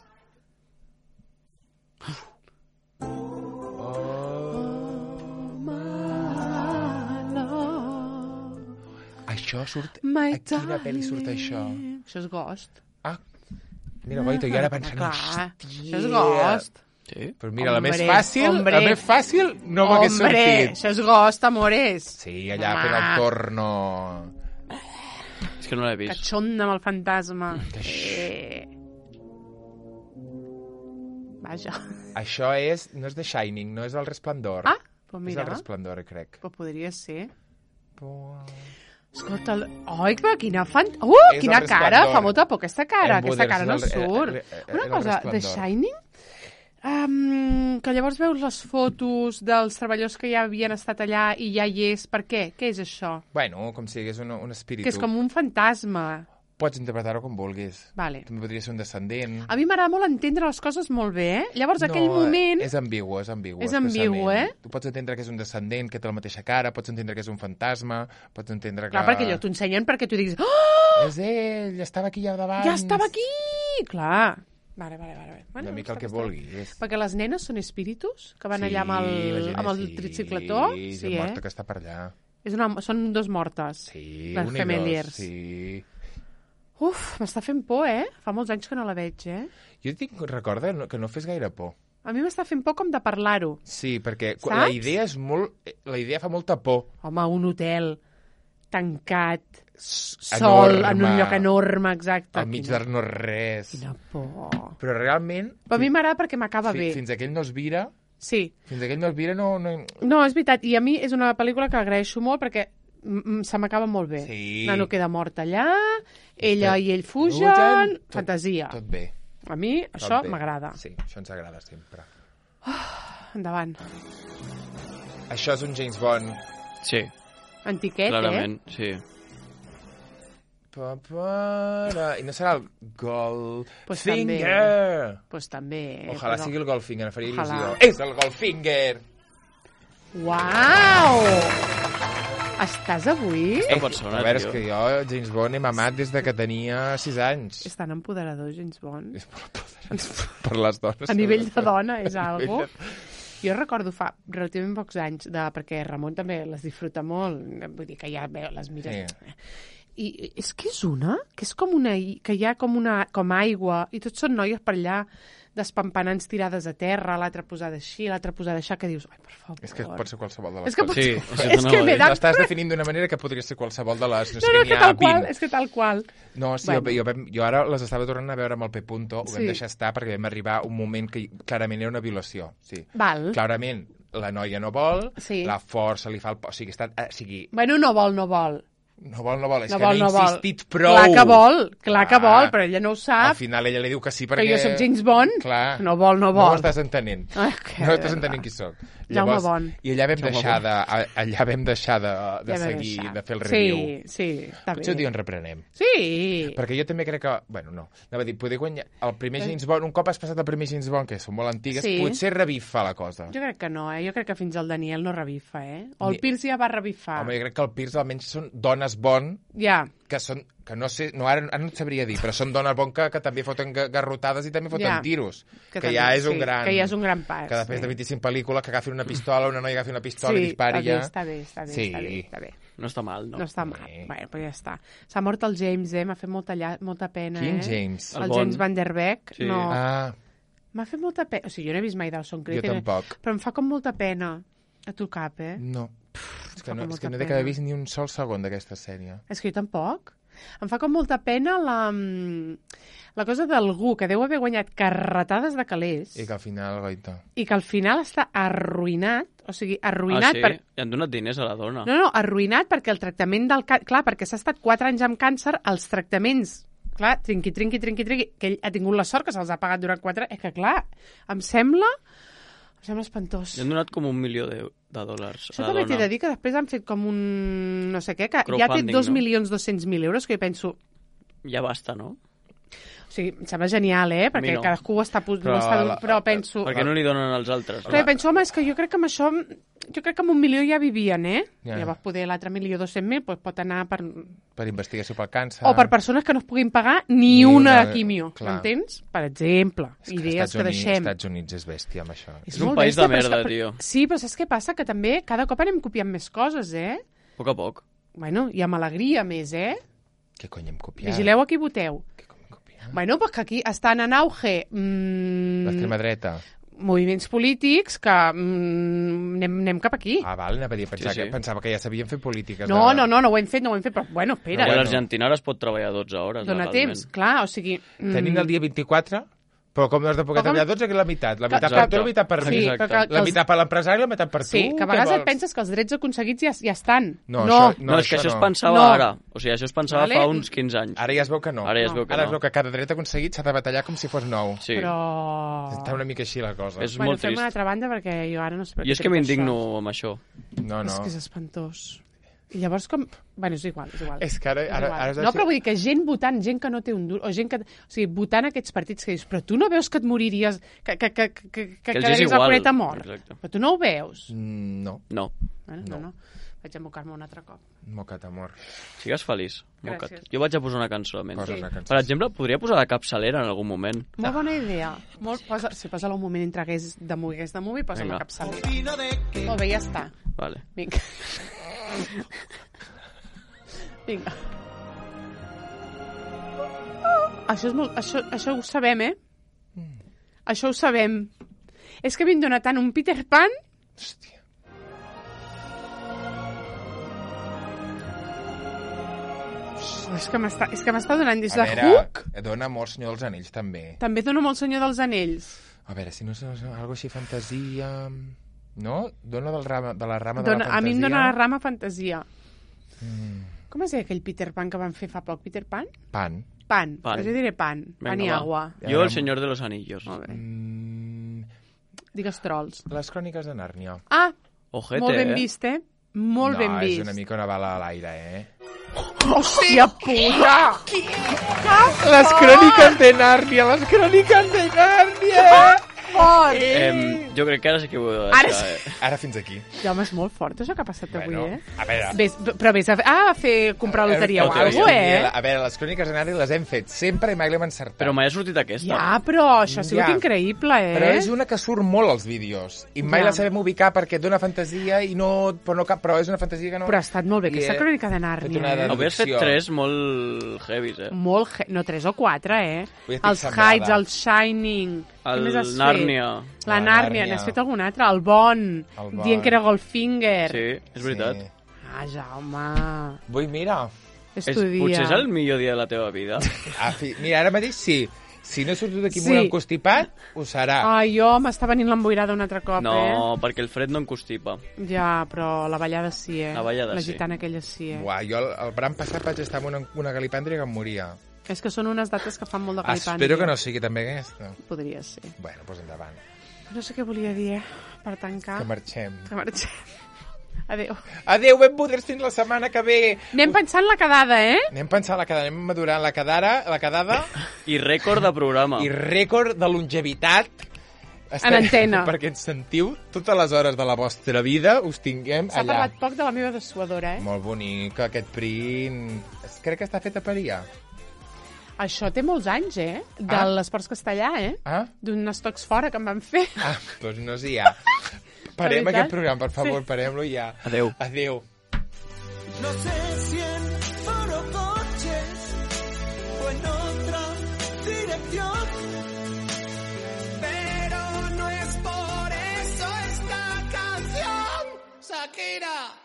Això surt... My A quina pel·li surt això? Això és Ghost. Ah, mira, Goito, jo ara pensant... Clar, hòstia. això és Ghost. Sí? Però mira, la més Hombre, fàcil, hombre. la més fàcil no m'hagués Hombre, sortit. això és Ghost, amores. Sí, allà fent el Home. torno. És que no l'he vist. Catxonda amb el fantasma. Eh. Vaja. Això és... No és The Shining, no és El Resplendor. Ah, pues És mira. El Resplendor, crec. Pues podria ser. Però... Escolta, el... Ai, però quina fan... Uh, És quina el cara! Resplendor. Fa molta por aquesta cara. En Aquesta Buder, cara no és el- surt. el- el- Una el cosa, The Resplendor. Shining... Um, que llavors veus les fotos dels treballadors que ja havien estat allà i ja hi és. Per què? Què és això? Bueno, com si hagués un, un espíritu. Que és com un fantasma. Pots interpretar-ho com vulguis. Vale. També podria ser un descendent. A mi m'agrada molt entendre les coses molt bé, eh? Llavors, No, aquell moment... és ambigu, és ambigu. És ambigu, expressament. eh? Tu pots entendre que és un descendent, que té la mateixa cara, pots entendre que és un fantasma, pots entendre que... Clar, perquè allò t'ho ensenyen perquè tu diguis... Oh, És ell, estava aquí ja davant. ja estava aquí! Clar. Vale, vale, vale. Bueno, Una mica el està que bé, està bé. vulguis. Perquè les nenes són espíritus que van Sí, allà amb la el, gent amb el sí, tricicletó. Sí, Sí, la eh? morta que està per allà. És una, són dos mortes. Sí, les un i Gemeliers. dos, sí. Uf, m'està fent por, eh? Fa molts anys que no la veig, eh? Jo tinc, recorda no- que no fes gaire por. A mi m'està fent por com de parlar-ho. Sí, perquè Saps? la idea és molt... La idea fa molta por. Home, un hotel tancat, sol, Enorme. en un lloc enorme, exacte. Al mig Quina- de no res. Quina por. Però realment... Però a mi m'agrada perquè m'acaba fi- bé. Fins que ell no es vira... Sí. Fins que ell no es vira no... no... No, és veritat. I a mi és una pel·lícula que agraeixo molt perquè mm, mm, se m'acaba molt bé. Sí. Nano queda mort allà, ella Espera. i ell fugen, Fugen, tot- fantasia. Tot bé. A mi tot això bé. m'agrada. Sí, això ens agrada sempre. Endavant. Això és un James Bond. Sí, Antiquet, clarament, sí. Pa, para... I no serà el Pues Goldfinger. eh? Pues també. Ojalà però... sigui el Goldfinger, em faria Ojalà. il·lusió. És el Goldfinger! Uau! Estàs avui? Aquesta persona, a veure, és tio. que jo James Bond he mamat des de que tenia sis anys. És tan empoderador, James Bond. És molt poderós per les dones. A nivell de sobretot. dona és A algo. nivell de- Jo recordo fa relativament pocs anys, de, perquè Ramon també les disfruta molt, vull dir que ja veu, les mires... Sí. I és que és una, que és com una, i- que hi ha com una, com aigua, i tots són noies per allà despampanants tirades a terra, l'altra posada així, l'altra posada així, que dius, ai, per favor. És que pot ser qualsevol de les és que coses. pot... Sí, sí, això és no que ho m'he he de... L'estàs definint d'una manera que podria ser qualsevol de les... No, No, sé no, que és que n'hi ha tal qual, vint. és que tal qual. No, sí, Bueno. jo, jo, jo ara les estava tornant a veure amb el P. Punto, ho vam Sí. deixar estar perquè vam arribar a un moment que clarament era una violació. Sí. Val. Clarament, la noia no vol, Sí. la força li fa el... O sigui, està, eh, o sigui, Bueno, no vol, no vol. no vol, no vol, és No que vol, n'ha no vol. insistit prou. Clar que vol, clar que Clar. vol, però ella no ho Al sap. final ella li diu que sí perquè... Que jo sóc James Bond. Clar. No vol, no No vol. ho estàs entenent. Ai, que no estàs de entenent verdad. qui sóc. Jaume Bond. I allà vam Jaume deixar de, a- allà vam deixar de, de Ja vam seguir, deixar. de fer el review. Sí, sí, està Potser un bé. dia en reprenem. Sí. Perquè jo també crec que... Bueno, no. Anava a dir, poder guanyar... El primer James Bond, un cop has passat el primer James Bond, que són molt antigues, Sí. potser revifa la cosa. Jo crec que no, eh? Jo crec que fins al Daniel no revifa, eh? O el Ni- Pierce ja va revifar. Home, jo crec que el Pierce almenys són dones Bond, Ja, que són... Que no sé... No, ara, ara no et sabria dir, però són dones Bond que, que també foten ga- garrotades i també foten Ja. tiros. Que, també, ja és sí, un gran... Que ja és un gran pas. Que després sí. de vint-i-cinc pel·lícules que agafin una pistola, una noia agafi una pistola Sí, i dispari està ja... bé, està bé, està bé, Sí. està bé, està bé. No està mal, no? No està mal. Sí. Bé, però ja està. S'ha mort el James, eh? M'ha fet molta, lla... molta pena, Quin eh? James? El, El James Bond. Van Der Beek. Sí. No. Ah, M'ha fet molta pena. O sigui, jo no he vist mai Dawson Creek. jo tampoc. Però em fa com molta pena. A tu cap, eh? No. És que fa no, com és que molta no he pena. d'haver vist ni un sol segon d'aquesta sèrie. És que jo tampoc. Em fa com molta pena la, la cosa d'algú que deu haver guanyat carretades de calés I que al final, goita... i que al final està arruïnat, o sigui, Ah, arruïnat sí? per... I han donat diners a la dona. No, no, arruïnat perquè el tractament del... Ca... Clar, perquè s'ha estat quatre anys amb càncer, els tractaments, clar, trinqui, trinqui, trinqui, trinqui, que ell ha tingut la sort que se'ls ha pagat durant quatre... És que, clar, em sembla... Em sembla espantós. Li han donat com un milió de, de dòlars Això a la també t'he dona. de dir que després han fet com un... no sé què, que ja té Crowdfunding, dos no? milions dos-cents mil euros, que jo penso... Ja basta, no? O sigui, em sembla genial, eh? Perquè mi no. cadascú està... Però, Però està la- però penso... Per què no li donen als altres? Però jo penso, home, és que jo crec que amb això... Jo crec que amb un milió ja vivien, eh? Ja. Llavors, poder l'altre milió dos-cents mil doncs pot anar per... Per investigació pel càncer... O per persones que no es puguin pagar ni, Ni una, una, de quimio, clar. m'entens? Per exemple, És que idees Estats que Units, deixem. Estats Units és bèstia amb això. És un molt país de bèstia, però és merda, que- tio. Sí, però saps què passa? Que també cada cop anem copiant més coses, eh? A poc a poc. Bueno, i amb alegria més, eh? Què cony hem copiat? Vigileu a qui voteu. Què cony hem copiat? Bueno, pues que aquí estan en auge mmm, L'extrema dreta. moviments polítics que mm, anem, anem cap aquí. Ah, val, anava a dir, pensava, Sí, sí. Que, pensava que ja sabien fer polítiques. No, de... no, no, no ho hem fet, no ho hem fet, però bueno, espera, I a bueno. l'Argentina ara es pot treballar dotze hores, dona legalment. temps, clar, o sigui... mm, Tenim el dia vint-i-quatre, però com no has de poder Però com- treballar dotze, que és la meitat. La meitat per Exacte. tu, la meitat per Sí, mi. Exacte. però que, que La els- meitat per l'empresari, la meitat per tu. Sí, que a què vegades et vols? penses que els drets aconseguits ja, ja estan. No, no. això- No, és que això es pensava No. ara. O sigui, això es pensava Vale. fa uns quinze anys. Ara ja es veu que no. Ara ja es No. veu que Ara es no. veu que cada dret aconseguit s'ha de batallar com si fos nou. Sí. Però... Està una mica així la cosa. És bueno, molt fem trist. una altra banda perquè jo ara no sé per Jo què és que trec m'indigno això. amb això. No, no. És que és espantós. I llavors com... Bueno, és igual, és igual. És que ara... És ara, igual. ara has de no, ser- però vull dir que gent votant, gent que no té un dur, o gent que... O sigui, votant aquests partits que dius, però tu no veus que et moriries, que, que, que, que, que, que els és quedaries al igual. planeta mort. Exacte. Però tu no ho veus. Mm, No, No. Bueno, no, No. no. Vaig a mocar-me un altre cop. mocat, amor. Sigues feliç. Gràcies. Moca't. Jo vaig a posar una cançó a menys. Poses la cançó. Per exemple, podria posar la capçalera en algun moment. Molt bona idea. Molt, posa, si posa-la un moment entre hagués de movie, hagués de movie, posa Vinga. la capçalera. Molt bé, ja està. Vale. Vinga. Vinga. Això, és molt, això, això ho sabem, eh? Això ho sabem. És que m'han donat tant un Peter Pan... Hòstia. Oh, és que m'està és que m'està donant des A de veure, Hook. dona amor, Senyor dels Anells, també. També dono molt Senyor dels Anells. A veure, si no és algo així fantasia... No? Dona del rama, de la rama de Dona, la fantasia. a mi em dona la rama fantasia. Mm, Com es deia aquell Peter Pan que van fer fa poc? Peter Pan? pan. Pan. Pan. Pues jo diré pan. Pan i va. agua. Jo, el senyor de los anillos. Molt bé. Mm, Digues trolls. les cròniques de Nàrnia. Ah, Ojete, molt ben eh? vist, eh? Molt no, ben vist. és una mica una bala a l'aire, eh? Hòstia puta! Les cròniques de Nàrnia, les cròniques de Nàrnia! Fort! Em, Jo crec que ara sí que ho he de Ara deixar, sí. eh? Ara fins aquí. Ja, home, és molt fort això que ha passat avui, Bueno, eh? a veure... Ves, però vés a, ah, a fer, comprar loteria o Loteria. alguna cosa, eh? A veure, les cròniques de Nadal les hem fet sempre i mai l'hem encertat. Però mai ha sortit aquesta. Ja, però això ha sigut Ja. increïble, eh? Però és una que surt molt als vídeos i mai Ja. la sabem ubicar perquè dona fantasia i no... Però, no cap, però és una fantasia que no... Però ha estat molt bé I aquesta he crònica de fet Nàrnia, una eh? Hauries fet deducció. tres molt heavies, eh? Molt... He... No, tres o quatre, eh? Avui estic Els sembrada. Heights, el Shining... Què El més has Nàrnia. Fet? La La Nàrnia, Nàrnia. n'has fet algun altre? El Bon, El Bon. dient que era Goldfinger. Sí, és veritat. Sí. Ah, Jaume, Vull, mira... és És, tu dia. potser és el millor dia de la teva vida. Ah, fi... Mira, ara mateix sí. Si no he sortit d'aquí Sí. molt encostipat, ho serà. Ai, jo m'està venint l'emboirada un altre cop, No, eh? perquè el fred no em constipa. Ja, però la ballada sí, eh? La ballada la sí. gitana aquella sí, eh? Buah, jo el, el bram passat vaig estar amb una, una galipàndria que em moria. És que són unes dates que fan molt de calipàndria. Espero que no sigui també aquesta. Podria ser. Bueno, doncs endavant. No sé què volia dir, eh? Per tancar. Que marxem. Que marxem. Adéu. Adéu, ben poders fins la setmana que ve. Anem pensant la quedada, eh? Anem pensant la quedada, anem madurant la quedara, la quedada I rècord de programa. i rècord de longevitat. En antena. Perquè ens sentiu totes les hores de la vostra vida, us tinguem S'ha allà. parlat poc de la meva dessuadora, eh? Molt bonic, aquest print. Crec que està fet a Paria. Això té molts anys, eh? De Ah. l'Esports Castellà, eh? Ah? D'un estocs fora que em van fer. Ah, doncs no sé ja. Parem veritat? aquest programa, per favor, Sí. parem-lo ja. Adéu. Adéu. No sé si en oro coches o en otra dirección, pero no es por eso esta canción, Shakira.